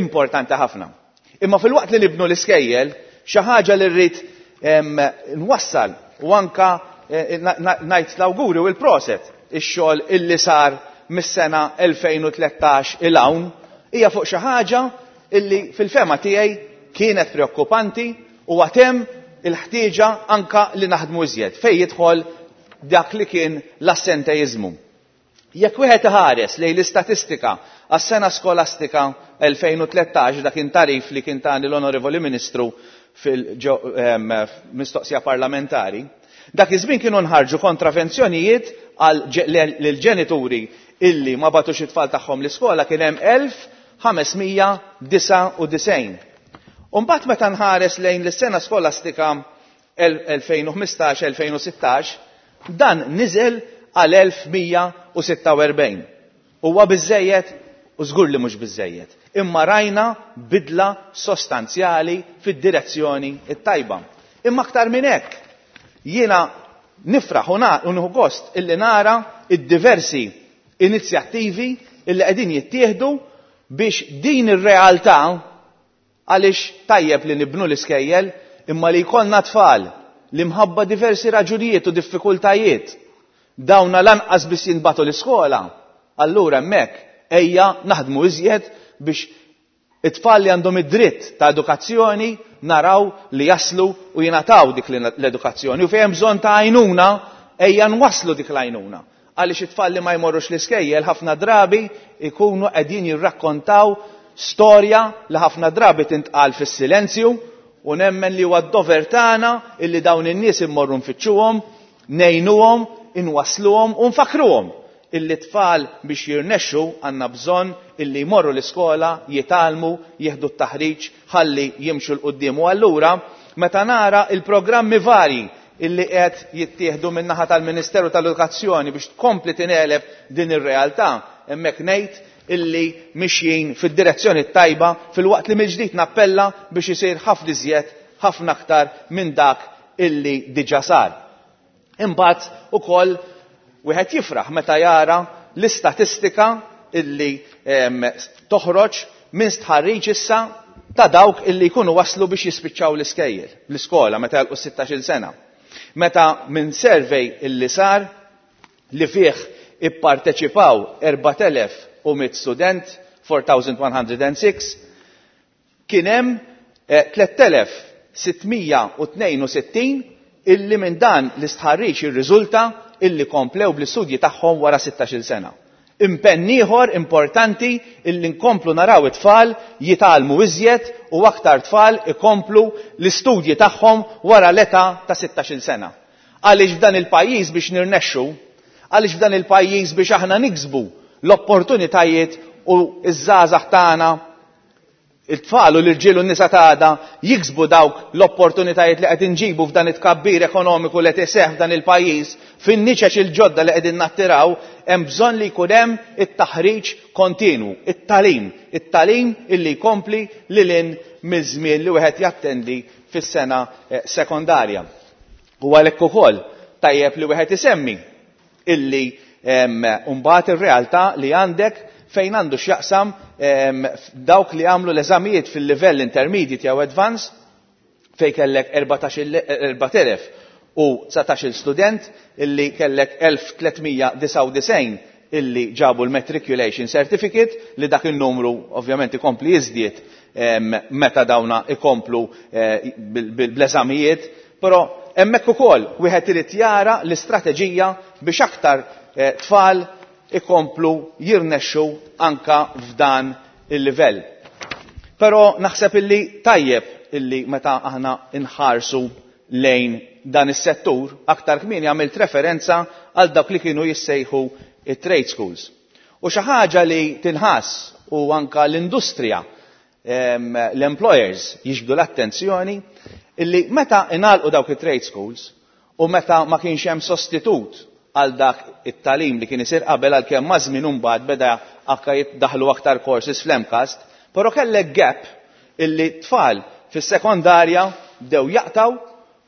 importanti ħafna. Imma fil-waqt li nibnu l-iskejjel, xi ħaġa li rrid nwassal u anka ngħid l-awguri u l-proset ix-xogħol illi sar mis-sena elfejn u tlettax il hawn hija fuq xi ħaġa illi fil-fema tiegħi kienet preokkupanti u għatem il-ħtieġa anka li naħdmu iżjed fejn jidħol dak li kien l-assenteizmu. Jekk wieħed iħares lejn l-istatistika għas-sena skolastika elfejn u tlettax, dak kien tarif li kien tani l-Onorevoli Ministru fil-mistoqsija parlamentari, dak iż-żmien kienu nħarġu kontravenzjonijiet għal lill-ġenituri illi ma bagħtux it-tfal tagħhom l-iskola kien hemm elf ħamesmija disgħa u disgħin. U mbagħad meta nħares lejn l-sena skolastika elfejn u ħmistax elfejn u sittax, dan niżel għal elf mija u sitta u erbgħin. Huwa biżżejjed u żgur li mhux biżżejjed, imma rajna bidla sostanzjali fid-direzzjoni t-tajba. Imma aktar minn hekk, jiena nifraħ u nieħu gost illi nara id-diversi inizjattivi illi qegħdin jittieħdu biex din ir-realtà, għaliex tajjeb li nibnu l-iskejjel, imma li jkollna tfal li mħabba diversi raġunijiet u diffikultajiet dawna lanqas biss jinbatu l-iskola, allura hemmhekk ejja naħdmu iżjed biex it-tfal li għandhom id-dritt ta' edukazzjoni naraw li jaslu u jingħataw dik l-edukazzjoni, u fejn hemm bżonn ta' għajnuna ejja nwasslu dik l-għajnuna. Għaliex it-tfal li ma jmorrux l-iskejjel ħafna drabi ikunu qegħdin jirrakkontaw storja li ħafna drabi tintqal fis-silenzju, u nemmen li huwa d-dover tagħna illi dawn in-nies immorru nfittxuhom, ngħinuhom, inwassluhom u nfakruhom illi tfal biex jirnexxu għandna bżonn illi jmorru l-iskola, jitgħallmu, jieħdu t-taħriġ ħalli jimxu l quddiem. U allura meta nara il-programmi varji illi qed jittieħdu min-naħa tal-Ministeru tal-Edukazzjoni biex tkompli tingħeleb din ir-realtà, hemmhekk ngħid illi mixjin fid-direzzjoni tajba, fil-waqt li mill-ġdid nappella biex isir ħafna iżjed, ħafna aktar minn dak illi diġà sar. Imbagħad ukoll wieħed jifraħ meta jara l-istatistika illi, em, toħroġ minn stħarriġ issa ta' dawk illi jkunu waslu biex jispiċċaw l-iskejjel, l-iskola meta jagħlqu sittax-il sena. Meta minn survey illi sar li fih ipparteċipaw erbat elef u mitt student, four thousand one hundred and six, kien hemm, eh, tliet elef sitt mija u tnejn u sittin illi minn dan l-istħarriġ irriżulta illi komplew bl-istudji tagħhom wara sittax-il sena. Impenn ieħor importanti illi nkomplu naraw it-tfal jitgħallmu iżjed u aktar tfal ikomplu l-istudji tagħhom wara l-età ta' sittax-il sena. Għaliex f'dan il-pajjiż biex nirnexxu, għaliex f'dan il-pajjiż biex aħna niksbu l-opportunitajiet u ż-żgħażagħ tagħna, it-tfal u l-irġiel u n-nisa tagħna jiksbu dawk l-opportunitajiet li qed inġibu f'dan it-tkabbir ekonomiku li qed iseħħ f'dan il-pajjiż, fin-niċeċ il-ġodda li qegħdin nattiraw, hemm bżonn li jkun hemm it-taħriġ kontinwu, it-talim, it-talim illi jkompli lil hinn miż-żmien li wieħed jattendi fis-sena, eh, sekondarja. U għalhekk ukoll tajjeb li wieħed isemmi illi, em, mbagħad ir-realtà li għandek fejn għandu x'jaqsam, em, dawk li għamlu l-eżamijiet fil-livell intermediate jew advanced, fejn kellek erbat elef u dsatax-il student illi kellek elf tliet mija disgħa u disgħin illi ġabu l-matriculation certificate, li dak il-numru ovvjament ikompli jiżdied, em, meta dawna ikomplu, eh, bil-, bil-, bl-eżamijiet, però hemmhekk ukoll wieħed irid jara l-istrateġija biex aktar, eh, tfal ikomplu jirnexxu anka f'dan il-livell. Però naħseb illi tajjeb illi meta aħna nħarsu lejn dan is-settur, aktar kmieni għamilt referenza għal dawk li kienu jissejħu it-trade schools. U xi ħaġa li tinħass u anka l-industrija, em, l-employers jiġbdu l-attenzjoni illi meta ingħalqu dawk it-trade schools u meta ma kienx hemm sostitut għal dak it-talim li kien isir qabel, għalkemm ma' żmien imbagħad beda anke jiddaħlu aktar courses fl-MCAST, però kellek gap illi tfal fis-sekondarja bdew jaqtaw,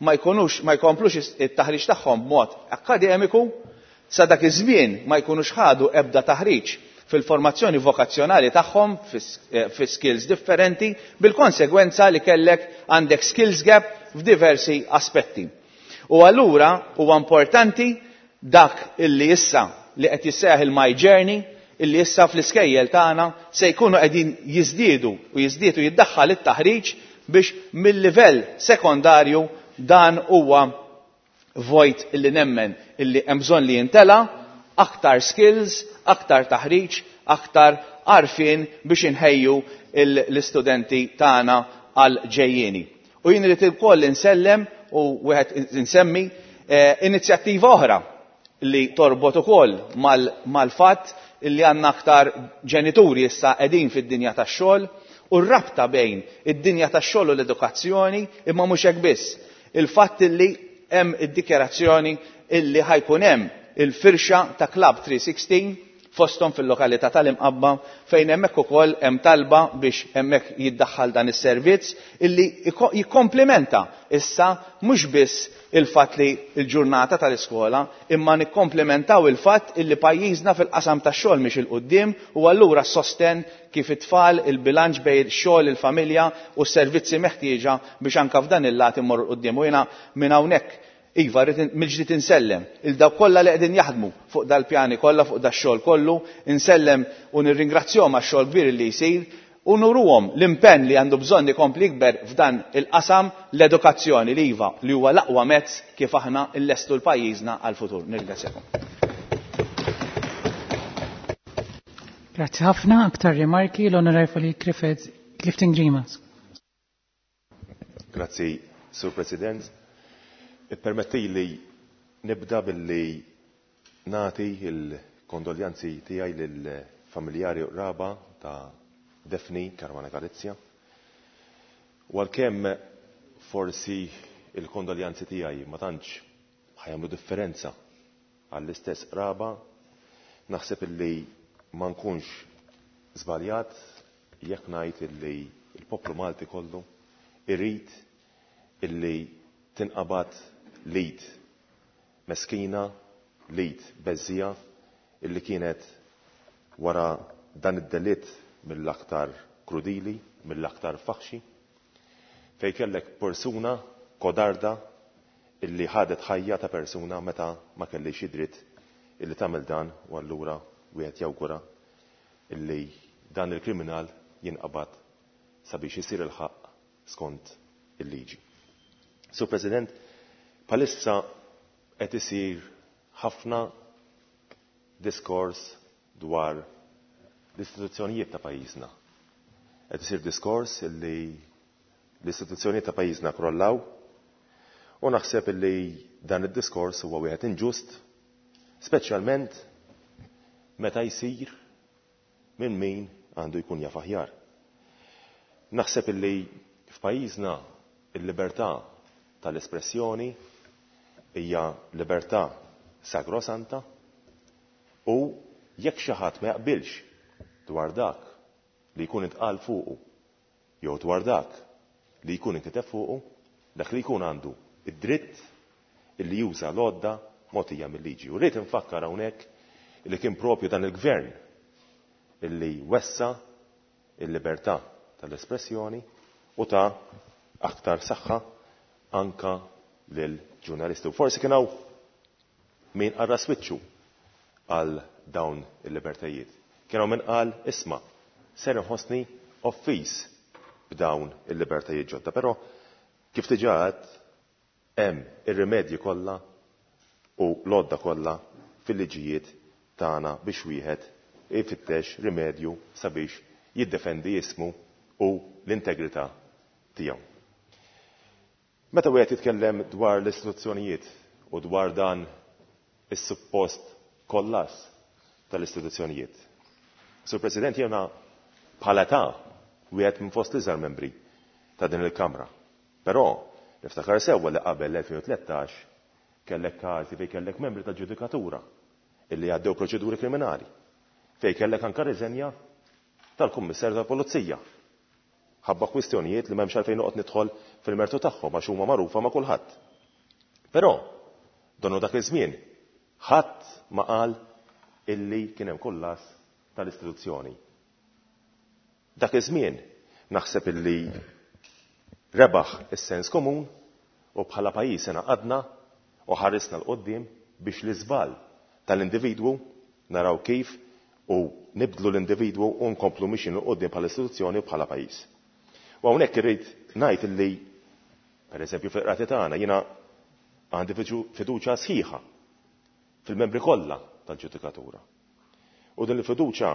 ma jkunux, ma jkomplux it-taħriġ tagħhom b'mod akademiku, sa dak iż-żmien ma jkunux ħadu ebda taħriġ fil-formazzjoni vokazzjonali tagħhom fis-, eh, fi skills differenti, bil-konsegwenza li kellek għandek skills gap f'diversi aspetti. U allura huwa importanti dak illi issa li qed jisseħ il-My Journey, illi issa fl-iskejjel tagħna se jkunu qegħdin jiżdiedu u jiżdiedu jiddaħħal it-taħriġ biex mill-livell sekondarju dan huwa vojt illi nemmen illi hemm bżonn li jintela, aktar skills, aktar taħriġ, aktar għarfien biex inħejju il-, l-istudenti tagħna għal ġejjieni. U jien irid ukoll insellem u wieħed insemmi, eh, inizjattiva oħra li torbot ukoll mal-, mal-fatt illi għandna aktar ġenituri issa qegħdin fid-dinja tax-xogħol u r-rabta bejn id-dinja tax-xogħol u l-edukazzjoni, imma mhux hekk biss. Il-fatt illi hemm id-dikjarazzjoni illi ħajkun hemm il-firxa ta' Club three sixteen fosthom fil-lokalità tal-Imqabba, fejn hemmhekk ukoll hemm talba biex hemmhekk jiddaħħal dan is-servizz illi iko-, jikkomplementa issa mhux biss il-fatt li l-ġurnata tal-iskola, imma nikkomplementaw il-fatt illi pajjiżna fil-qasam tax-xogħol mhix il-quddiem, u allura s-sosten kif it-tfal il-bilanċ bejn ix-xogħol, il-familja u s-servizzi meħtieġa biex anke f'dan il-lat immorru l-quddiem. U jiena minn hawnhekk iva, rrid in-, mill-ġdid insellem il dawk kollha li qegħdin jaħdmu fuq dal-pjani kollha, fuq dax-xogħol kollu, insellem u nirringrazzjahom għax-xogħol kbir li jsir u nuruhom l-impenn li għandu bżonn ikompli jikber f'dan il-qasam l-edukazzjoni li iva li huwa l-aqwa mezz kif aħna nlestu l-pajjiżna għall-futur. Nirringrazzjakom.
Grazzi ħafna. Aktar rimarki l-Onorevoli Clifford Clifton Grima.
Grazzi, Sur President. Ippermetti li nibda billi nati il-kondoljanzi tiegħi lill-familjari u qraba ta' Daphne Caruana Galizia. U għalkemm forsi il-kondoljanzi tiegħi ma tantx ħajamlu differenza għall-istess qraba, naħseb illi ma nkunx żbaljat jekk ngħid illi il-poplu Malti kollu irid illi tinqabad lid meskina, lid beżija illi kienet wara dan id-delitt mill-aktar krudili, mill-aktar faħxi, fej kellek persuna kodarda illi ħadet ħajja ta' persuna meta ma kellix id-dritt illi tagħmel dan, u allura wieħed jawgura illi dan il-kriminal jinqabad sabiex isir il-ħaqq skont il-liġi. Sur President, bħalissa qed isir ħafna diskors dwar l-istituzzjonijiet ta' pajjiżna. Qed isir diskors illi l-istituzzjonijiet ta' pajjiżna krollaw u naħseb illi dan id-diskors huwa wieħed inġust, speċjalment meta jsir minn min għandu jkun jaf aħjar. Naħseb illi f'pajjiżna il-libertà tal-espressjoni hija libertà sagrosanta u jekk xi ħadd ma jaqbilx dwar dak li jkun intqal fuqu jew dwar dak li jkun inkiteb fuqu, dak li jkun għandu id-dritt illi juża l-għodda mogħtija mill-liġi. U rrid infakkar hawnhekk illi kien propju dan il-gvern illi wessa il-libertà tal-espressjoni u ta' aktar saħħa anka lil ġurnalisti. U forsi kien hawn min qarra swiċċu għal dawn il-libertajiet. Kien hawn min qal isma' ser inħossni offiż b'dawn il-libertajiet ġodda. Però kif diġà għedt hemm ir-rimedji kollha u l-għodda kollha fil-liġijiet tagħna biex wieħed ifittex rimedju sabiex jiddefendi ismu u l-integrità tiegħu. Meta wieħed jitkellem dwar l-istituzzjonijiet u dwar dan is-suppost kollass tal-istituzzjonijiet. Sur President, jiena bħala ta' wieħed minn fost l-iżgħar membri ta' din il-Kamra. Però niftakar sewwa li qabel l-elfejn u tlettax kellek każi fejn kellek membri ta' ġudikatura illi għaddew proċeduri kriminali, fejn kellek anka riżenja tal-Kummissarju tal-Pulizija. Ħabba kwistjonijiet li m'hemmx għalfejn noqgħod nidħol fil-mertu tagħhom għax huma magħrufa ma' kulħadd. Però donnu dak iż-żmien ħadd ma qal illi kien hemm kollass tal-istituzzjoni. Dak iż-żmien naħseb illi rebaħ is-sens komun u bħala pajjiż ingħaqadna u ħarisna 'l quddiem biex l-iżball tal-individwu naraw kif u nibdlu l-individwu u nkomplu mixin 'l quddiem bħala istituzzjoni u bħala pajjiż. U hawnhekk irrid ngħid illi pereżempju fil-qrati tagħna jiena għandi fiduċja sħiħa fil-membri kollha tal-ġudikatura. U din il-fiduċja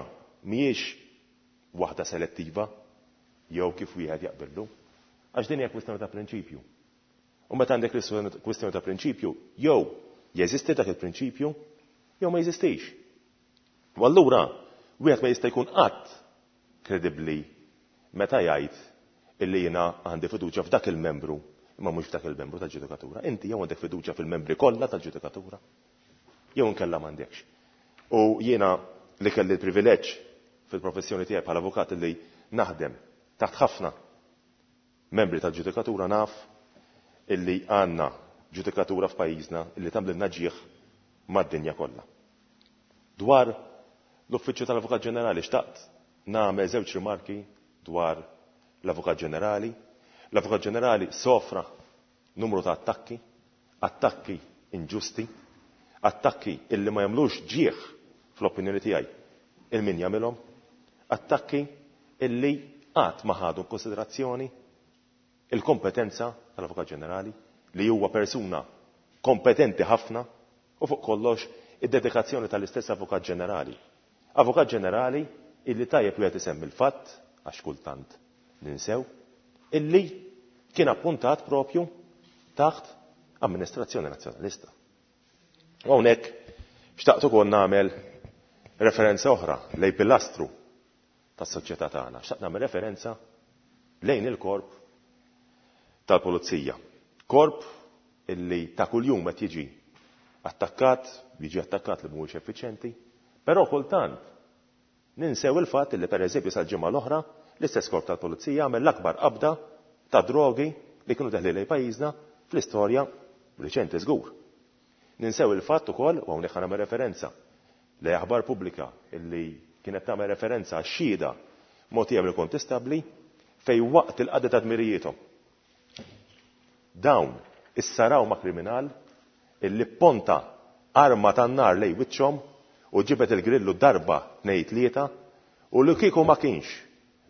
mhijiex waħda selettiva jew kif wieħed jaqbillu, għax din hija kwistjoni ta' prinċipju. U meta għandek kwistjoni ta' prinċipju, jew jeżisti dak il-prinċipju, jew ma jeżistix. U allura wieħed ma jista' jkun qatt kredibbli meta jgħid illi jiena għandi fiduċja f'dak il-membru imma mhux f'dak il-membru tal-ġudikatura. Inti jew għandek fiduċja fil-membri kollha tal-ġudikatura, jew inkella m'għandekx. U jiena li kelli l-privileġġ fil-professjoni tiegħi bħala avukat li naħdem taħt ħafna membri tal-ġudikatura naf illi għandna ġudikatura f'pajjiżna illi tagħmlilna ġieħ mad-dinja kollha. Dwar l-Uffiċċju tal-Avukat Ġenerali xtaqt nagħmel żewġ rimarki dwar l-Avukat Ġenerali. L-Avukat Ġenerali sofra numru ta' attakki, attakki inġusti, attakki illi ma jagħmlux ġieħ fl-opinjoni tiegħi il-min jagħmilhom, attakki illi qatt ma ħadu konsiderazzjoni il-kompetenza tal-Avukat Ġenerali li huwa persuna kompetenti ħafna u fuq kollox id-dedikazzjoni tal-istess Avukat Ġenerali. Avukat Ġenerali illi tajjeb wieħed isemmi l-fatt għax kultant ninsew illi kien appuntat propju taħt amministrazzjoni nazzjonalista. U hawnhekk xtaqt ukoll nagħmel referenza oħra lejn pilastru tas-soċjetà tagħna. Xtaqt nagħmel referenza lejn il-korp tal-pulizija. Korp illi ta' kuljum qed jiġi attakkat, jiġi attakkat li mhuwiex effiċjenti, però kultant ninsew il-fatt illi pereżempju sal-ġimgħa l-oħra l-istess korp tal-pulizija għamel l-akbar qabda ta' drogi li kienu deħli lejn pajjiżna fl-istorja riċenti żgur. Ninsew il-fatt ukoll, u hawnhekk nagħmel referenza li aħbar pubblika illi kienet tagħmel referenza għax-xhieda mogħtija mill-kontistabbli fej waqt il-qadi ta' dmirijiethom. Dawn issaraw ma' kriminal illi ponta arma tan-nar lej wiċċhom u ġibet il-grillu darba tnejn tlieta u li kieku ma kienx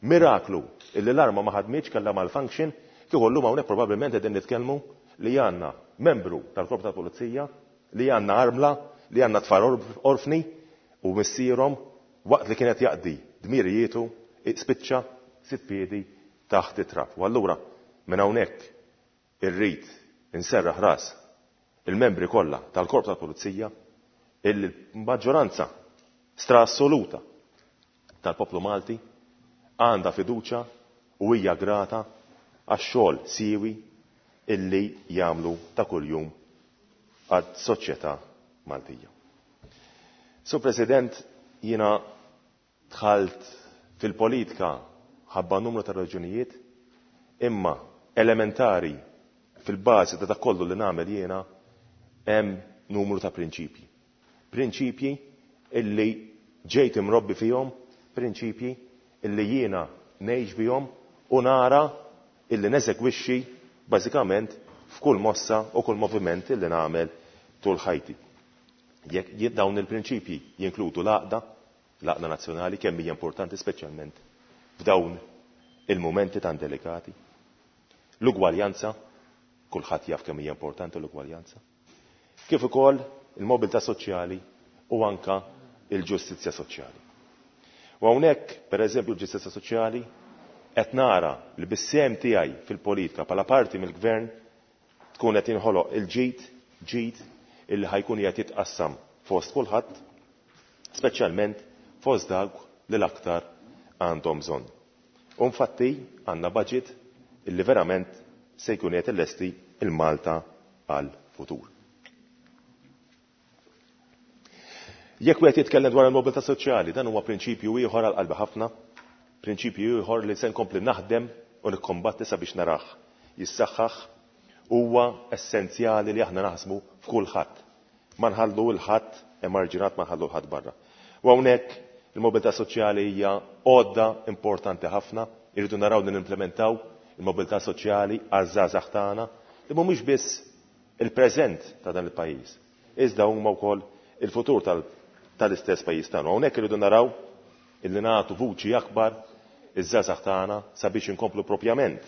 miraklu illi l-arma ma ħadmitx kellha malfunction, kieku llum hawnhekk probabbilment qegħdin nitkellmu li għandna membru tal-Korp tal-Pulizija, li għandna armla, li għandna tfal orfni u missierhom waqt li kienet jaqdi dmirijietu spiċċa sitt piedi taħt it-trab. U allura minn hawnhekk irrid inserraħ ras il-membri kollha tal-Korp tal-Pulizija il-maġġoranza stra assoluta tal-poplu Malti għandha fiduċja u hija grata għax-xogħol siewi illi jagħmlu ta' kuljum għad-soċjetà Maltija. Sur President, jiena dħalt fil-politika ħabba numru ta' raġunijiet, imma elementari fil-bażi ta' dak kollu li nagħmel jiena hemm numru ta' prinċipji. Prinċipji illi ġejt imrobbi fihom, prinċipji illi jiena ngħix bihom u nara illi neżegwixxi bażikament f'kull mossa u kull moviment illi nagħmel tul ħajti. Jekk dawn il-prinċipji jinkludu l-għaqda, l-għaqda nazzjonali kemm hija importanti speċjalment f'dawn il-mumenti tan delikati. L-ugwaljanza, kulħadd jaf kemm hija importanti l-ugwaljanza. Kif ukoll il-mobilità soċjali u anka il-ġustizzja soċjali. U hawnhekk, pereżempju, l-ġustizzja soċjali qed nara li bis-sehem tiegħi fil-politika bħala parti mill-gvern tkun qed jinħoloq il-ġid, ġid illi ħajkun qiegħed jitqassam fost kulħadd, speċjalment fost dawk li l-aktar għandhom bżonn. U infatti għandna budget illi verament se jkun qed illesti il-Malta għal futur. Jekk wieħed jitkellem dwar il-mobilità soċjali, dan huwa prinċipju ieħor għal qalbi ħafna, prinċipju ieħor li se nkompli naħdem u nikkombatti sabiex narah jissaħħaħ. Huwa essenzjali li aħna naħsmu f'kulħadd. Ma nħallu l-ħadd emarġinat, ma nħallu l-ħadd barra. U hawnhekk il-mobilità soċjali hija għodda importanti ħafna, irridu naraw li nimplementaw il-mobilità soċjali għaż-żgħażagħ tagħna li mhumiex biss il-preżent ta' dan il-pajjiż, iżda huma wkoll il-futur tal-istess pajjiż tagħna. Hawnhekk irridu naraw illi nagħtu vuċi akbar iż-żgħażagħ tagħna sabiex inkomplu propjament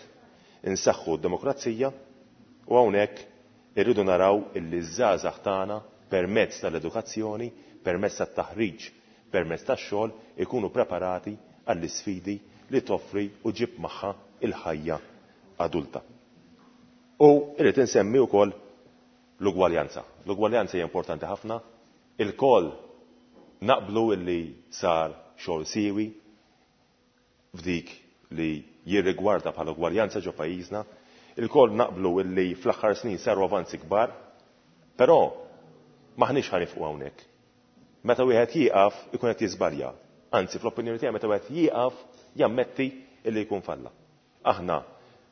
insaħħu d-demokrazija, u hawnhekk irridu naraw illi ż-żgħażagħ tagħna permezz tal-edukazzjoni, permezz tat-taħriġ, permezz tax-xogħol ikunu preparati għall-isfidi li toffri u ġib magħha il-ħajja adulta. U irrid insemmi wkoll l-ugwaljanza. L-ugwaljanza hija importanti ħafna. Il-koll naqblu illi sar xogħol siewi f'dik li jirrigwarda bħala ugwaljanza ġo pajjiżna. Il-koll naqblu illi fl-aħħar snin saru avanzi kbar, però maħniex ħanifqu hawnhekk. Meta wieħed jieqaf ikun qed jiżbalja. Anzi, fl-opinjoni tiegħi meta wieħed jieqaf jammetti illi jkun falla. Aħna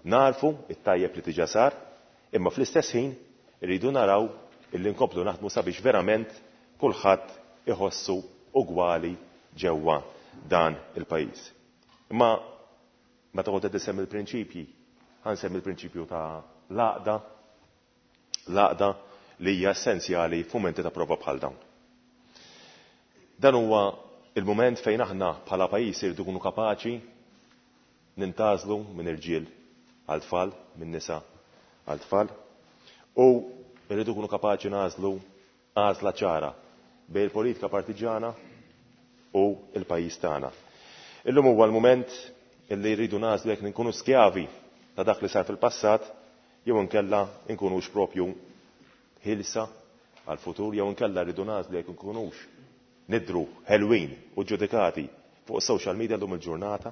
narfu it-tajjeb li diġà sar, imma fl-istess ħin irridu naraw illi nkomplu naħdmu sabiex verament kulħadd iħossu ugwali ġewwa dan il-pajjiż. Imma meta kont qed isemmi l-prinċipji, ħansemmi l-prinċipju ta' l-għaqda, l-għaqda li hija essenzjali f'mumenti ta' prova bħal dawn. Dan huwa il-mument fejn aħna bħala pajjiż irridu nkunu kapaċi nintażlu minn irġiel għal tfal, minn nisa għal tfal, u rridu nkunu kapaċi nażlu għażla ċara bejn il-politika partiġana u l-pajjiż tagħna. Illum huwa l-mument illi rridu nażlu jekk nkunu skjavi ta' dak li sar fil-passat jew inkella nkunux propju ħilsa għal-futur, jew inkella rridu nażlu jekk nkunux nidru ħelwin u ġudikati fuq social media llum il-ġurnata,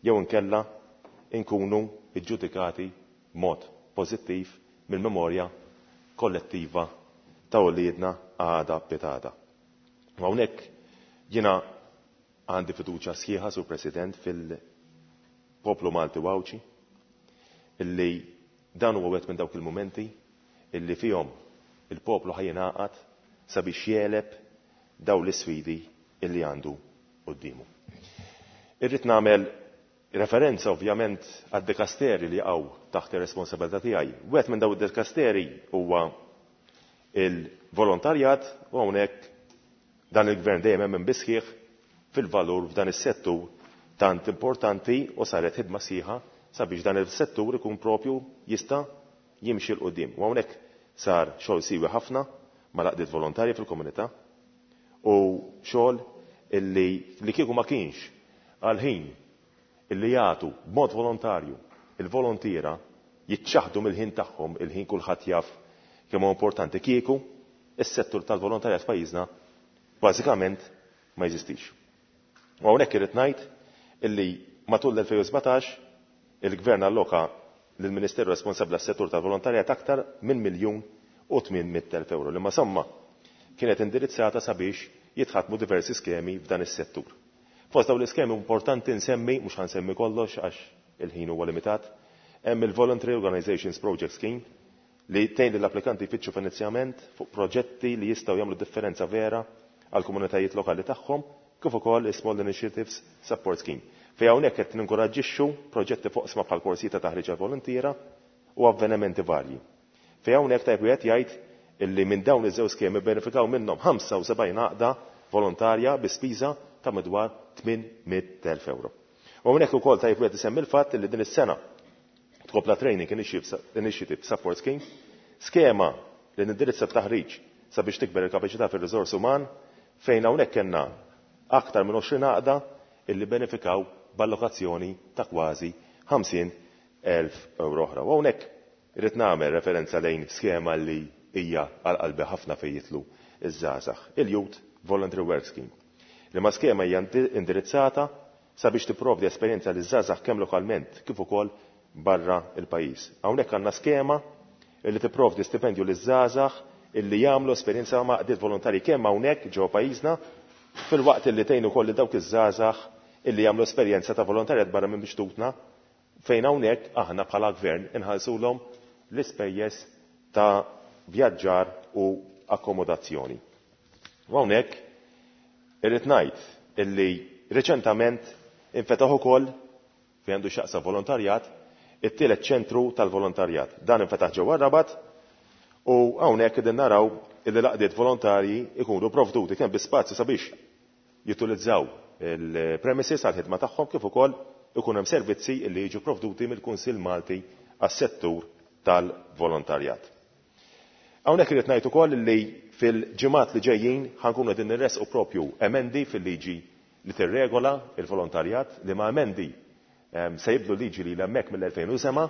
jew inkella nkunu ġudikati mod pożittiv mill-memorja kollettiva ta' uliedna għada pitada. U hawnhekk jiena għandi fiduċja sħiħa, Sur President, fil-poplu Malti u Għawdxi, illi dan huwa wieħed minn dawk il-mumenti illi fihom il-poplu ħajjingħaqad sabiex jeleb daw l-isfidi illi għandu quddiemu. Irrid nagħmel referenza ovvjament għad-dekasteri li jaqgħu taħt ir-responsabilità tiegħi. Wieħed minn daw id-dekasteri huwa il-volontarjat, u hawnhekk dan il-gvern dejjem hemm bisħieħ fil-valur f'dan is-settur tant importanti, u saret ħidma sħiħa sabiex dan is-settur ikun propju jista' jimxi 'l quddiem. U hawnhekk sar xogħol siwi ħafna mal-għaqdiet volontarji fil-komunità u xogħol illi li kieku ma kienx għal ħin illi jagħtu b'mod volontarju il-volontiera jiċċaħdu mill-ħin tagħhom, il-ħin kulħadd jaf kemm huwa importanti, kieku is-settur tal-volontarjat f'pajjiżna bażikament ma jeżistix. U hawnhekk irid ngħid illi matul l-elfejn u sbatax il-Gvern alloka lill-Ministeru responsabbli għas-settur tal-volontarjat aktar minn miljun u tmien mitt elf euro, li ma somma kienet indirizzata sabiex jitħatmu diversi skemi f'dan is-settur. Fost dawn l-iskemi importanti nsemmi, mhux ħansemmi kollox għax il-ħin huwa limitat, hemm il-Voluntary Organizations Project Scheme li tgħin lill-applikanti jfittxu finanzjament fuq proġetti li jistgħu jagħmlu differenza vera għal komunitajiet lokali tagħhom, kif ukoll is-Small Initiatives Support Scheme. Fejn hawnhekk qed ninkoraġġixxu proġetti fuq sma bħal korsijiet ta' taħriġ għal volontiera u avvenimenti varji. Fejn hawnhekk tajb wieħed jgħid illi minn dawn iż-żewġ skemi benefikaw minnhom ħamsa u sebgħin għaqda volontarja bi spiża ta' madwar tmien mitt elf euro. U hawnhekk ukoll tajb wieħed isemmi l-fatt illi din is-sena tkompla Training Initiative Support Scheme, skema li nindirizza t-taħriġ sabiex tikber il-kapaċità fir-riżors uman, fejn hawnhekk kellna aktar minn għoxrin għaqda illi benefikaw b'allokazzjoni ta' kważi ħamsin elf euro oħra. U hawnhekk irrid nagħmel referenza lejn skema li hija għal qalbi ħafna fejn jitlu iż-żgħażagħ, il-Youth Voluntary Work Scheme. Li ma skema hija indirizzata sabiex tipprovdi esperjenza liż-żgħażagħ kemm lokalment kif ukoll barra il-pajjiż. Hawnhekk għandna skema li tipprovdi stipendju liż-żgħażagħ illi jagħmlu esperjenza ma' għaqdiet volontarji kemm hawnhekk ġewwa pajjiżna, filwaqt illi tgħin ukoll lil dawk iż-żgħażagħ illi jagħmlu esperjenza ta' volontarjat barra minn bixtutna, fejn hawnhekk aħna bħala gvern inħallsulhom l-ispejjeż ta' vjaġġar u akkomodazzjoni. U hawnhekk irrid ngħid illi reċentament infetaħ ukoll fejn għandu x'jaqsam volontarjat it-tielet ċentru tal-volontarjat. Dan infetaħ ġewwa Rabat u hawnhekk qegħdin naraw illi l-għaqdiet volontarji ikunu provduti kemm bi spazju sabiex jutilizzaw il-premises għall-ħidma tagħhom kif ukoll ikun hemm servizzi li jiġu provduti mill-Kunsill Malti għas-settur tal-volontarjat. Hawnhekk irid ngħid ukoll li fil-ġimgħat li ġejjin ħankunu qegħdin nirresqu propju emendi fil-liġi li tirregola il-volontarjat, li ma emendi, ehm, se jibdu liġi li hemmhekk mill-elfejn u seba'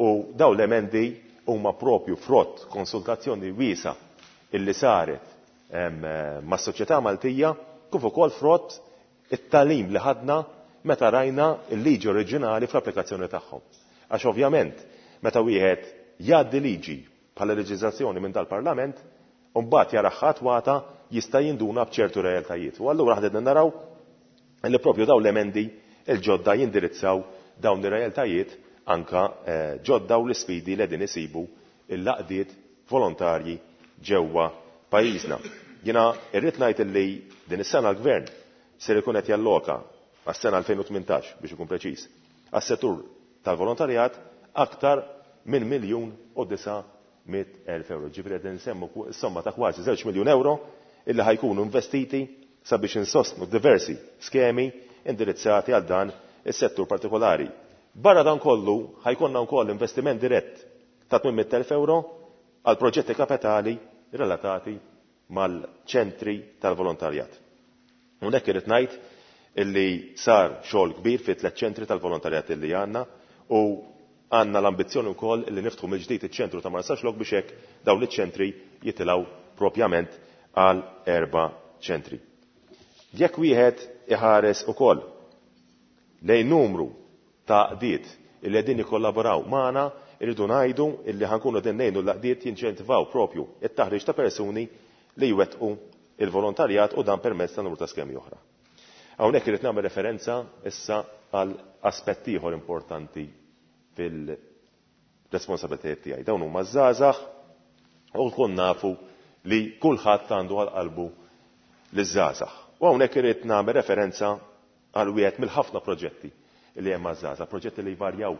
u dawn l-emendi huma propju frott konsultazzjoni wiesa illi saret, ehm, mas-soċjetà Maltija kif ukoll frott it-talim li ħadna meta rajna l-liġi oriġinali fl-applikazzjoni tagħhom. Għax ovvjament meta wieħed jgħaddi liġi bħala leġiżlazzjoni minn dal-Parlament, u mbagħad jara ħadd jista' jinduna b'ċertu realtajiet. U allura ħadna naraw li propju dawn l-emendi il-ġodda jindirizzaw dawn ir-realtajiet anka, eh, ġodda u l-isfidi li qegħdin isibu l-għaqdiet volontarji ġewwa pajjiżna. Jiena irrid ngħid li din is-sena l-Gvern ser ikun qed jalloka għas-sena elfejn u tmintax biex ikun preċiż, għas-settur tal-volontarjat aktar minn miljun u disa' mitt elf euro. Ġifieri qed insemmu ku-, somma ta' kważi żewġ miljun euro illi ħajkunu investiti sabiex insostnu diversi skemi indirizzati għal dan is-settur partikolari. Barra dan kollu ħajkonna wkoll investiment dirett ta' tmien mitt elf euro għal proġetti kapitali relatati mal-ċentri tal-volontarjat. Hawnhekk irid ngħid illi sar xogħol kbir fi tliet ċentri tal-volontarjat illi għandna u għandna l-ambizzjoni wkoll illi niftħu mill-ġdid iċ-ċentru ta' Marsaxlokk biex hekk dawn iċ-ċentri jitilgħu propjament għal erba' ċentri. Jekk wieħed iħares ukoll lejn numru ta' għaqdiet illi qegħdin jikkollaboraw magħna, irridu ngħidu illi ħankunu qegħdin ngħinu l-għaqdiet jinċentivaw propju it-taħriġ ta' persuni li jwettqu il-volontarjat u dan permezz ta' numru ta' skemi oħra. Hawnhekk irid nagħmel referenza issa għal aspett ieħor importanti fil-responsabilitajiet tiegħi. Dawn huma żgħażagħ u nkun nafu li kulħadd għandu għal qalbu liż-żgħażagħ. U hawnhekk irid nagħmel referenza għal wieħed mill-ħafna proġetti li hemm għaż-żgħażagħ, proġetti li jvarjaw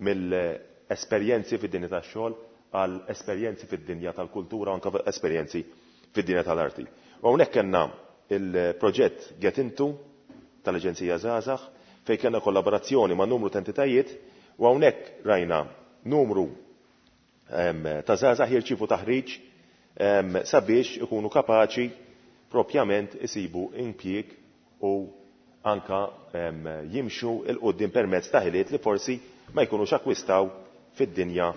mill-esperjenzi fid-dinja tax-xogħol għal esperjenzi fid-dinja tal-kultura u anke esperjenzi fid-dinja tal-arti. U hawnhekk kellna il-proġett Get Into tal-Aġenzija Żgħażagħ fejn kellna kollaborazzjoni ma' numru ta' entitajiet u hawnhekk rajna numru ta' żgħażagħ jirċievu taħriġ sabiex ikunu kapaċi propjament isibu impjieg u anka jimxu 'l quddiem permezz ta' ħiliet li forsi ma jkunux akkwistaw fid-dinja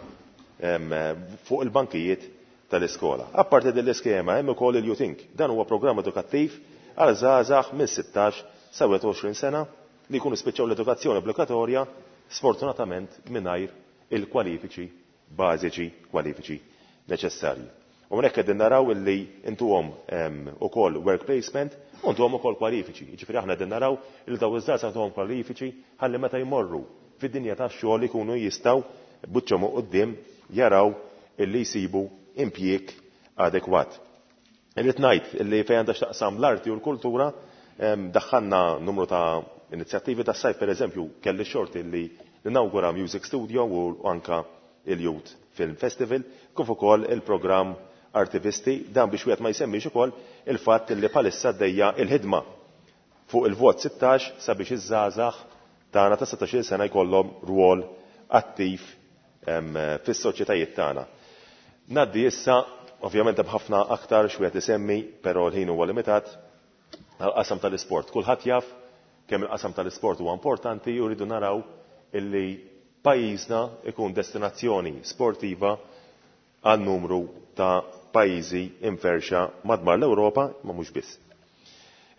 fuq il-bankijiet tal-iskola. Apparti din l-iskema hemm ukoll il-YouThink. Dan huwa programm edukattiv għal żgħażagħ minn sittax sa wieħed u għoxrin sena li jkunu spiċċaw l-edukazzjoni obbligatorja sfortunatament mingħajr il-kwalifiċi bażiċi, kwalifiċi neċessarji. U hawnhekk qegħdin naraw illi intuhom ukoll work placement u ntuhom ukoll kwalifiċi. Jiġifieri aħna qegħdin naraw li dawn iż-żgħażagħ ntuhom kwalifiċi ħalli meta jmorru fid-dinja tax-xogħol ikunu jistgħu buċċhom quddiem jaraw illi jsibu impjieg adekwat. Irrid ngħid illi fejn għandha x'taqsam l-arti u l-kultura, daħħalna numru ta' inizjattivi tas-sajf, pereżempju kelli xorti li ninawgura Music Studio u anka il-Youth Film Festival, kif ukoll il-programm Artivisti, dan biex wieħed ma jsemmix ukoll il-fatt li bħalissa għaddejja il-ħidma fuq il-vot sittax sabiex iż-żgħażagħ tagħna ta' sittax-il sena jkollhom rwol attiv fis-soċjetajiet tagħna. Ngħaddi issa, ovvjament hemm ħafna aktar x'wieħed isemmi, però l-ħin huwa limitat, għall-qasam tal-isport. Kulħadd jaf kemm il-qasam tal-isport huwa importanti u rridu naraw illi pajjiżna ikun destinazzjoni sportiva għal numru ta' pajjiżi imferxa madwar l-Ewropa, ma mhux biss.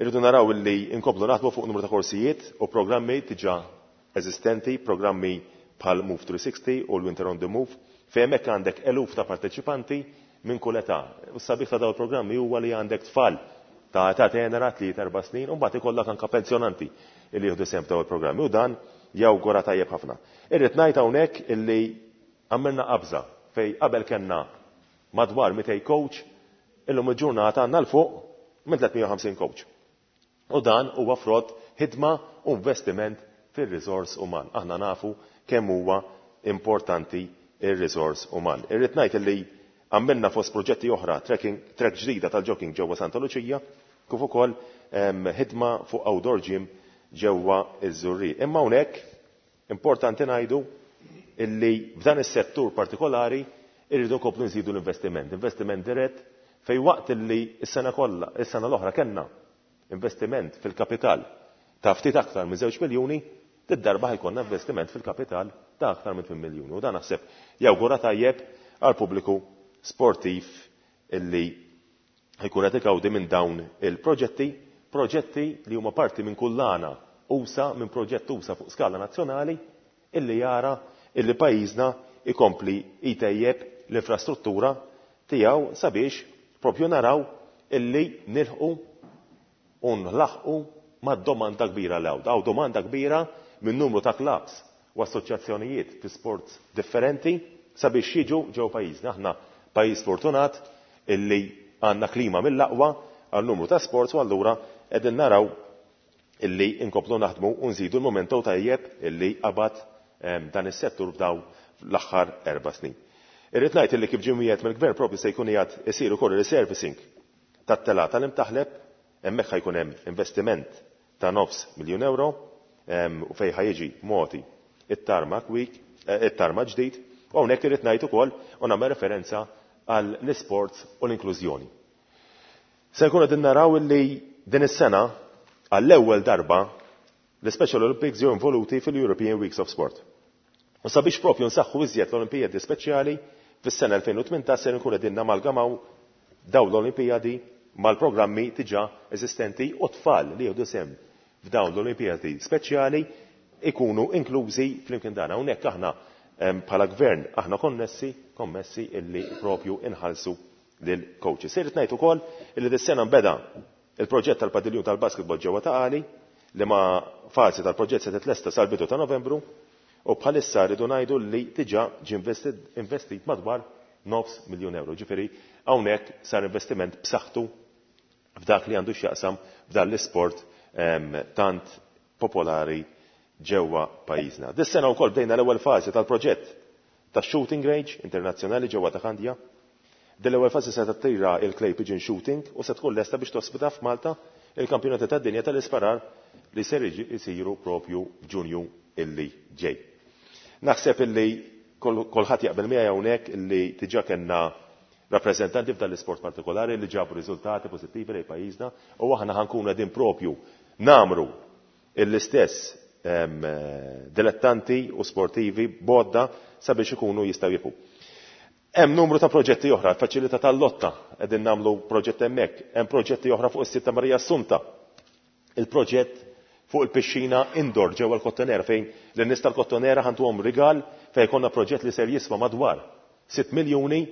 Irridu naraw illi inkomplu naħdmu fuq numru ta' korsijiet u programmi diġà eżistenti, programmi bħal Move three sixty u l-Winter on the Move, fejn hemmhekk għandek eluf ta' parteċipanti minn kull età. U s-sabiħ ta' dawn il-programmi huwa li għandek tfal ta' età tenera tliet erba' snin u mbagħad ikollok anke pensjonanti li jieħdu sehem f'dawn il-programmi u dan jawgura tajjeb ħafna. Irrid ngħid hawnhekk illi għamilna qabża fej qabel kellna madwar mitej coach, illum il-ġurnata għandna l fuq minn tliet mija u ħamsin coach. U dan huwa frott ħidma u investiment fir-riżors uman. Aħna nafu kemm huwa importanti ir-riżors uman. Irrid ngħid illi għamilna fost proġetti oħra trekking, trek ġdida tal-jogging ġewwa Santa Luċija, kif ukoll, ehm, ħidma fuq outdoor gym ġewwa iż-Żurrieq. Imma hawnhekk importanti ngħidu illi f'dan is-settur partikolari irridu nkomplu nżidu l-investiment, investiment dirett fej waqt illi s-sena kollha, is-sena l-oħra kellna investiment fil-kapital ta' ftit aktar minn żewġ miljuni, did-darba ħajkonna investiment fil-kapital ta' aktar minn tmien miljuni. U dan naħseb jawgura tajjeb għal pubbliku sportiv illi ħajkun qed igawdi minn dawn il-proġetti, proġetti li huma parti minn kullana usa, minn proġett usa fuq skala nazzjonali illi jara illi pajjiżna ikompli jtejjeb l-infrastruttura tiegħu sabiex propju naraw illi nilħqu u nlaħqu mad-domanda kbira l hawn. Hawn domanda kbira minn numru ta' clubs u assoċjazzjonijiet fi sports differenti sabiex jiġu ġew pajjiżna. Aħna pajjiż fortunat illi għandna klima mill-aqwa għal numru ta' sports u allura qegħdin naraw illi inkomplu naħdmu u nżidu l-momentu tajjeb illi qabad, ehm, dan is-settur f'daw l-aħħar erba' snin. Irrid ngħid illi kif ġie mwiegħed mill-gvern propju se jkun qiegħed isir ukoll resurfacing tat-telgħa tal-Imtaħleb, hemmhekk ħajkun hemm investiment ta' nofs miljun euro, ehm, u fejn ħajġi moti it-tarmac week, eh, it-tarmac ġdid, u hawnhekk irrid ngħid ukoll u nagħmel referenza għal l-isports u l-inklużjoni. Se nkunu qegħdin naraw illi din is-sena għall-ewwel darba l-Special Olympics ġew involuti fil-European Weeks of Sport. U sabiex propju nsaħħu iżjed l-Olimpijadi Speċjali fis-sena elfejn u tmintax se nkunu qegħdin namalgamaw dawn l-Olimpijadi mal-programmi diġà eżistenti u tfal li jieħdu sehem f'dawn l-Olimpijadi Speċjali ikunu inklużi flimkien dan. Hawnhekk aħna, em, bħala gvern aħna konnessi, kommessi illi propju inħallsu lil coaches. Irrid ngħid ukoll illi dis-sena nbeda il-proġett tal-padiljun tal-basketball ġewwa Ta' Qali li ma fażi tal-proġett se titlesta sal-bidu ta' Novembru u bħalissa rridu ngħidu li diġà ġie investit, investit madwar nofs miljun euro. Ġifieri hawnhekk sar investiment b'saħħtu f'dak li għandu x'jaqsam f'dan l-isport, em, tant popolari ġewwa pajjiżna. Dis-sena wkoll bdejna l-ewwel fażi tal-proġett ta' shooting range internazzjonali ġewwa ta' Kandja. Din l-ewwel fażi se tattira il-Clay Pigeon Shooting u se tkun lesta biex tospita f'Malta il-kampjonati tad-dinja tal-isparar li ser isiru propju f'Ġunju illi ġej. Naħseb illi Kulħadd jaqbel miegħi hawnhekk li diġà kellna rappreżentanti f'dan l-isport partikolari li ġabu riżultati pożittivi lejn pajjiżna u aħna ħankunu qegħdin propju namru l-istess dilettanti u sportivi bodda sabiex ikunu jistgħu jibqu. Hemm numru ta' proġetti oħra, faċilità tal-lotta qegħdin nagħmlu proġett hemmhekk, hemm proġetti oħra fuq is-Sitta Marija Assunta. Il-proġett fuq il-pixxina indoor ġewwa l-Kottonera fejn lin-nies tal-Kottonera ħantuhom rigal fejn jkollna proġett li ser jiswa madwar sitt miljuni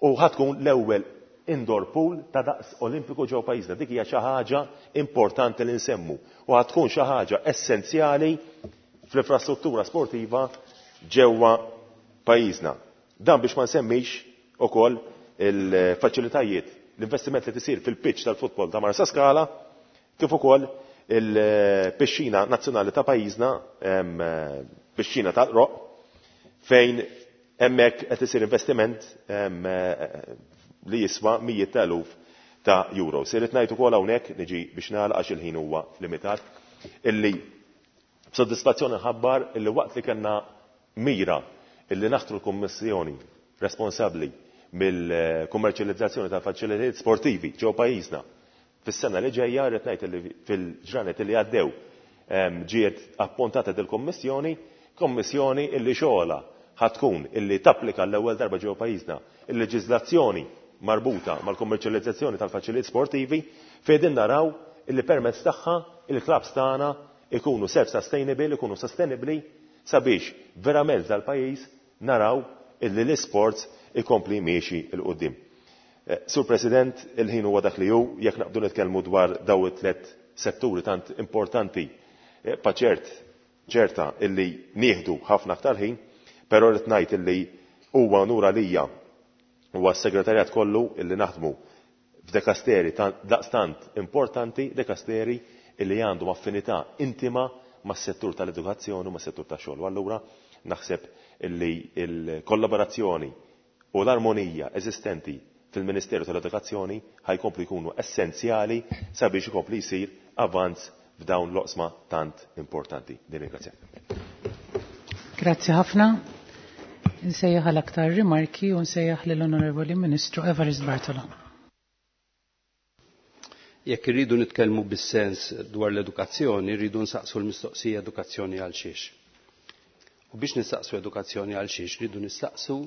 u ħatkun l-ewwel indoor pool ta' daqs olimpiku ġew pajjiżna. Dik hija xi ħaġa importanti li nsemmu u ħatkun xi ħaġa essenzjali fl-infrastruttura sportiva ġewwa pajjiżna. Dan biex ma nsemmix ukoll il-faċilitajiet, l-investiment li tisir fil-pitch tal-futbol ta' Marsa Skala, kif ukoll il-pixxina nazzjonali ta' pajjiżna, pixxina tal-Roq, fejn hemmhekk qed isir investiment li jiswa mijiet ta' eluf ta' euro. Irrid ngħid ukoll hawnhekk, niġi biex nagħlaq għax il-ħin huwa limitat, illi b'sodisfazzjoni nħabbar illi waqt li kellna mira illi naħtru l-Kummissjoni responsabbli mill-kummerċjalizzazzjoni tal-faċilitajiet sportivi ġew pajjiżna fis-sena li ġejja, rrid ngħid illi fil-ġranet li għaddew ġiet appuntata dil-Kummissjoni, kommissjoni illi xogħolha ħatkun illi tapplika l-ewwel darba ġewwa pajjiżna il-leġiżlazzjoni marbuta mal-kummerċjalizzazzjoni tal-faċilitajiet sportivi, fejn naraw illi permezz tagħha il-klabs tagħna ikunu self-sustainable, ikunu sostenibbli sabiex verament dal-pajjiż naraw illi l-isports ikompli miexi 'l quddiem. Sur President, il-ħin huwa dak li hu, jekk naqbdu nitkellmu dwar daw it-tliet setturi tant importanti, paċert ċerta illi nieħdu ħafna aktar ħin, però rrid ngħid illi huwa onur għalija huwa s-segretarjat kollu illi naħdmu f'dekasteri daqstant importanti, dekasteri illi għandhom affinità intima mas-settur tal-edukazzjoni u mas-settur tax-xogħol. U allura naħseb illi l-kollaborazzjoni u l-armonija eżistenti fil-Ministeru tal-Edukazzjoni ħajkomplu jkunu essenzjali sabiex ikompli jsir avanz f'dawn l-oqsma tant importanti. Nirringrazzjak.
Grazzi ħafna. Nsejjaħ għal aktar rimarki u nsejjaħ lill-Onorevoli Ministru Evarist Bartolo.
Jekk irridu nitkellmu bis-sens dwar l-edukazzjoni, rridu nsaqsu l-mistoqsija edukazzjoni għal xiex. U biex nistaqsu edukazzjoni għal xiex, rridu nistaqsu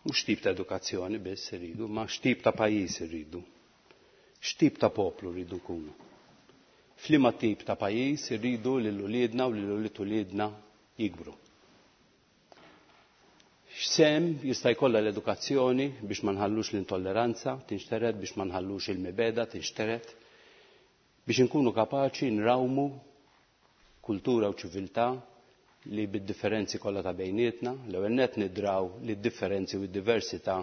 mhux tip ta' edukazzjoni biss irridu, ma x'tip ta' pajjiż irridu. X'tip ta' poplu rridu nkunu. F'liema tip ta' pajjiż irridu lil uliedna u lil ulied uliedna jikbru. X'sehem jista' jkollha l-edukazzjoni biex ma nħallux l-intolleranza tinxtered, biex ma nħallux il-mibeda tinxtered, biex inkunu kapaċi nrawmu kultura u ċiviltà li bid-differenzi kollha ta' bejnietna, l-ewwel nett nidraw li d-differenzi u d-diversità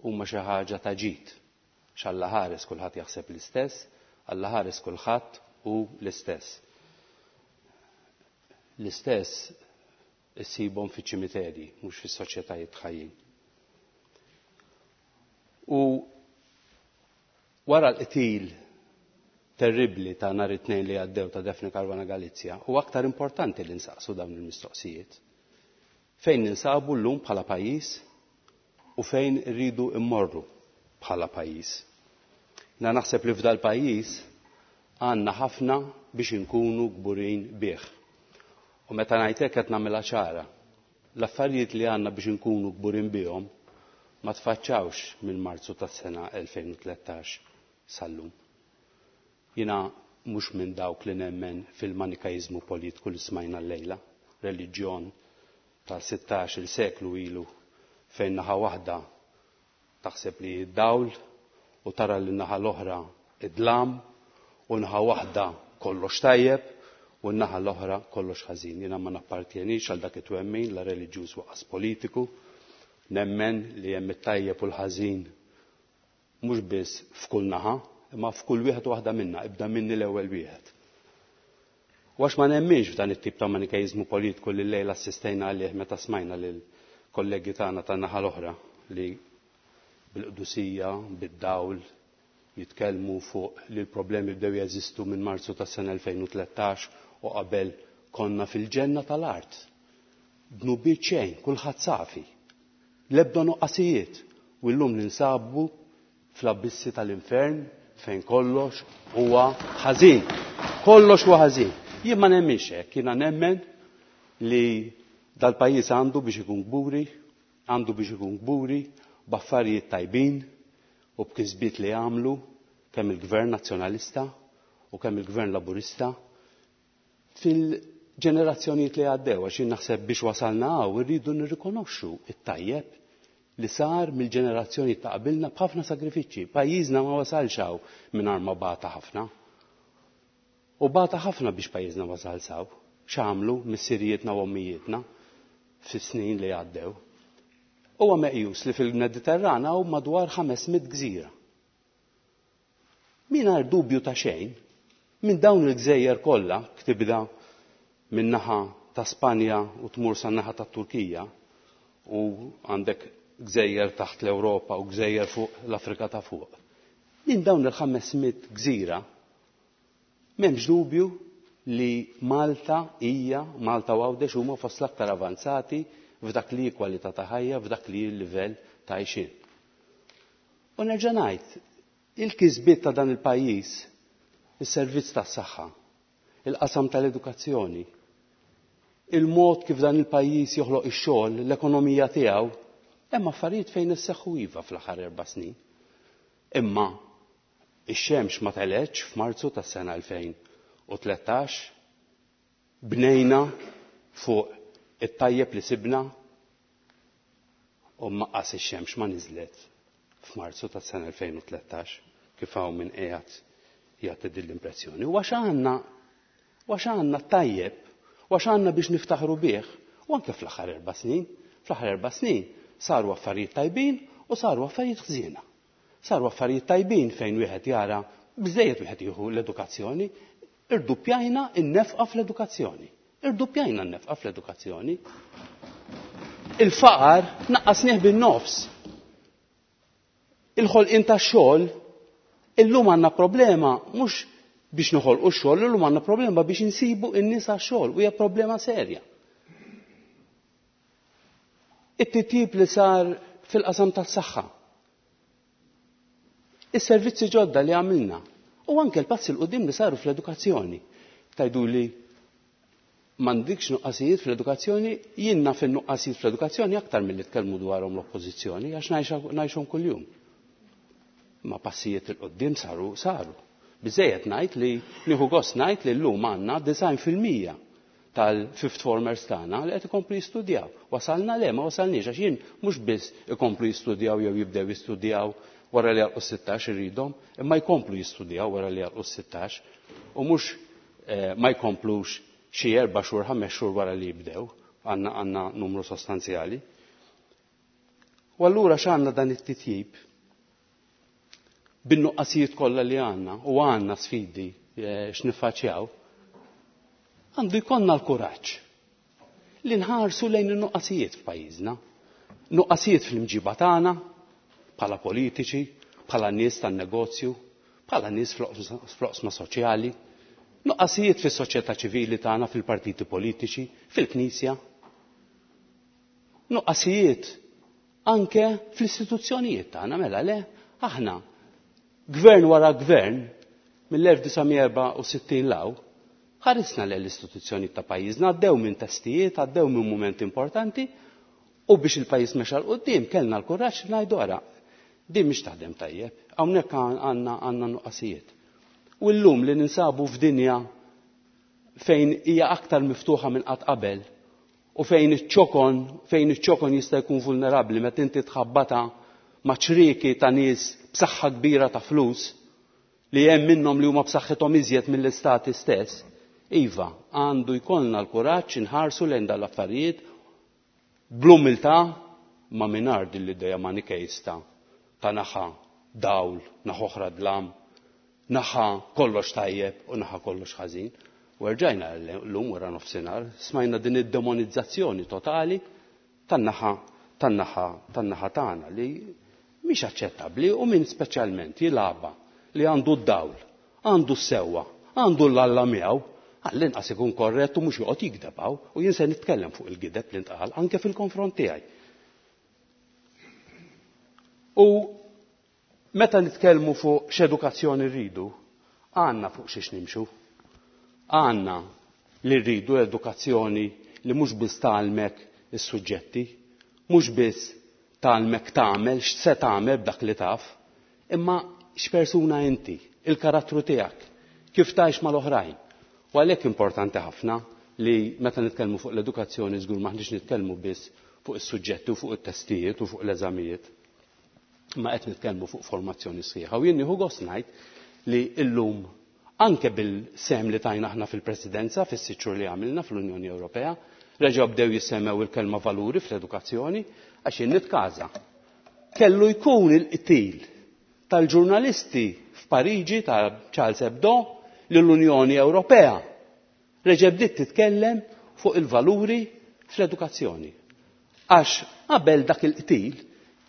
huma xi ħaġa ta' ġid. X'Alla ħares kulħadd jaħseb l-istess, Alla ħares kulħadd hu l-istess. L-istess issibhom fiċ-ċimiterji, mhux fis-soċjetajiet ħajjin. U wara l-qtil terribli ta' nhar it-tnejn li għaddew ta' Daphne Caruana Galizia, u aktar importanti li nsaqsu dawn il-mistoqsijiet. Fejn ninsabu llum bħala pajjiż u fejn irridu immorru bħala pajjiż. Na naħseb li f'dal pajjiż għandna ħafna biex inkunu kburin bih. U meta ngħidlek qed nagħmilha ċara, l-affarijiet li għandna biex inkunu kburin bihom ma tfaċċawx minn Marzu tas-sena elfejn u tlettax sal-lum. Jiena mhux minn dawk li nemmen fil-manikajizmu politiku li smajna llejla, reliġjon ta' sittax il seklu ilu fejn naħa waħda taħseb li d-dawl u tara li naħa l-oħra id-dlam u naħa waħda kollox tajjeb u naħa l-oħra kollox ħażin. Jiena ma nappartjenix għal dak it-twemmin la reliġjuż waqas politiku, nemmen li hemm it-tajjeb u l-ħażin mhux biss f'kull naħa, imma f'kull wieħed u waħda minna, ibda minni l-ewwel wieħed. U għax ma nemminx f'dan it-tip ta' manikajizmu politiku li llejla assistejna għalih meta smajna lil kollegi tagħna tan-naħa l-oħra li bil-qdusija, bid-dawl, jitkellmu fuq li l-problemi bdew jeżistu minn Marzu tas-sena elfejn u tlettax u qabel konna fil-ġenna tal-art. dnubiet xejn, kulħadd safi. L-ebda nuqqasijiet u llum ninsabu fl-abbissi tal-infern fejn kollox huwa ħażin. Kollox huwa ħażin. Jien ma nemminx hekk, jiena nemmen li dal-pajjiż għandu biex ikun kburi, għandu biex ikun kburi b'affarijiet tajbin u b'kisbiet li għamlu kemm il-Gvern Nazzjonalista u kemm il-Gvern Laburista fil-ġenerazzjonijiet li għaddew, għax jien naħseb biex wasalna hawn irridu nirrikonoxxu it-tajjeb li sar mill-ġenerazzjoni ta' qabilna b'ħafna sagrifiċċji. Pajjiżna ma wasalx hawn mingħajr ma bata ħafna. U bata ħafna biex pajjiżna wasal saw. X'għamlu missirijietna u ommijietna fis-snin li għaddew. Huwa meqjus li fil-Mediterran hawn madwar ħames mitt gżira. Mingħajr dubju ta' xejn, minn dawn il-gżejjer kollha, tibda minn naħa ta' Spanja u tmur sa naħa ta' Turkija, u għandek gżejjer taħt l-Ewropa u gżejjer fuq l-Afrika ta' fuq. Minn dawn il-ħames mitt gżira, m'hemmx dubju li Malta hija, Malta u Għawdex huma fost l-aktar avanzati f'dak li hi kwalità ta' ħajja, f'dak li hi l-livell ta' għixien. U nerġa' ngħid, il-kisbiet ta' dan il-pajjiż, is-servizz tas-saħħa, il-qasam tal-edukazzjoni, il-mod kif dan il-pajjiż joħloq ix-xogħol, l-ekonomija tiegħu, hemm affarijiet fejn isseħħu iva fl-aħħar erba' snin. Imma ix-xemx ma telgħetx f'Marzu tas-sena elfejn u tlettax, bnejna fuq it-tajjeb li sibna u maqqas ix-xemx ma niżlet f'Marzu tas-sena elfejn u tlettax kif hawn minn qiegħed jagħti din l-impressjoni. U għax għandna, għax għandna tajjeb, u għax għandna biex niftaħru bih, u anke fl-aħħar erba' snin, fl-aħħar erba' snin saru affarijiet tajbin u saru affarijiet ħżiena. Saru affarijiet tajbin fejn wieħed jara biżejjed wieħed jieħu l-edukazzjoni, irduppjajna n-nefqa fl-edukazzjoni. Irduppjajna n-nefqa fl-edukazzjoni. Il-faqar naqqasnieh bin-nofs. Il-ħolqien tax-xogħol, illum għandna problema mhux biex noħolqu x-xogħol, illum għandna problema biex insibu n-nies għax-xogħol, u hija problema serja. It-titjib li sar fil-qasam tas-saħħa, is-servizzi ġodda li għamilna, u anke l-passi l quddiem li saru fl-edukazzjoni. Tajdu li m'għandikx nuqqasijiet fl-edukazzjoni, jien naf in-nuqqasijiet fl-edukazzjoni aktar milli tkellmu dwarhom l-oppożizzjoni, għax ngħixhom kuljum. Ma passijiet il quddiem saru, saru. Biżejjed ngħid li nieħu gost ngħid li llum għandna design fil-mija tal-fifth formers tagħna li qed ikomplu jistudjaw. Wasalna le, ma wasalniex, għax jien mhux biss ikomplu jistudjaw jew jibdew jistudjaw wara li jagħlqu sittax irridhom, imma jkomplu jistudjaw wara li jagħlqu sittax u mhux, eh, ma jkomplux xi erba' xhur, ħames xhur wara li jibdew, għandna, għandna numru sostanzjali. U allura x'għandna dan it-titjib? Bin-nuqqasijiet kollha li għandna u għandna sfidi, eh, x'niffaċċjaw, għandu jkollna l-kuraġġ li nħarsu lejn in-nuqqasijiet f'pajjiżna, nuqqasijiet fl-imġiba tagħna bħala politiċi, bħala nies tan-negozju, bħala nies fl-oqsma soċjali, nuqqasijiet fis-soċjetà ċivili tagħna, fil-partiti politiċi, fil-knisja, nuqqasijiet anke fl-istituzzjonijiet tagħna, mela le, aħna gvern wara gvern mill-elf disa' mija erbgħa u sittin law ħarisna l-istituzzjoni ta' pajjiżna, għaddew minn testijiet, għaddew minn mumenti importanti, u biex il-pajjiż mexa 'l quddiem kellna l-kuraġġ ngħidu ara, din mhix taħdem tajjeb, hawnhekk għandna, għandna nuqqasijiet. U llum li ninsabu f'dinja fejn hija aktar miftuħa minn qatt qabel u fejn iċ-ċokon, fejn iċ-ċokon jista' jkun vulnerabbli meta inti tħabbata ma' ċrieki ta' nies b'saħħa kbira ta' flus li hemm minnhom li huma b'saħħithom iżjed mill-istati stess. Iva, għandu jkollna l-kuraġġ inħarsu lejn dan l-affarijiet bl-umiltà ma mingħajr din l-idea manikejsta ta' naħa dawl, naħa oħra dlam, naħa kollox tajjeb u naħa kollox ħażin. U rġajna llum wara nofsinhar smajna din id-demonizzazzjoni totali tan-naħa, tan-naħa, tan-naħa tagħna li mhix aċċettabbli, u min speċjalment jilgħabha li għandu d-dawl, għandu s-sewwa, għandu l-alla miegħu, Għall-inqas ikun korrett u mhux joqgħod jigdeb hawn, u jien se nitkellem fuq il-gideb li ntqal anke fil-konfront tiegħi. U meta nitkellmu fuq x'edukazzjoni rridu, għandna fuq xiex nimxu. Għandna li rridu edukazzjoni li mhux biss tgħallmek is-suġġetti, mhux biss tgħallmek tagħmel x'se tagħmel b'dak li taf, imma x'persuna inti, il-karattru tiegħek, kif tgħix mal-oħrajn. U għalhekk importanti ħafna li meta nitkellmu fuq l-edukazzjoni żgur m'aħniex nitkellmu biss fuq is-suġġetti u fuq it-testijiet u fuq l-eżamijiet. Ma qed nitkellmu fuq formazzjoni sħiħa. U jien nieħu gost ngħid li llum anke bil-sem li tajna aħna fil-Presidenza fis-sitt xhur li għamilna fl-Unjoni Ewropea, reġgħu bdew jissemmew il-kelma valuri fl-edukazzjoni għax jien nitkaża. Kellu jkun il-qtil tal-ġurnalisti f'Pariġi ta' Charles Hebdo li l-Unjoni Ewropea reġa' bdiet titkellem fuq il-valuri fl-edukazzjoni. Għax qabel dak il-qtil,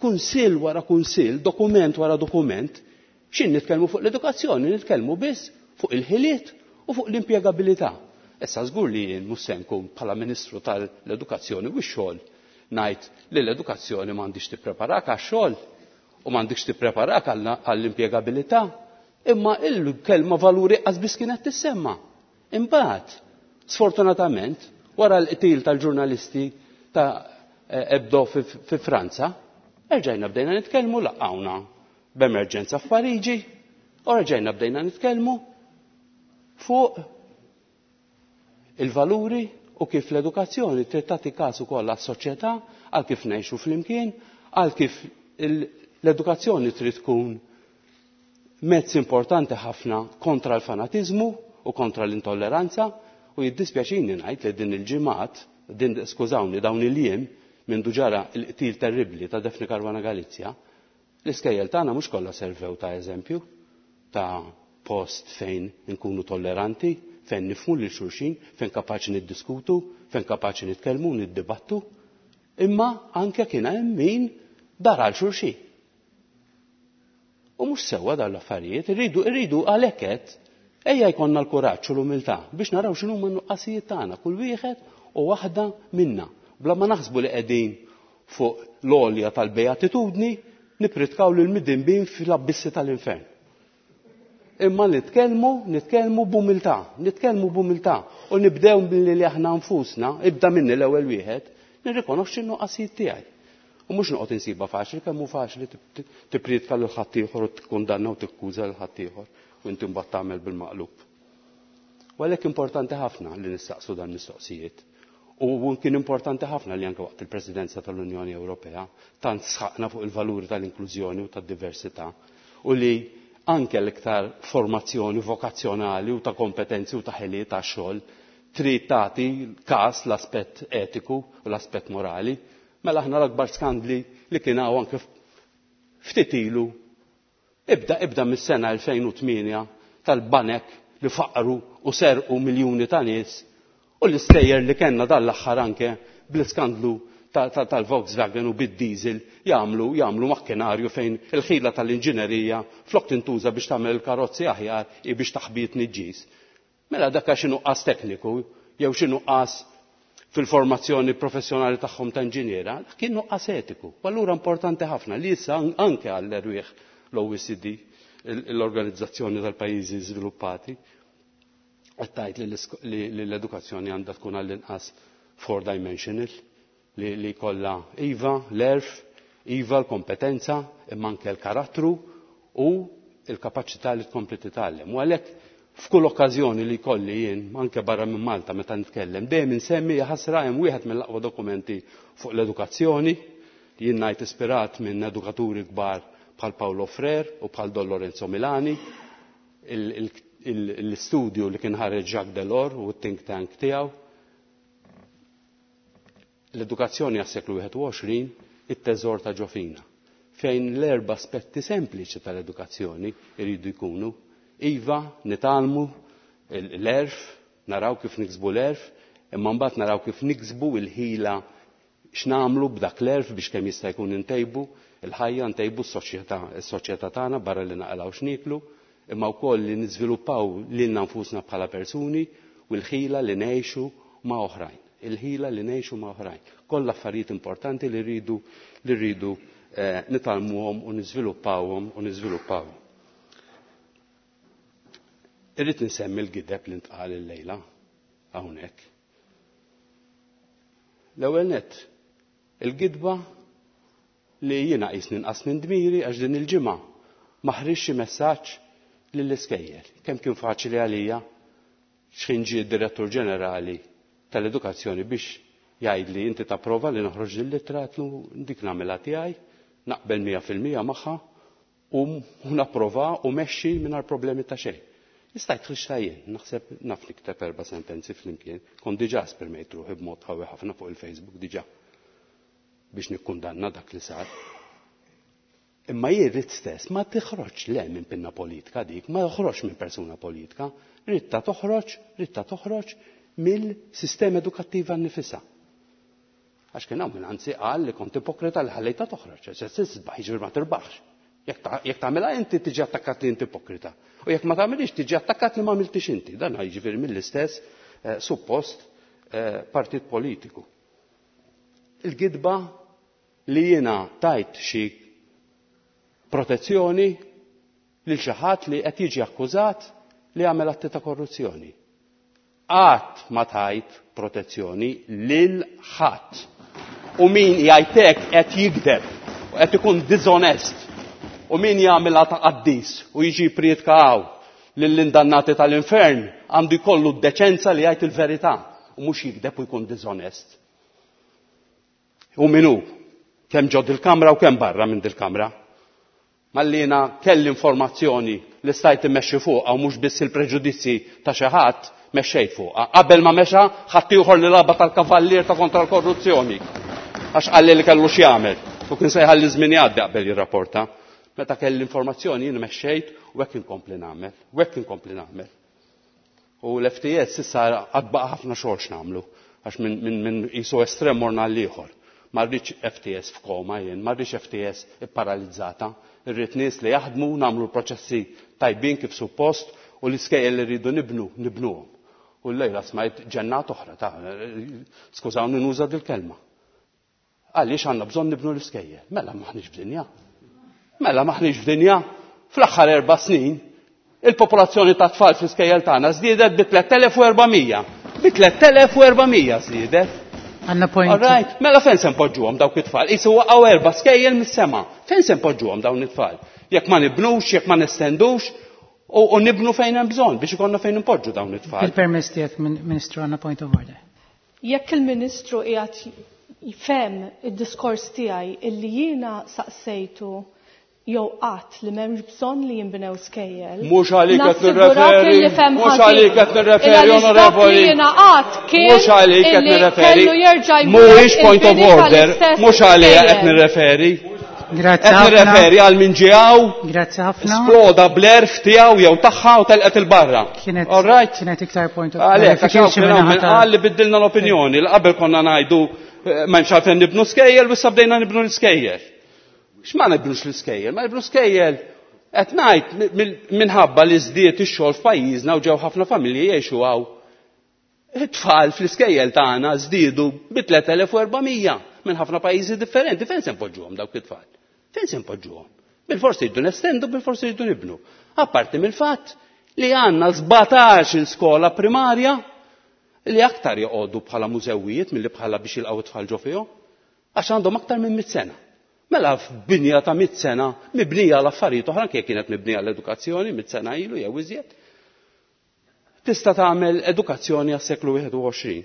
kunsill wara kunsill, dokument wara dokument, xin nitkellmu fuq l-edukazzjoni, nitkellmu biss fuq il-ħiliet u fuq l-impjegabilità. Issa żgur li jien mhux se nkun bħala Ministru tal-Edukazzjoni u x-xogħol ngħid li l-edukazzjoni m'għandix tippreparak għax-xogħol u m'għandix tippreparak għall-impjegabilità, imma il-kelma valuri qas biss kienet tissemma. Imbagħad, sfortunatament, wara l-qtil tal-ġurnalisti ta' Hebdo fi Franza, erġajna bdejna nitkellmu, laqgħuna b'emerġenza f'Pariġi, u erġajna bdejna nitkellmu fuq il-valuri u kif l-edukazzjoni trid tagħti każ ukoll għas-soċjetà, għal kif ngħixu flimkien, għal kif l-edukazzjoni trid tkun mezz importanti ħafna kontra l-fanatiżmu u kontra l-intolleranza. U jiddispjaċini ngħid li din il-ġimgħat, din skużawni, dawn il-jiem minn ġara l-qtil terribbli ta' Daphne Caruana Galizia, l-iskejjel tagħna mhux kollha servew ta' eżempju ta' post fejn nkunu tolleranti, fejn nifhmu lil xulxin, fejn kapaċi niddiskutu, fejn kapaċi nitkellmu, niddibattu, imma anke kien hemm min dar għal xulxin. U mhux sewwa dawn l-affarijiet, irridu, irridu għalhekk qed ejja jkollna l-kuraġġ u l-umiltà biex naraw x'inhuma n-nuqqasijiet tagħna, kull wieħed u waħda minna, bla ma naħsbu li qegħdin fuq l-għolja tal-beatitudni nipritkaw lil midinbin fl-abbissi tal-infern. Imma nitkellmu, nitkellmu b'umiltà, nitkellmu b'umiltà u nibdew billi li aħna nfusna, ibda minni l-ewwel wieħed, nirrikonoxxi n-nuqqasijiet tiegħi. U mhux noqgħod insiba faċli, kemm hu faċli tippriedka lil ħaddieħor u tikkundanna u tikkuża lil ħaddieħor u inti mbagħad tagħmel bil-maqlub. U għalhekk importanti ħafna li nistaqsu dan mistoqsijiet. U kien importanti ħafna li anke waqt il-Presidenza tal-Unjoni Ewropea tant sħaqna fuq il-valuri tal-inklużjoni u tad-diversità u li anke l-iktar formazzjoni vokazzjonali u ta' kompetenzi u ta' ħiliet ta' xogħol trid tagħti każ l-aspett etiku u l-aspett morali. Mela aħna l-akbar skandli li kien hawn anke ftit ilu ibda, ibda mis-sena elfejn u tmienja tal-banek li faqru u serqu miljuni ta' nies u l-istejjer li kellna dan l-aħħar anke bl-iskandlu tal-Volkswagen u bid-diesel jagħmlu, jagħmlu makkinarju fejn il-ħila tal-inġinerija flok tintuża biex tagħmel il-karozzi aħjar i biex taħbit niġġis. Mela dak xi nuqqas tekniku jew xi nuqqas fil-formazzjoni professjonali tagħhom ta' inġiniera, dak kien nuqqas etiku. U allura importanti ħafna li issa anke għall-erwieħ l-O E C D, l-Organizzazzjoni tal-Pajjiżi Żviluppati, qed tgħid li l-edukazzjoni għandha tkun għall-inqas four dimensional, li, li kollha iva l-erf, iva l-kompetenza, imma anke l-karattru u l-kapaċità li tkompli titgħallem. U għalhekk f'kull okkażjoni li jkolli jien, anke barra minn Malta meta nitkellem, dejjem insemmi ħasra hemm wieħed mill-aqwa dokumenti fuq l-edukazzjoni, jien ngħid ispirat minn edukaturi kbar bħal Paolo Freire u bħal Don Lorenzo Milani, il-, il-, il-, l-istudju li kien ħareġ Jacques Delors u t-think tank tiegħu. L-edukazzjoni għas-seklu wieħed u għoxrin, it-teżor ta' ġofina, fejn l-erba' aspetti sempliċi tal-edukazzjoni jridu jkunu. Iva, nitgħallmu l-erf, naraw kif niksbu l-erf, imma mbagħad naraw kif niksbu l-ħila x'nagħmlu b'dak l-erf biex kemm jista' jkun intejbu il-ħajja, ntejbu s-soċjetà, s-soċjetà tagħna barra li naqalgħu x'niklu, imma wkoll li niżviluppaw lilna nfusna bħala persuni u l-ħila li ngħixu ma' oħrajn. Il-ħila li ngħixu ma' oħrajn. Kollha affarijiet importanti li rridu li rridu eh, nitgħallmuhom u niżviluppawhom u niżviluppawhom. Irrid nsemmi l-gideb li ntqal illejla hawnhekk. L-ewwel nett, il-gidba li jiena qisni nqas minn dmiri għax din il-ġimgħa ma ħriġx xi messaġġ lill-iskejjel. Kemm kien faċli għalija x'ħin ġie d-Direttur Ġenerali tal-Edukazzjoni biex jgħidli inti tapprova li noħroġ din l-ittra, għedtlu dik nagħmilha tiegħi, naqbel mija fil-mija magħha u napprova u mexxi mingħajr problemi ta' xejn. Issa jidħlix jien, naħseb naf nikteb erba' sentenzi flimkien, kont diġà esprimejt ruħi b'mod qawwi ħafna fuq il-Facebook diġà biex nikkundanna dak li sar. Imma jien rrid stess ma tiħroġ le minn pinna politika dik, ma joħroġ minn persuna politika, ridta toħroġ, ridta toħroġ mill-sistema edukattiva nnifisha. Għax kien hawn min anzi qal li kont ipokrita li ħallejta toħroġ, għax se tisbaħ jiġifieri ma tirbaħx. Jekk tagħmilha inti tiġi attakkat li inti ipokrita. U jekk ma tagħmilix tiġi attakkat li ma għamiltix inti. Dan jiġifieri mill-istess eh, suppost eh, partit politiku. Il-gidba li jiena tajt xi protezzjoni lil xi ħadd li qed jiġi akkużat li għamel atti ta' korruzzjoni. Qatt ma tajt protezzjoni lil ħadd. U min jgħidlek qed jigdeb u qed ikun dizonest. U min jagħmilha ta' qaddis u jiġi prietka hawn lill-indannati tal-infern għandu jkollu d-deċenza li jgħid il-verità u mhux jigdeb u jkun dizonest. U min hu? Kemm ġod il-kamra u kemm barra minn dil-kamra. Mallina kelli informazzjoni li stajt immexxi fuqha u mhux biss il-preġudizzi ta' xi ħadd mexxejt fuqha. Qabel ma mexa ħadd ieħor li laba tal-kavallier ta' kontra l-korruzzjoni. Għax qalli li kellu x'jagħmel u kien se jħalli żmien jgħaddi qabel jirrapporta. Meta kelli informazzjoni jien mexxejt u hekk inkompli nagħmel, u hekk inkompli nagħmel. U l-F T S issa għad baqa' ħafna xogħol x'nagħmlu għax minn min, min qisu estrem morna għal ieħor. Ma rridx F T S f'koma jien, ma rridx F T S ipparalizzata. Irrid nies li jaħdmu, nagħmlu l-proċessi tajbin kif suppost u l-iskejjel li rridu nibnu, nibnuhom. U l-lejla smajt ġennat oħra ta' skużawni nuża dil-kelma. Għaliex għandna bżonn nibnu l-iskejjel? Mela maħniex f'dinja. Mela maħniex f'dinja. Fl-aħħar erba' snin il-popolazzjoni ta' tfal fl-iskejjel tagħna żdiedet bi tliet elef u erbamija. Bi tliet elef u erbamija żdiedet.
Għandna point.
All right. Mela fejn se npoġġuhom dawk it-tfal? Qisu waqgħu erba' skejjel mis-sema. Fejn se npoġġuhom dawn it-tfal? Jekk ma nibnux, jekk ma nestendux, u, u nibnu fejn hemm bżonn biex ikollna fejn npoġġu dawn it-tfal.
Il-permess tiegħek, Ministru, għandna point of order.
Jekk il-Ministru qiegħed jfhem id-diskors tiegħi illi jiena saqsejtu jew qatt li m'hemmx bżonn li jinbnew skejjel.
Mhux għalik qed
Nassigurak
nirreferi,
illi fhem
mhux
ħażin.
għalik qed nirreferi,
Illa li dak li
onorevoli.
jiena qatt kien
Mhux għalik qed
illi
nirreferi.
kellu jerġa' jmur
Mhuwiex point of
il-bini
order,
tal-istess
mhux għalija qed
skejjel.
nirreferi.
Grazzi
Qed
ħafna.
nirreferi għal min ġie hawn,
Grazzi ħafna.
Sploda bl-erf tiegħu jew tagħha u telqet il-barra.
Kienet
All right?
kienet iktar point of
Għalhekk, għax hawn
clarification
kien hawn
minn
min
ħadd
qal li biddilna l-opinjoni, li qabel konna ngħidu, eh, ma hemmx għalfejn nibnu skejjel u issa bdejna nibnu l-iskejjel. X'ma nibnux l-iskejjel? Ma nibnu skejjel. Qed ngħid mi-, mi-, minħabba li żdied ix-xogħol f'pajjiżna u ġew ħafna familji jgħixu hawn. It-tfal fl-iskejjel tagħna żdiedu bi tliet elef u erbamija minn ħafna pajjiżi differenti. Fejn se npoġġuhom dawk it-tfal? Fejn se npoġġuhom? Bil-forsi jridu nestendu, bil-forsi jridu nibnu. Apparti mill-fatt li għandna sbatax il-skola primarja li aktar joqogħdu bħala mużewijiet milli bħala biex jilqgħu it-tfal ġo fihom, għax għandhom aktar minn mitt sena. Mela f'binja ta' mitt sena mibnija għal affarijiet oħra, anke kienet mibnija l-edukazzjoni mitt sena ilu jew iżjed. Tista' tagħmel edukazzjoni għas-seklu wieħed u għoxrin.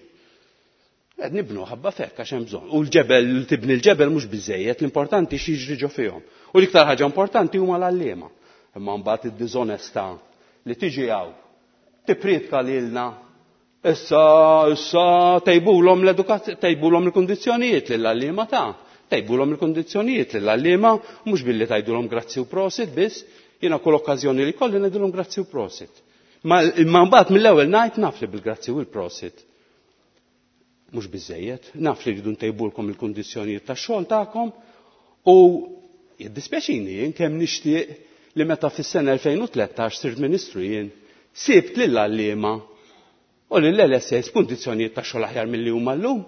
Qed nibnu ħabba fekk għax hemm bżonn. U l-ġebel, tibni l-ġebel mhux biżejjed, l-importanti x'jiġri ġo fihom. U l-iktar ħaġa importanti huma l-għalliema. Imma mbagħad id-diżonestà li tiġi hawn tippriedka lilna issa, issa tejbulhom l-edukazzjoni, tejbulhom il-kundizzjonijiet lill-għalliema ta' tejbulhom il-kundizzjonijiet lill-għalliema, mhux billi tgħidulhom grazzi u prosit biss, jiena kull okkażjoni li kolli ngħidulhom grazzi u prosit. Ma imma mbagħad mill-ewwel ngħid naf li bil-grazzi u l-prosit mhux biżejjed, naf li rridu ntejbulkom il-kundizzjonijiet tax-xogħol tagħkom u jiddispjaċini jien kemm nixtieq li meta fis-sena elfejn u tlettax sirt ministru jien sibt lill-għalliema U lill-L S As kundizzjonijiet ta' xogħol aħjar milli huma llum.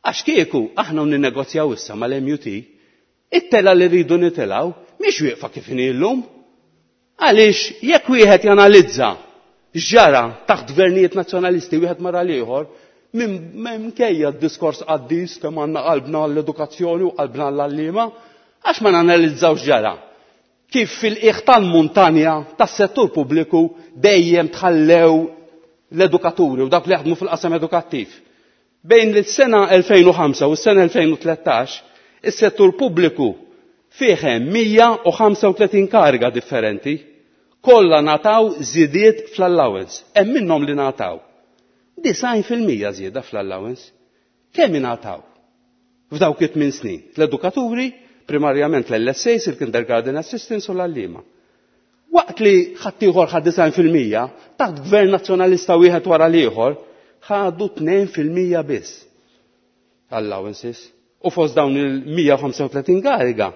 Għax kieku aħna ninnegozjaw issa mal-M U T, it-telgħa li rridu nitilgħu mhix wieqfa kif inhi llum. Għaliex jekk wieħed janalizza x'ġara taħt gvernijiet nazzjonalisti wieħed wara l-ieħor, minn minkejja d-diskors qaddis kemm għandna qalbna l-edukazzjoni u qalbna l-għalliema, għax ma nanalizzaw x'ġara? Kif fil-qiegħ tal-muntanja tas-settur pubbliku dejjem tħallew l-edukaturi u dak li jaħdmu fil-qasam edukattiv. Bejn l-sena elfejn u ħamsa u s-sena elfejn u tlettax, is-settur pubbliku fih hemm mija u ħamsa u tletin kariga differenti, kollha ngħataw żidiet fl-allowance. Hemm minnhom li ngħataw disgħin fil-mija żieda fl-allowance. Kemm ingħataw f'dawk it-tmien snin? L-edukaturi, primarjament l-L S As, il-kindergarten assistants u l-għalliema. Waqt li ħaddieħor ħa disgħin fil-mija, taħt gvern nazzjonalista wieħed wara l-ieħor, ħadu tnejn fil-mija biss allowances. U fost dawn il-mija u ħamsa u tletin kariga,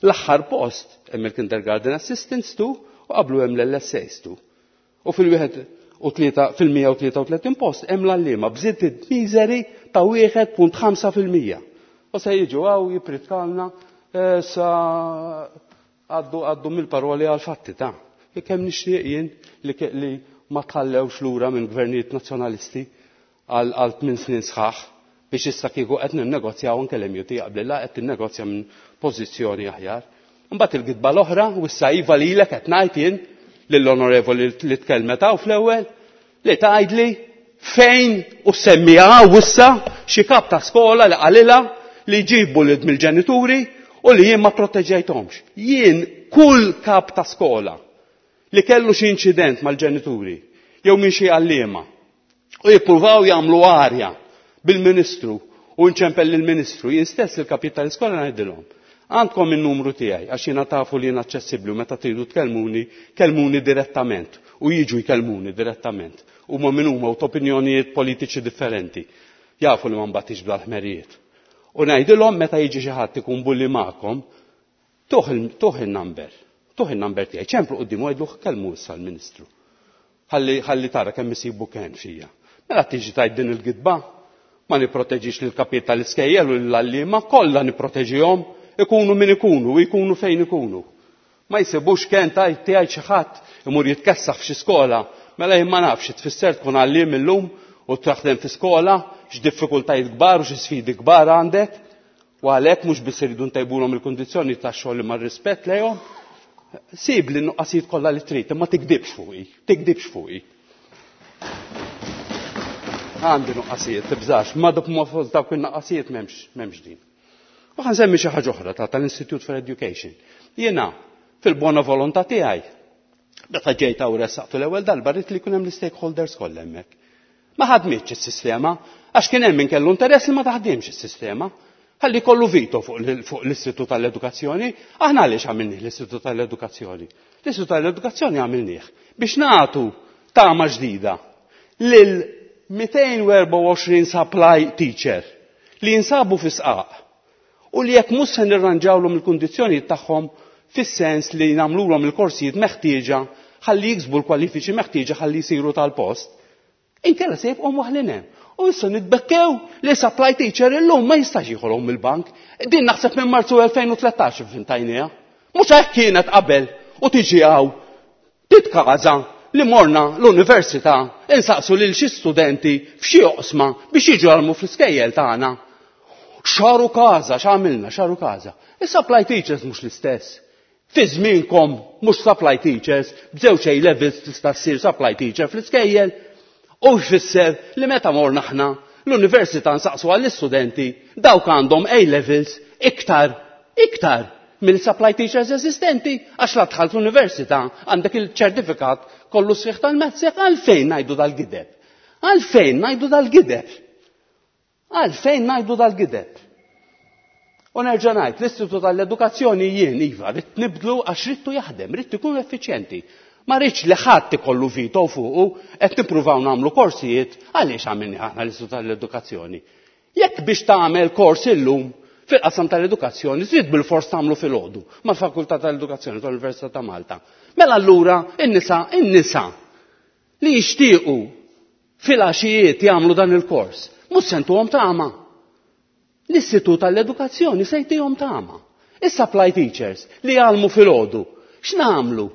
l-aħħar post hemm il-kindergarten assistants tu u qablu hemm l-L S As tu. U fil-wieħed u tlieta fil-mija u tlieta u tletin post hemm l-għalliema b'żidiet miżeri ta' wieħed punt ħamsa fil-mija. U se jiġu hawn jippritkalna eh, sa għaddu għaddu mill-paroli għal-fatti ta' kemm nixtieq jien li, li ma tħallewx lura minn gvernijiet nazzjonalisti għal għal tmien snin sħaħ biex issa kieku qed ninnegozjaw anke l-M U T qabel qed tinnegozja minn pożizzjoni aħjar. Imbagħad il-gidba l-oħra u issa iva lilek qed ngħid jien lill-onorevoli li tkellmet hawn fl-ewwel li tgħidli fejn u semmiha issa xi kap ta' skola li qalilha li jġibu lid mill-ġenituri u li jien ma proteġejthomx. Jien kull kap ta' skola li kellu xi inċident mal-ġenituri jew minn xi għalliema u jippruvaw jagħmlu arja bil-ministru u nċempel lill-ministru, jien stess il-kapit tal-iskola ngħidilhom: "Għandkom il-numru tiegħi għax jiena tafu li jien aċċessibbli u meta tridu tkellmuni, kellmuni direttament", u jiġu jkellmuni direttament. Huma min huma u opinjonijiet politiċi differenti. Jafu li ma nbatix bl-ħmerijiet. U ngħidilhom: "Meta jiġi xi ħadd ikun bully magħkom, tuh il-number, tuh il-number tiegħi, ċemplu quddiem u għidlu kellmu issa l-ministru. Ħalli ħalli tara kemm isibu kenn fija." Mela tiġi tgħid din il-gidba, ma nipproteġix lil kapit tal-iskejjel u l-għalliema, kollha nipproteġihom, ikunu min ikunu u jkunu fejn ikunu. Ma jsibux kenn tajt tiegħi xi ħadd imur jitkessaħ f'xi skola, mela jien ma nafx tfisser tkun għalliem illum u taħdem fi skola, x'diffikultajiet kbar u xi sfidi kbar għandek, u għalhekk mhux biss iridu ntejbulhom il-kundizzjoni tax-xogħol imma rispett lejhom. Sib li nuqqasijiet kollha li trid, imma tikdibx fuqi, tikdibx fuqi. Għandi nuqqasijiet, tibżax, ma dok ma fost dawk il-nuqqasijiet m'hemmx m'hemmx din. U ħa nsemmi xi ħaġa oħra ta' tal-Institute for Education. Jiena fil-buona volontà tiegħi, meta ġejt hawn ressaqtu l-ewwel darba rrid li jkun hemm l-stakeholders kollha hemmhekk. Ma ħadmitx is-sistema, għax kien hemm min kellu interess li ma taħdimx is-sistema. Ħalli kollu veto fuq l-Istitut tal-Edukazzjoni. Aħna għaliex għamilnih l-Istitut tal-Edukazzjoni? L-Istitut tal-Edukazzjoni għamilnih biex nagħtu tama ġdida lil mitejn u erbgħa u għoxrin supply teacher li jinsabu fi sqaq u li jekk mhux se nirranġawlhom il-kundizzjonijiet tagħhom fis-sens li nagħmluhom il-korsijiet meħtieġa ħalli jiksbu l-kwalifiċi meħtieġa ħalli jsiru tal-post, inkella se jibqgħu waħlin hemm. U issa nitbekkew li supply teacher illum ma jistax jieħolhom mill-bank. Din naħseb minn Marzu elfejn u tlettax fintajniha. Mhux hekk kienet qabel u tiġi hawn titkaża li morna l-università insaqsu lil xi studenti f'xi oqsma biex jiġu jgħallmu fl-iskejjel tagħna. Xaru każa, x'għamilna, xaru każa. Is-supply teachers mhux l-istess. Fi żmienkom mhux supply teachers, b'żewġ A levels tista' ssir supply teacher fl-iskejjel. U jfisser li meta morna aħna l-università nsaqsu għall-istudenti dawk għandhom A levels iktar, iktar mill-supply teachers eżistenti, għax la dħalt l-università għandek il-ċertifikat kollu sħiħ tal-mezzek. Għalfejn ngħidu dal-gideb? Għalfejn ngħidu dal-gideb? Għalfejn ngħidu dal-gideb? U nerġa' ngħid, l-Istitut tal-Edukazzjoni jien iva rrid nibdlu għax ridtu jaħdem, rrid ikun effiċjenti. Ma rridx li ħadd ikollu veto fuqu. Qed nippruvaw nagħmlu korsijiet. Għaliex għamilni aħna l-Istitut tal-Edukazzjoni? Jekk biex tagħmel kors illum fil-qasam tal-edukazzjoni trid bil-fors tagħmlu filgħodu mal-Fakultà tal-Edukazzjoni tal-Università ta' Malta. Mela allura in-nisa in-nisa li jixtiequ Fil-għaxijiet jagħmlu dan il-kors. Mhux se ntuhom tama. L-Istitut tal-Edukazzjoni se jtihom tama. Is-supply teachers li jgħallmu filgħodu, x'nagħmlu?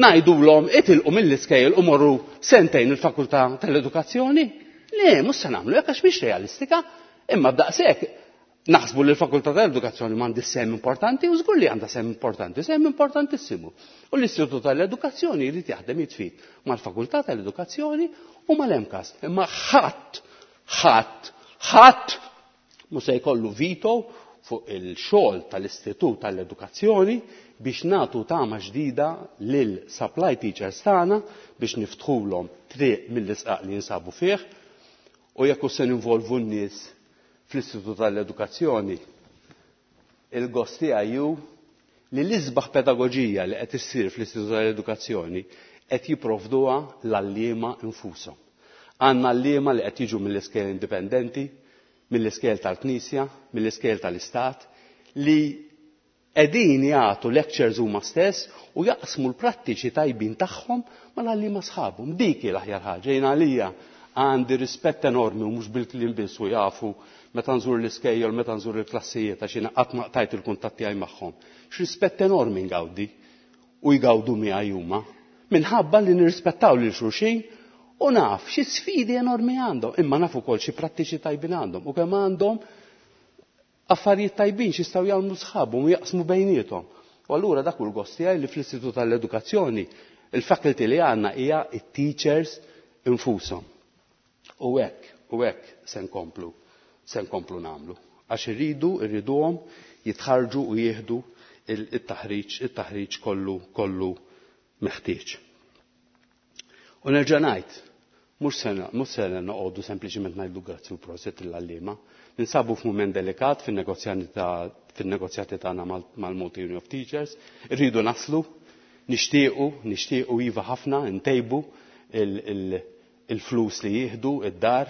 Ngħidulhom itilqu mill-iskejjel u morru sentejn il-Fakultà tal-Edukazzjoni? Le, mhux se nagħmlu hekk għax mhix realistika, imma b'daqshekk naħsbu li l-Fakultà tal-Edukazzjoni m'għandhiex sehem importanti u żgur li għandha sehem importanti, sehem importantissimu. U l-Istitut tal-Edukazzjoni jrid jaħdem id f'id mal-Fakultà tal-Edukazzjoni u mal-MCAST. Imma ħadd, ħadd, ħadd mhux se jkollu veto fuq il-xogħol tal-Istitut tal-Edukazzjoni biex nagħtu tama ġdida lil supply teachers tagħna biex niftħulhom triq mill-isqaq li jinsabu fih u jekk se ninvolvu n-nies fl-Istitut tal-Edukazzjoni, il-gost tiegħi hu li l-isbaħ pedagoġija li qed issir fl-Istitut tal-Edukazzjoni qed jipprovduha l-għalliema infushom. Għandna għalliema li qed jiġu mill-iskejjel indipendenti, mill-iskejjel tal-Knisja, mill-iskejjel tal-Istat, li qegħdin jagħtu lectures huma stess u jaqsmu l-prattiċi tajbin tagħhom mal-għalliema sħabhom. Dik hi l-aħjar ħaġa. Jien għalija għandi rispett enormi u mhux bil-kliem biss u jafu meta nżur l-iskejjel, meta nżur il-klassijiet, għax jiena qatt ma qtajt il-kuntatt tiegħi magħhom. X'rispett enormi ngawdi u jgawdu miegħi huma minħabba li nirrispettaw lil xulxin u naf xi sfidi enormi għandhom, imma naf ukoll xi prattiċi tajbin għandhom u kemm għandhom affarijiet tajbin x'jistgħu jagħmlu sħabhom u jaqsmu bejniethom. U allura dak hu l-gost tiegħi li fl-Istitut tal-Edukazzjoni il-faculty li għandna hija it-teachers infushom. U hekk, u hekk se nkomplu, se nkomplu nagħmlu. Għax irridu, irriduhom jitħarġu u jieħdu il-taħriġ, il-taħriġ kollu, kollu meħtieġ. U nerġa' ngħid, mhux se mhux se noqogħdu sempliċiment ngħidu grazzi u prosit lill-għalliema. Ninsabu f'mument delikat fin-negozjati ta' fin-negozjati tagħna mal-Malta Union of Teachers, irridu naslu, nixtiequ, nixtiequ iva ħafna ntejbu il-flus li jieħdu id-dar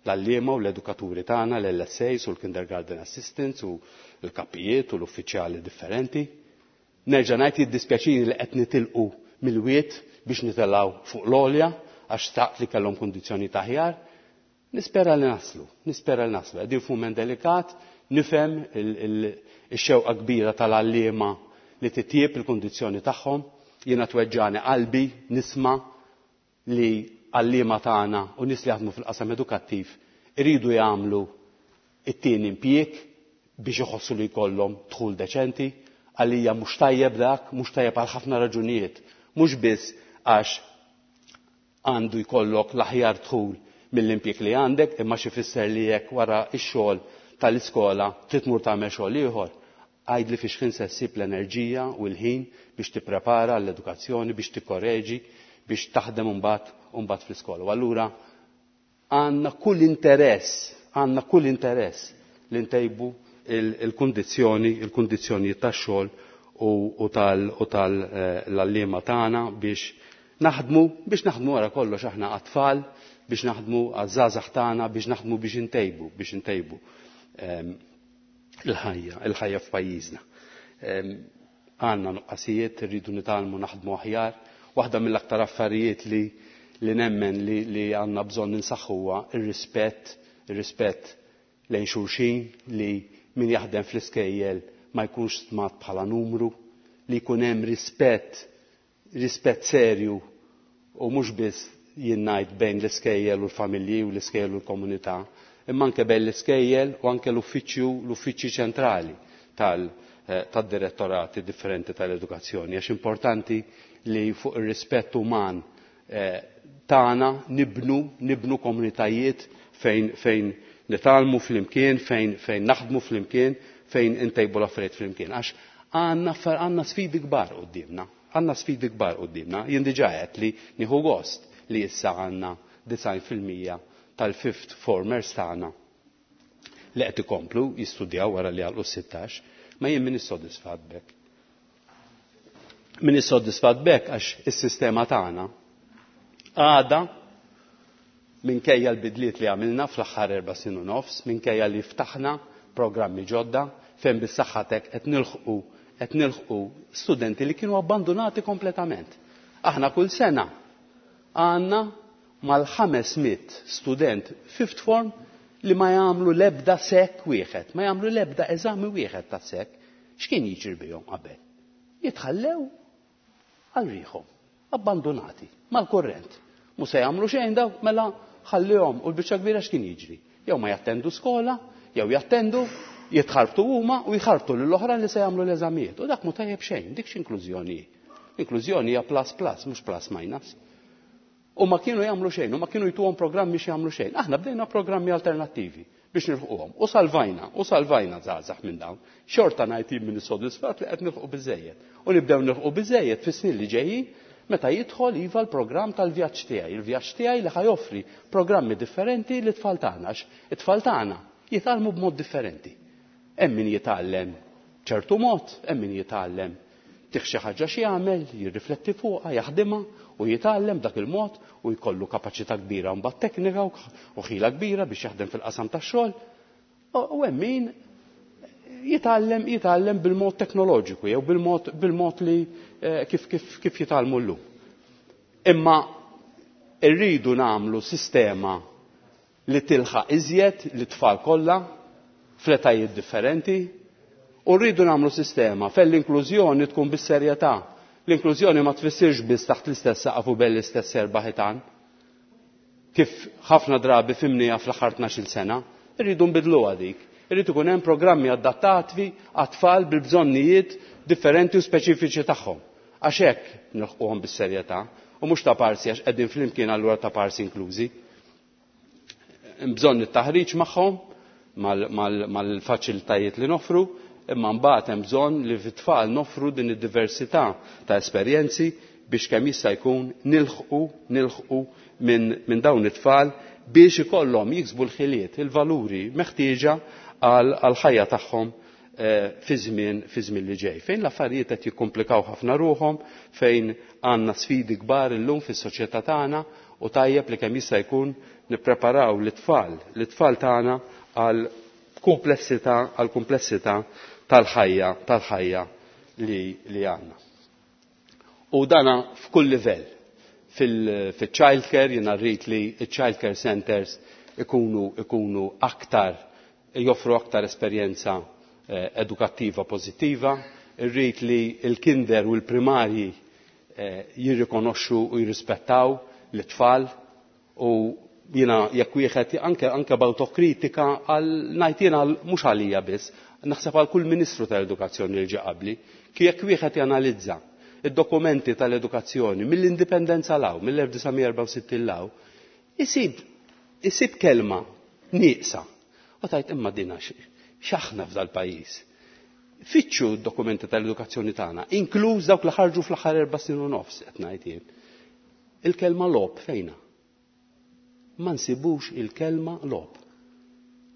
l-għalliema u l-edukaturi tagħna, l-L S As u l-kindergarten assistants u l-kapijiet u l-uffiċjali differenti. Nerġa' ngħid jiddispjaċini li qed nitilqu mill-wied biex nitelgħu fuq l-għolja għax staqt li kellhom kundizzjoni aħjar. Nispera li naslu, nispera li naslu. Qegħdin f'mument delikat, nifhem ix-xewqa kbira tal-għalliema li titjieb il-kundizzjoni tagħhom. Jiena tweġġani qalbi nisma' li għalliema tagħna u nies li jaħdmu fil-qasam edukattiv iridu jagħmlu it-tieni impjieg biex iħossu li jkollhom dħul deċenti. Għalija mhux tajjeb dak, mhux tajjeb għal ħafna raġunijiet, mhux biss għax għandu jkollok l-aħjar dħul mill-impjieg li għandek, imma xi fisser li jekk wara x-xogħol tal-iskola trid tmur tagħmel xogħol ieħor. Għajd li fiex ħin se ssib l-enerġija u l-ħin biex tipprepara l-edukazzjoni, biex tikkoreġi, biex taħdem imbagħad imbagħad fl-iskola. U allura għandna kull interess, għandna kull interess li ntejbu il-kundizzjoni, il-kundizzjonijiet tax-xogħol u tal-għalliema tagħna biex naħdmu, biex naħdmu wara kollox aħna għat-tfal, biex naħdmu għaż-żgħażagħ tagħna, biex naħdmu biex intejbu, biex intejbu, ehm, il-ħajja, il-ħajja f'pajjiżna. Ehm, għandna nuqqasijiet, irridu nitgħallmu naħdmu aħjar. Waħda mill-aktar affarijiet li, li nemmen li, li għandna bżonn ninsaħħu huwa ir-rispett, ir-rispett lejn xulxin, li min jaħdem fl-iskejjel ma jkunx stmat bħala numru, li jkun hemm rispett, rispett serju u mhux biss jien ngħid bejn l-iskejjel u l-familji u l-iskejjel u l-komunità, imma anke bejn l-iskejjel u anke l-uffiċċju, l-uffiċċji ċentrali tal-, eh, tad-direttorati differenti tal-edukazzjoni, għax importanti li fuq ir-rispett uman, eh, tagħna nibnu, nibnu komunitajiet fejn, fejn nitgħallmu flimkien, fejn, fejn naħdmu flimkien, fejn intejbu l-affarijiet flimkien. Għax għandna affar-, għandna sfidi kbar quddiemna, għandna sfidi kbar quddiemna. Jien diġà għedt li nieħu gost li issa għandna disgħin fil-mija tal-fifth formers tagħna li qed ikomplu jistudjaw wara li għalqu sittax, ma jien minix sodisfatt b'hekk. Minix sodisfatt b'hekk għax is-sistema tagħna għadha minkejja l-bidliet li għamilna fl-aħħar erba' snin u nofs, minkejja li ftaħna programmi ġodda fejn bis-saħħa tek qed nilħqu, qed nilħqu studenti li kienu abbandonati kompletament. Aħna kull sena għandna mal-ħames mitt student fifth form li ma jagħmlu l-ebda S E C wieħed, ma jagħmlu l-ebda eżami wieħed ta' S E C? X'kien jiġri bihom qabel? Jitħallew għal riħhom, abbandonati, mal-korrent. Mhu se jagħmlu xejn daw, mela ħallihom. U l-biċċa kbira x'kien jiġri? Jew ma jattendu skola, jew jattendu, jitħarbtu huma u jħarbtu lill-oħra li se jagħmlu l-eżamijiet. U dak mhu tajjeb xejn, dik x'inklużjoni. Inklużjoni hija plus plus, mhux plus minus. U ma kienu jagħmlu xejn, u ma kienu jtuhom programmi xi jagħmlu xejn. Aħna bdejna programmi alternattivi biex nilħquhom. U salvajna, u salvajna żgħażagħ minn dawn. Xorta ngħid minn sodisfat li qed nilħqu biżejjed. U nibdew nilħqu biżejjed fis-snin li ġejjin meta jidħol iva l-programm tal-vjaġġ tiegħi, il-vjaġġ tiegħi li ħa joffri programmi differenti li tfal tagħna, it-tfal tagħna jitgħallmu b'mod differenti. Hemm min jitgħallem ċertu mod, hemm min jitgħallem tih xi ħaġa xi jagħmel, jirrifletti fuqha, jaħdimha u jitgħallem dak il-mod u jkollu kapaċità kbira mbagħad teknika u ħila kbira biex jaħdem fil-qasam tax-xogħol. U hemm min jitgħallem jitgħallem bil-mod teknoloġiku jew bil-mod bil-mod li eh, kif kif kif jitgħallmu llum. Imma rridu nagħmlu sistema li tilħaq iżjed lit-tfal kollha fl-etajiet differenti u rridu nagħmlu sistema fejn l-inklużjoni tkun bis-serjetà. L-inklużjoni ma tfissirx biss taħt l-istess saqaf u bejn l-istess erba' ħitan. Kif ħafna drabi fhimnieha fl-aħħar tnax-il sena, irridu nbidluha dik. Irrid ikun hemm programmi adattati għat-tfal bil-bżonnijiet differenti u speċifiċi tagħhom. Għax hekk nilħquhom bis-serjetà u mhux ta' parsi għax qegħdin flimkien allura ta' parsi inklużi. Bżonn it-taħriġ magħhom mal-faċilitajiet li nofru, imma mbagħad hemm bżonn li fit-tfal nofru din id-diversità ta' esperjenzi biex kemm jista' jkun nilħqu nilħqu minn min dawn it-tfal biex ikollhom jiksbu l-ħiliet, il-valuri meħtieġa għal ħajja tagħhom eh, fi żmien fi żmien li ġej. Fejn l-affarijiet qed jikkomplikaw ħafna ruħhom, fejn għandna sfidi kbar illum fis-soċjetà tagħna u tajjeb li kemm jista' jkun nippreparaw l-tfal, l-tfal tagħna għal komplessità għal komplessità tal-ħajja tal-ħajja li, li għandna. U dana f'kull livell. Fil-child care, jiena rrid li child care centers ikunu, ikunu aktar, joffru aktar esperjenza eh, edukattiva pozittiva, irrid li il-kinder u l-primarji eh, jirrikonoxxu u jirrispettaw l-tfal u jiena jekk wieħed anke anke b'awtokritika għal ngħid jiena mhux għalija biss, naħseb għal kull Ministru tal-Edukazzjoni li ġie qabli, jekk wieħed janalizza id-dokumenti tal-edukazzjoni mill-indipendenza 'l hawn, mill-elf disa' mija erbgħa u sittin 'l hawn, isib isib kelma nieqsa. U tgħid, imma dina x'aħna f'dal-pajjiż? Fittxu d-dokumenti tal-edukazzjoni tagħna, inkluż dawk li ħarġu fl-aħħar erba' snin u nofs, qed ngħid jien. Il-kelma logħob fejna? Ma nsibux il-kelma logħob.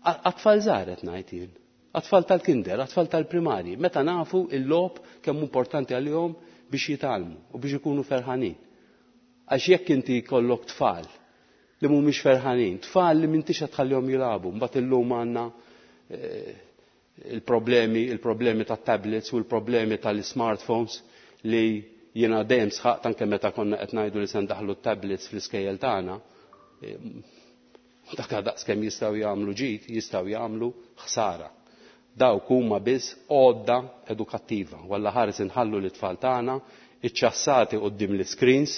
Għat-tfal żgħar qed ngħid jien. Għat-tfal tal-kinder, għat-tfal tal-primarji, meta nafu il-logħob kemm importanti għalihom biex jitgħallmu u biex ikunu ferħanin. Għax jekk inti jkollok tfal li mhumiex ferħanin, tfal li m'intix tħallihom jilagħbu, mbagħad illum għandna eh, il-problemi, il-problemi tat-tablets u l-problemi tal-smartphones li jiena dejjem sħaqt anke meta konna qed ngħidu li se ndaħlu tablets fl-iskejjel tagħna. Eh, dak daqs kemm jistgħu jagħmlu ġid, jistgħu jagħmlu ħsara. Dawk huma biss għodda edukattiva. Walla ħares inħallu l-tfal tagħna iċċassati quddiem l-screens,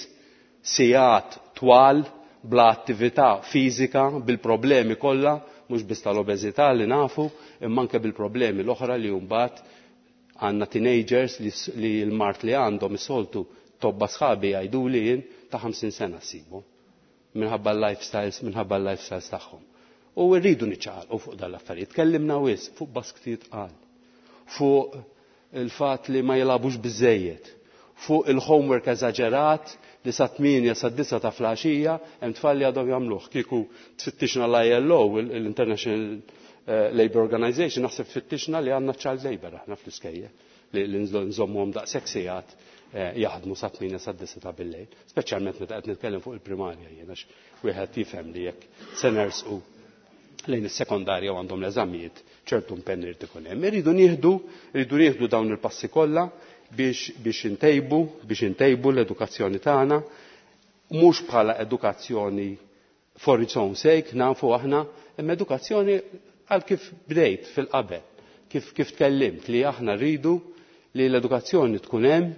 sigħat twal bla attività fiżika, bil-problemi kollha, mhux biss tal-obeżità li nafu, imma anke bil-problemi l-oħra li mbagħad għandna teenagers li, li l-mard li għandhom is-soltu tobba sħabi jgħidu li jien ta' ħamsin sena ssibu. Minħabba l-lifestyles, minħabba l-lifestyles tagħhom. U rridu niċċaqalqu fuq dal-affarijiet. Tkellimna wisq fuq basktijiet tqal, fuq il-fatt li ma jilagħbux biżejjed, fuq il-homework eżaġerat li sa tmienja sa disa ta' filgħaxija hemm tfal li għadhom jagħmluh. Kieku tfittixna l-I L O, l-International eh, Labour Organization, naħseb tfittixna li għandna child labor aħna fl-iskejjel li nżommuhom daqshekk sigħat eh, jaħdmu sa tmienja sa disa ta' billejl, speċjalment meta qed nitkellem fuq il-primarja jien, għax wieħed jifhem li jekk se nersqu lejn is-sekondarja u għandhom l-eżamijiet, ċertu impenn irid ikun hemm. Irridu nieħdu, irridu nieħdu dawn il-passi kollha biex biex intejbu, biex intejbu l-edukazzjoni tagħna. Mhux bħala edukazzjoni for its own sake, nafu aħna, imma edukazzjoni għal kif bdejt fil-qabel, kif, kif tkellimt li aħna rridu li l-edukazzjoni tkun hemm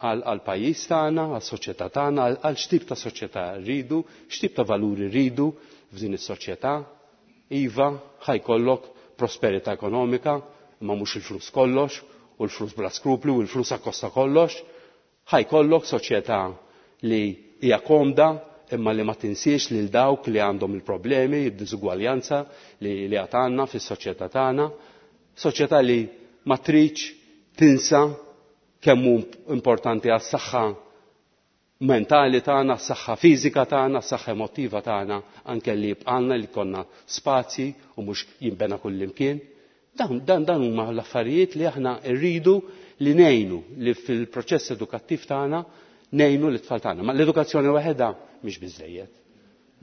għal pajjiż tagħna, għal soċjetà tagħna, għal x'tip ta' soċjetà rridu, x'tip ta' valuri rridu f'din is-soċjetà. Iva, ħajkollok prosperità ekonomika, imma mhux il-flus kollox, u l-flus bla skrupli u l-flus akkosta kollox. Ħajkollok soċjetà li hija komda imma li ma tinsiex lil dawk li għandhom il-problemi, id-diżugwaljanza li, li għad għandna fis-soċjetà tagħna. Soċjetà li ma tridx tinsa kemm hu importanti għas-saħħa mentali tagħna, s-saħħa fiżika tagħna, s-saħħa emotiva tagħna, anke li jibqalna li konna spazji u mhux jinbena kullimkien. Dan, dan, dan huma l-affarijiet li aħna rridu li ngħinu li fil-proċess edukattiv tagħna ngħinu l-tfal tagħna. Ma l-edukazzjoni waħedha mhix biżejjed.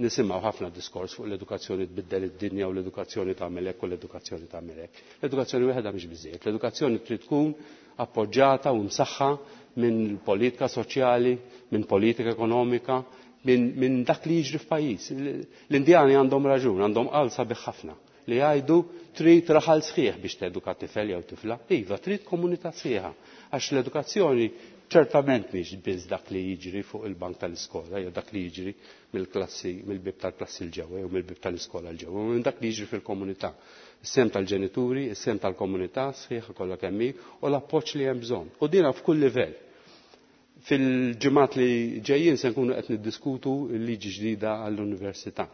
Nisimgħu ħafna diskors fuq l-edukazzjoni tbiddel id-dinja u l-edukazzjoni tagħmel hekk u l-edukazzjoni tagħmel hekk. L-edukazzjoni waħedha mhix biżejjed. L-edukazzjoni trid tkun appoġġjata u msaħħa minn politika soċjali, minn politika ekonomika, minn min dak li jiġri f'pajjiż. L-Indjani għandhom raġun, għandhom qal sabiħ ħafna li jgħidu trid raħal sħiħ biex teduka tifel jew tifla. Iva, trid komunità sħiħa. Għax l-edukazzjoni ċertament mhix biss dak li jiġri fuq il-bank tal-iskola jew dak li jiġri mill-klassi, mill-bib tal-klassi l-ġewwa jew mill-bib tal-iskola l-ġewwa, minn dak li jiġri fil-komunità. Is-sem tal-ġenituri, is-sem tal-komunità sħiħa kollha kemm hi u l-appoġġ li hemm bżonn. U dina f'kull livell. Fil-ġimgħat li ġejjin se nkunu qed niddiskutu l-liġi ġdida għall-università.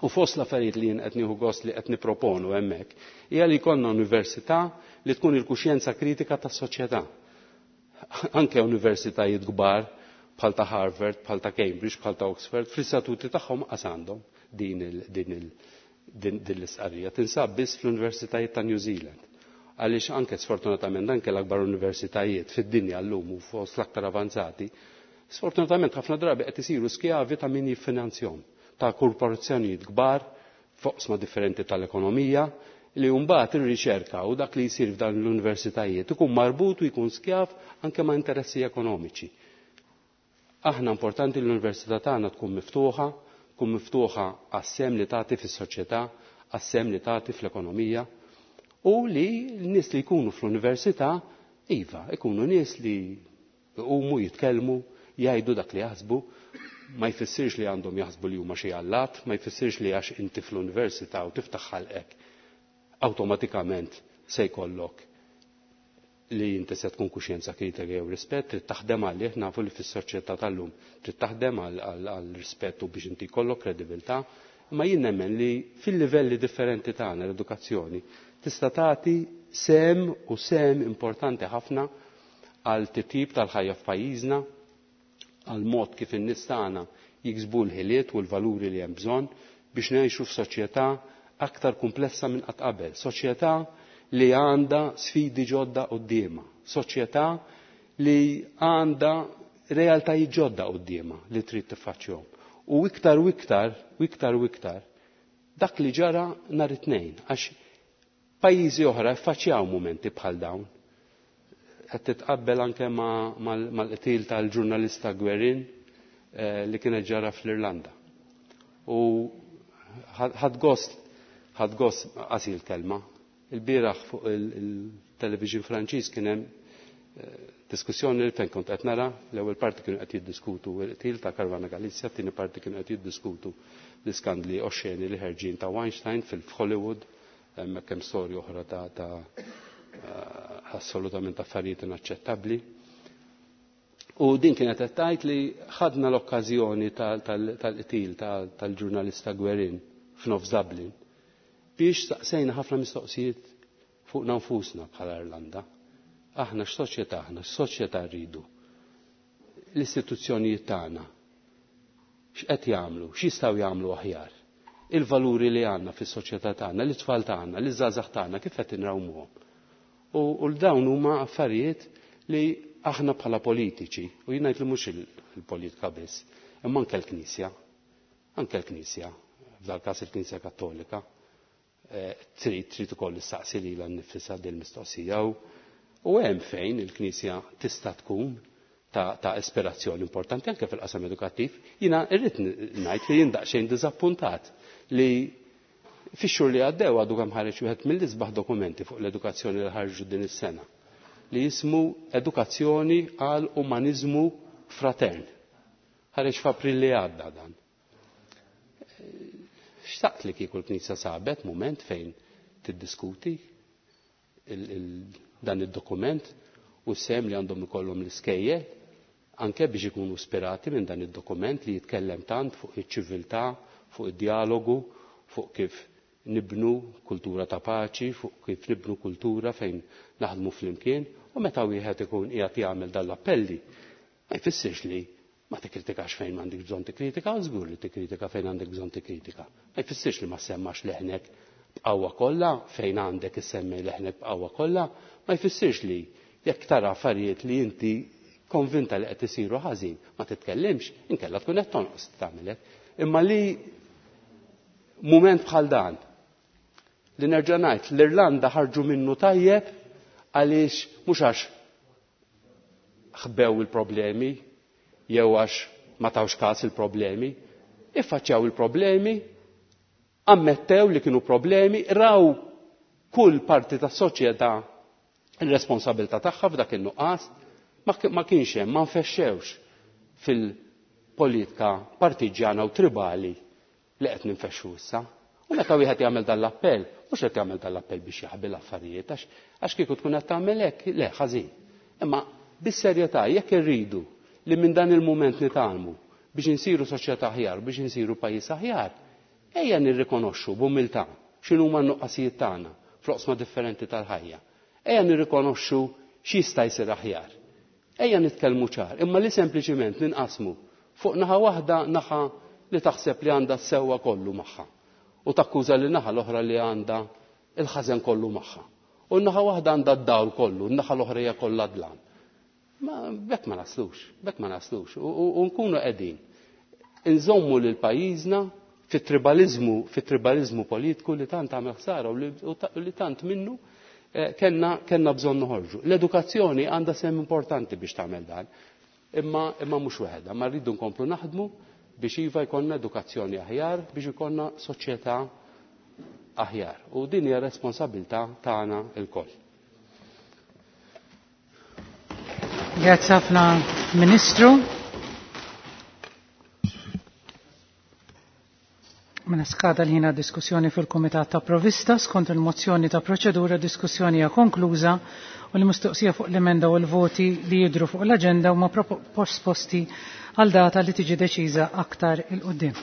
U fost l-affarijiet li jien qed nieħu gost li qed nipproponu hemmhekk hija li jkollna università li tkun il-kuxjenza kritika tas-soċjetà. Anke universitajiet kbar bħal ta' Harvard, bħal ta' Cambridge, bħal ta' Oxford, fl-istatuti tagħhom qas għandhom din il, din il, din, din l-istqarrija. Tinsab biss fl-universitajiet ta' New Zealand. Għaliex anke sfortunatament anke l-akbar universitajiet fid-dinja llum u fost l-aktar avanzati, sfortunatament ħafna drabi qed isiru skjavi ta' min jiffinanzjahom, ta' korporazzjonijiet kbar foqsma differenti tal-ekonomija, li mbagħad ir-riċerka u dak li jsir f'dan l-universitajiet ikun marbut u jkun skjav anke ma' interessi ekonomiċi. Aħna importanti l-università tagħna tkun miftuħa, tkun miftuħa għas-sem li tagħti fis-soċjetà, għas-sem li tagħti fl-ekonomija, u li l-nies li jkunu fl-università, iva, ikunu nies li jqumu jitkellmu, jgħidu dak li jaħsbu, ma jfissirx li għandhom jaħsbu li huma xi allat, ma jfissirx li għax inti fl-università u tiftaħ ħalqek awtomatikament se jkollok li inti se tkun kuxjenza kritika jew rispett, trid taħdem għalih, nafu li fis-soċjetà tal-lum trid taħdem għal rispett u biex inti jkollok kredibilità, imma jien nemmen li fil-livelli differenti tagħna l-edukazzjoni tista' tagħti sem u sem importanti ħafna għal titjib tal-ħajja f'pajjiżna, għal mod kif in-nies tagħna jiksbu l-ħiliet u l-valuri li hemm bżonn biex ngħixu f'soċjetà aktar komplessa minn qatt qabel, soċjetà li għandha sfidi ġodda quddiemha, soċjetà li għandha realtajiet ġodda quddiemha li trid tiffaċċjahom. U iktar u iktar, u iktar u iktar, dak li ġara nhar it-tnejn, għax pajjiżi oħra ffaċċjaw mumenti bħal dawn. Qed titqabbel anke mal-qtil tal-ġurnalista Guerin li kienet ġara fl-Irlanda. U ħadd gost, ħadd gost qasi l-kelma. Il-bieraħ fuq il-television Franċiż kien hemm diskussjoni li fejn kont qed nara, l-ewwel parti kienu qed jiddiskutu l-qtil ta' Caruana Galizia, t-tieni parti kienu qed jiddiskutu l-iskandli oxxeni li ħerġin ta' Weinstein fil-Hollywood, hemmhekk hemm storja oħra ta', ta assolutament affarijiet inaċċettabbli. U din kienet qed tgħid li ħadna l-okkażjoni tal-qtil tal-ġurnalista Guerin f'nofs Dublin biex staqsejna ħafna mistoqsijiet fuqna nfusna bħala Irlanda. Aħna x'soċjetà aħna, x'soċjetà rridu? L-istituzzjonijiet tagħna x'qed jagħmlu, x'jistgħu jagħmlu aħjar? Il-valuri li għandna fis-soċjetà tagħna, l-itfal tagħna, l-iżgħażagħ tagħna kif qed inrawmuhom? U l-dawn huma affarijiet li aħna bħala politiċi, u jien ngħid li mhux il-politika biss, imma anke l-Knisja, anke l-Knisja, f'dal każ il-Knisja Kattolika, trid trid ukoll issaqsi lilha nnifisha din il-mistoqsija u hemm fejn il-Knisja tista' tkun ta', ta ispirazzjoni importanti anke fil-qasam edukattiv. Jiena irrid ngħid li jien daqsxejn diżappuntat li fix-xhur li għaddew għadu kemm ħareġ wieħed mill-isbaħ dokumenti fuq l-edukazzjoni li ħarġu din is-sena li jismu Edukazzjoni għal Umaniżmu Fratern. Ħareġ f'April li għadda dan. Xtaqt li kieku l-Knisja sabet mument fejn tiddiskuti il, il, dan id-dokument u sem li għandhom ikollhom l-iskejjel anke biex ikunu ispirati minn dan id-dokument li jitkellem tant fuq iċ-ċiviltà, fuq id-dialogu, fuq kif nibnu kultura ta' paċi, fuq kif nibnu kultura fejn naħdmu flimkien, u meta wieħed ikun qiegħed jagħmel dan l-appelli, ma jfissirx li ma tikkritikax fejn m'għandek bżonn tikkritika, żgur li tikkritika fejn għandek bżonn tikkritika. Ma jfissirx li ma semmax leħnek b'qawwa kollha fejn għandek issemmi leħnek b'qawwa kollha, ma jfissirx li jekk tara affarijiet li inti konvinta li qed isiru ħażin, ma titkellimx, inkella tkun qed tonqos tagħmel hekk. Imma li mument bħal dan li nerġa' ngħid l-Irlanda ħarġu minnu tajjeb għaliex mhux għax ħbew il-problemi jew għax ma tawx każ il-problemi, iffaċċjaw il-problemi, ammettew li kienu problemi, raw kull parti tas-soċjetà il-responsabilità tagħha f'dak in-nuqqas, ma kienx hemm, ma nfexxewx fil-politika partiġjana u tribali li qed ninfexxu issa. U meta wieħed jagħmel dan l-appell, mhux qed jagħmel dan l-appell biex jaħbi l-affarijiet, għax kieku tkun qed tagħmel hekk, le ħażin. Imma bis-serjetà jekk irridu li minn dan il-mument nitgħallmu biex insiru soċjetà aħjar, biex insiru pajjiż aħjar, ejja nirrikonoxxu b'umiltà x'inhuma n-nuqqasijiet tagħna fl-oqsma differenti tal-ħajja. Ejja nirrikonoxxu x'jista' jsir aħjar. Ejja nitkellmu ċar, imma li sempliċiment ninqasmu fuq naħa waħda, naħa li taħseb li għandha s-sewwa kollu magħha u takkuża li naħa l-oħra li għandha il-ħażen kollu magħha. U naħa waħda għandha d-dawl kollu, naħa l-oħra hija kollha dlam. Ma bekk ma naslux, bekk ma naslux. U nkunu qegħdin inżommu lil pajjiżna fit-tribalizmu, fit-tribalizmu politiku li tant għamel ħsara u li tant minnu kellna kellna bżonn noħorġu. L-edukazzjoni għandha sehem importanti biex tagħmel dan, imma imma mhux waħedha, ma rridu nkomplu naħdmu biex iva jkollna edukazzjoni aħjar, biex ikollna soċjetà aħjar. U din hija responsabilità tagħna lkoll.
Grazzi ħafna, Ministru. Mela skada l-ħina diskussjoni fil-Kumitat ta' Provista skont il-mozzjoni ta' proċedura diskussjoni hija konkluża u l-mistoqsija fuq l-emenda u l-voti li jidhru fuq l-aġenda huma posposti għal data li tiġi deċiża aktar il-qudiem.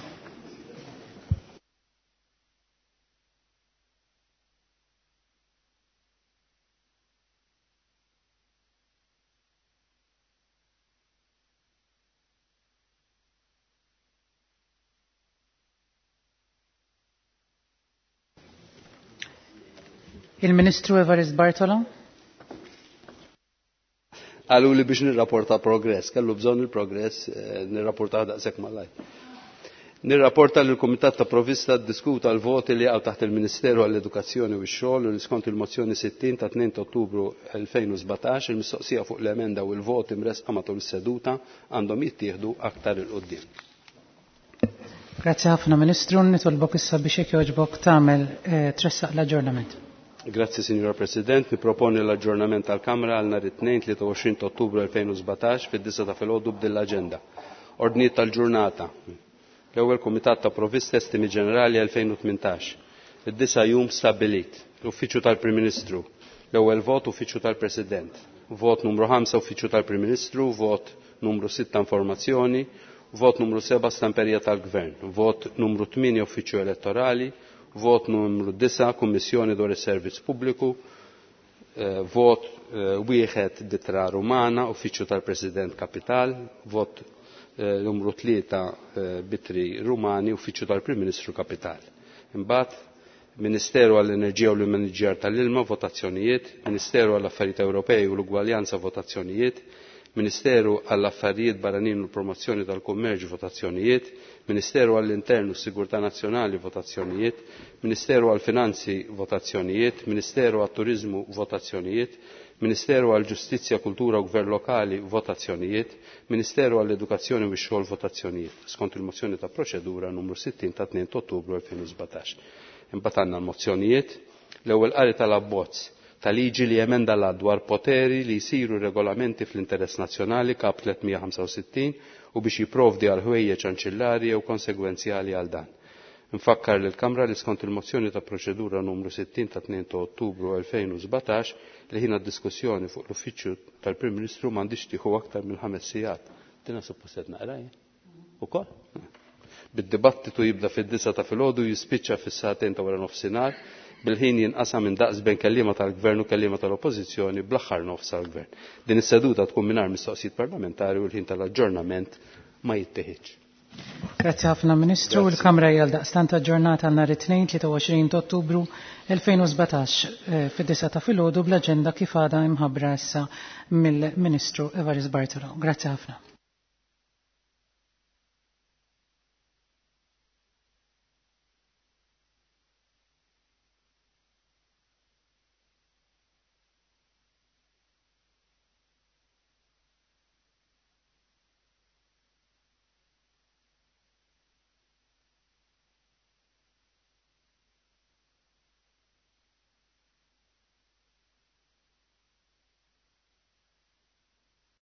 Il-Ministru Evarist Bartolo.
Għalu li biex nirrapporta progress, kellu bżonn il-progress, nirrapporta daqshekk malajr. Nirrapporta li l-Kumitat ta' Provista ddiskuta l-voti li għaw taħt il-Ministeru għall-Edukazzjoni u x-Xogħol u li skont il-mozzjoni sittin ta' tnejn ta' Ottubru elfejn u sbatax il-mistoqsija fuq l-emenda u l-voti mresqa matul is-seduta għandhom jittieħdu aktar il-qudiem.
Grazzi ħafna Ministru, nitolbok issa biex jekk jogħġbok tagħmel tressaq l-aġġornament.
Grazzi Signora President, niproponi l-aġġornament tal-Kamra għal nhar it-tnejn tlieta u għoxrin ta' Ottubru elfejn u sbatax fid-disa ta' filgħodu b'din l-aġenda. Ordnijiet tal-ġurnata. L-ewwel Kumitat ta' Provista Estimi Ġenerali elfejn u tmintax. Id-disa jum stabbilit. L-Uffiċċju tal-Prim Ministru. L-ewwel vot Uffiċċju tal-President. Vot numru ħamsa Uffiċċju tal-Prim Ministru, vot numru sitta Informazzjoni, vot numru seba' Stamperija tal-Gvern, vot numru tmienja Uffiċċju Elettorali, vot numru disa Kummissjoni dwar is-Servizz Pubbliku, vot wieħed Ditra Rumana, Uffiċċju tal-President Kapital, vot numru tlieta Bitri Rumani, Uffiċċju tal-Prim Ministru Kapital. Imbagħad Ministeru għall-Enerġija u l-Immaniġġjar tal-Ilma, votazzjonijiet, Ministeru għall-Affarijiet Ewropej u l-Ugwaljanza, votazzjonijiet, Ministeru għall-Affarijiet Barranin u l-Promozzjoni tal-Kummerċ, votazzjonijiet, Ministeru għall-Intern u s-Sigurtà Nazzjonali, votazzjonijiet, Ministeru għall-Finanzi, votazzjonijiet, Ministeru għat-Turiżmu, votazzjonijiet, Ministeru għal Ġustizzja, Kultura u Gvern Lokali, votazzjonijiet. Ministeru għall Edukazzjoni u x-Xogħol, votazzjonijiet. Skont il-mozzjoni ta' proċedura numru sittin ta' tnejn ta' Ottubru elfejn u sbatax. Imbagħad għandna l-mozzjonijiet. L-ewwel qari tal-abbozz ta' liġi li emenda l dwar poteri li jsiru regolamenti fl-interess nazzjonali kap tliet mija ħamsa u sittin u biex jipprovdi għal ħwejjeġ anċillari jew konsegwenzjali għal dan. Nfakkar lil Kamra li skont il-mozzjoni ta' proċedura numru sittin ta' tnejn ta' Ottubru elfejn u sbatax li ħina diskussjoni fuq l-uffiċċju tal-Prim Ministru m'għandix tieħu aktar minn ħames sigħat. Dina suppost qed naqra jien. Ukoll? Bid-dibattitu jibda fid-disa ta' filgħodu jispiċċa fis-sagħtejn ta' wara nofsinhar, bil-ħin jinqasam minn daqs bejn kelliema tal-Gvern u kelliema tal-Oppożizzjoni bl-aħħar nofs għall-Gvern. Din is-seduta tkun mingħajr mistoqsijiet parlamentari u l-ħin tal-aġġornament ma jittieħidx.
Grazzi ħafna Ministru.
Grazzi.
Il-Kamra hija daqstant aġġornata nhar it-Tnejn tlieta u għoxrin ta' Ottubru elfejn u sbatax, eh, fid-disa ta' filgħodu bl-aġenda kif għadha imħabbra issa mill-Ministru Evarist Bartolo. Grazzi ħafna.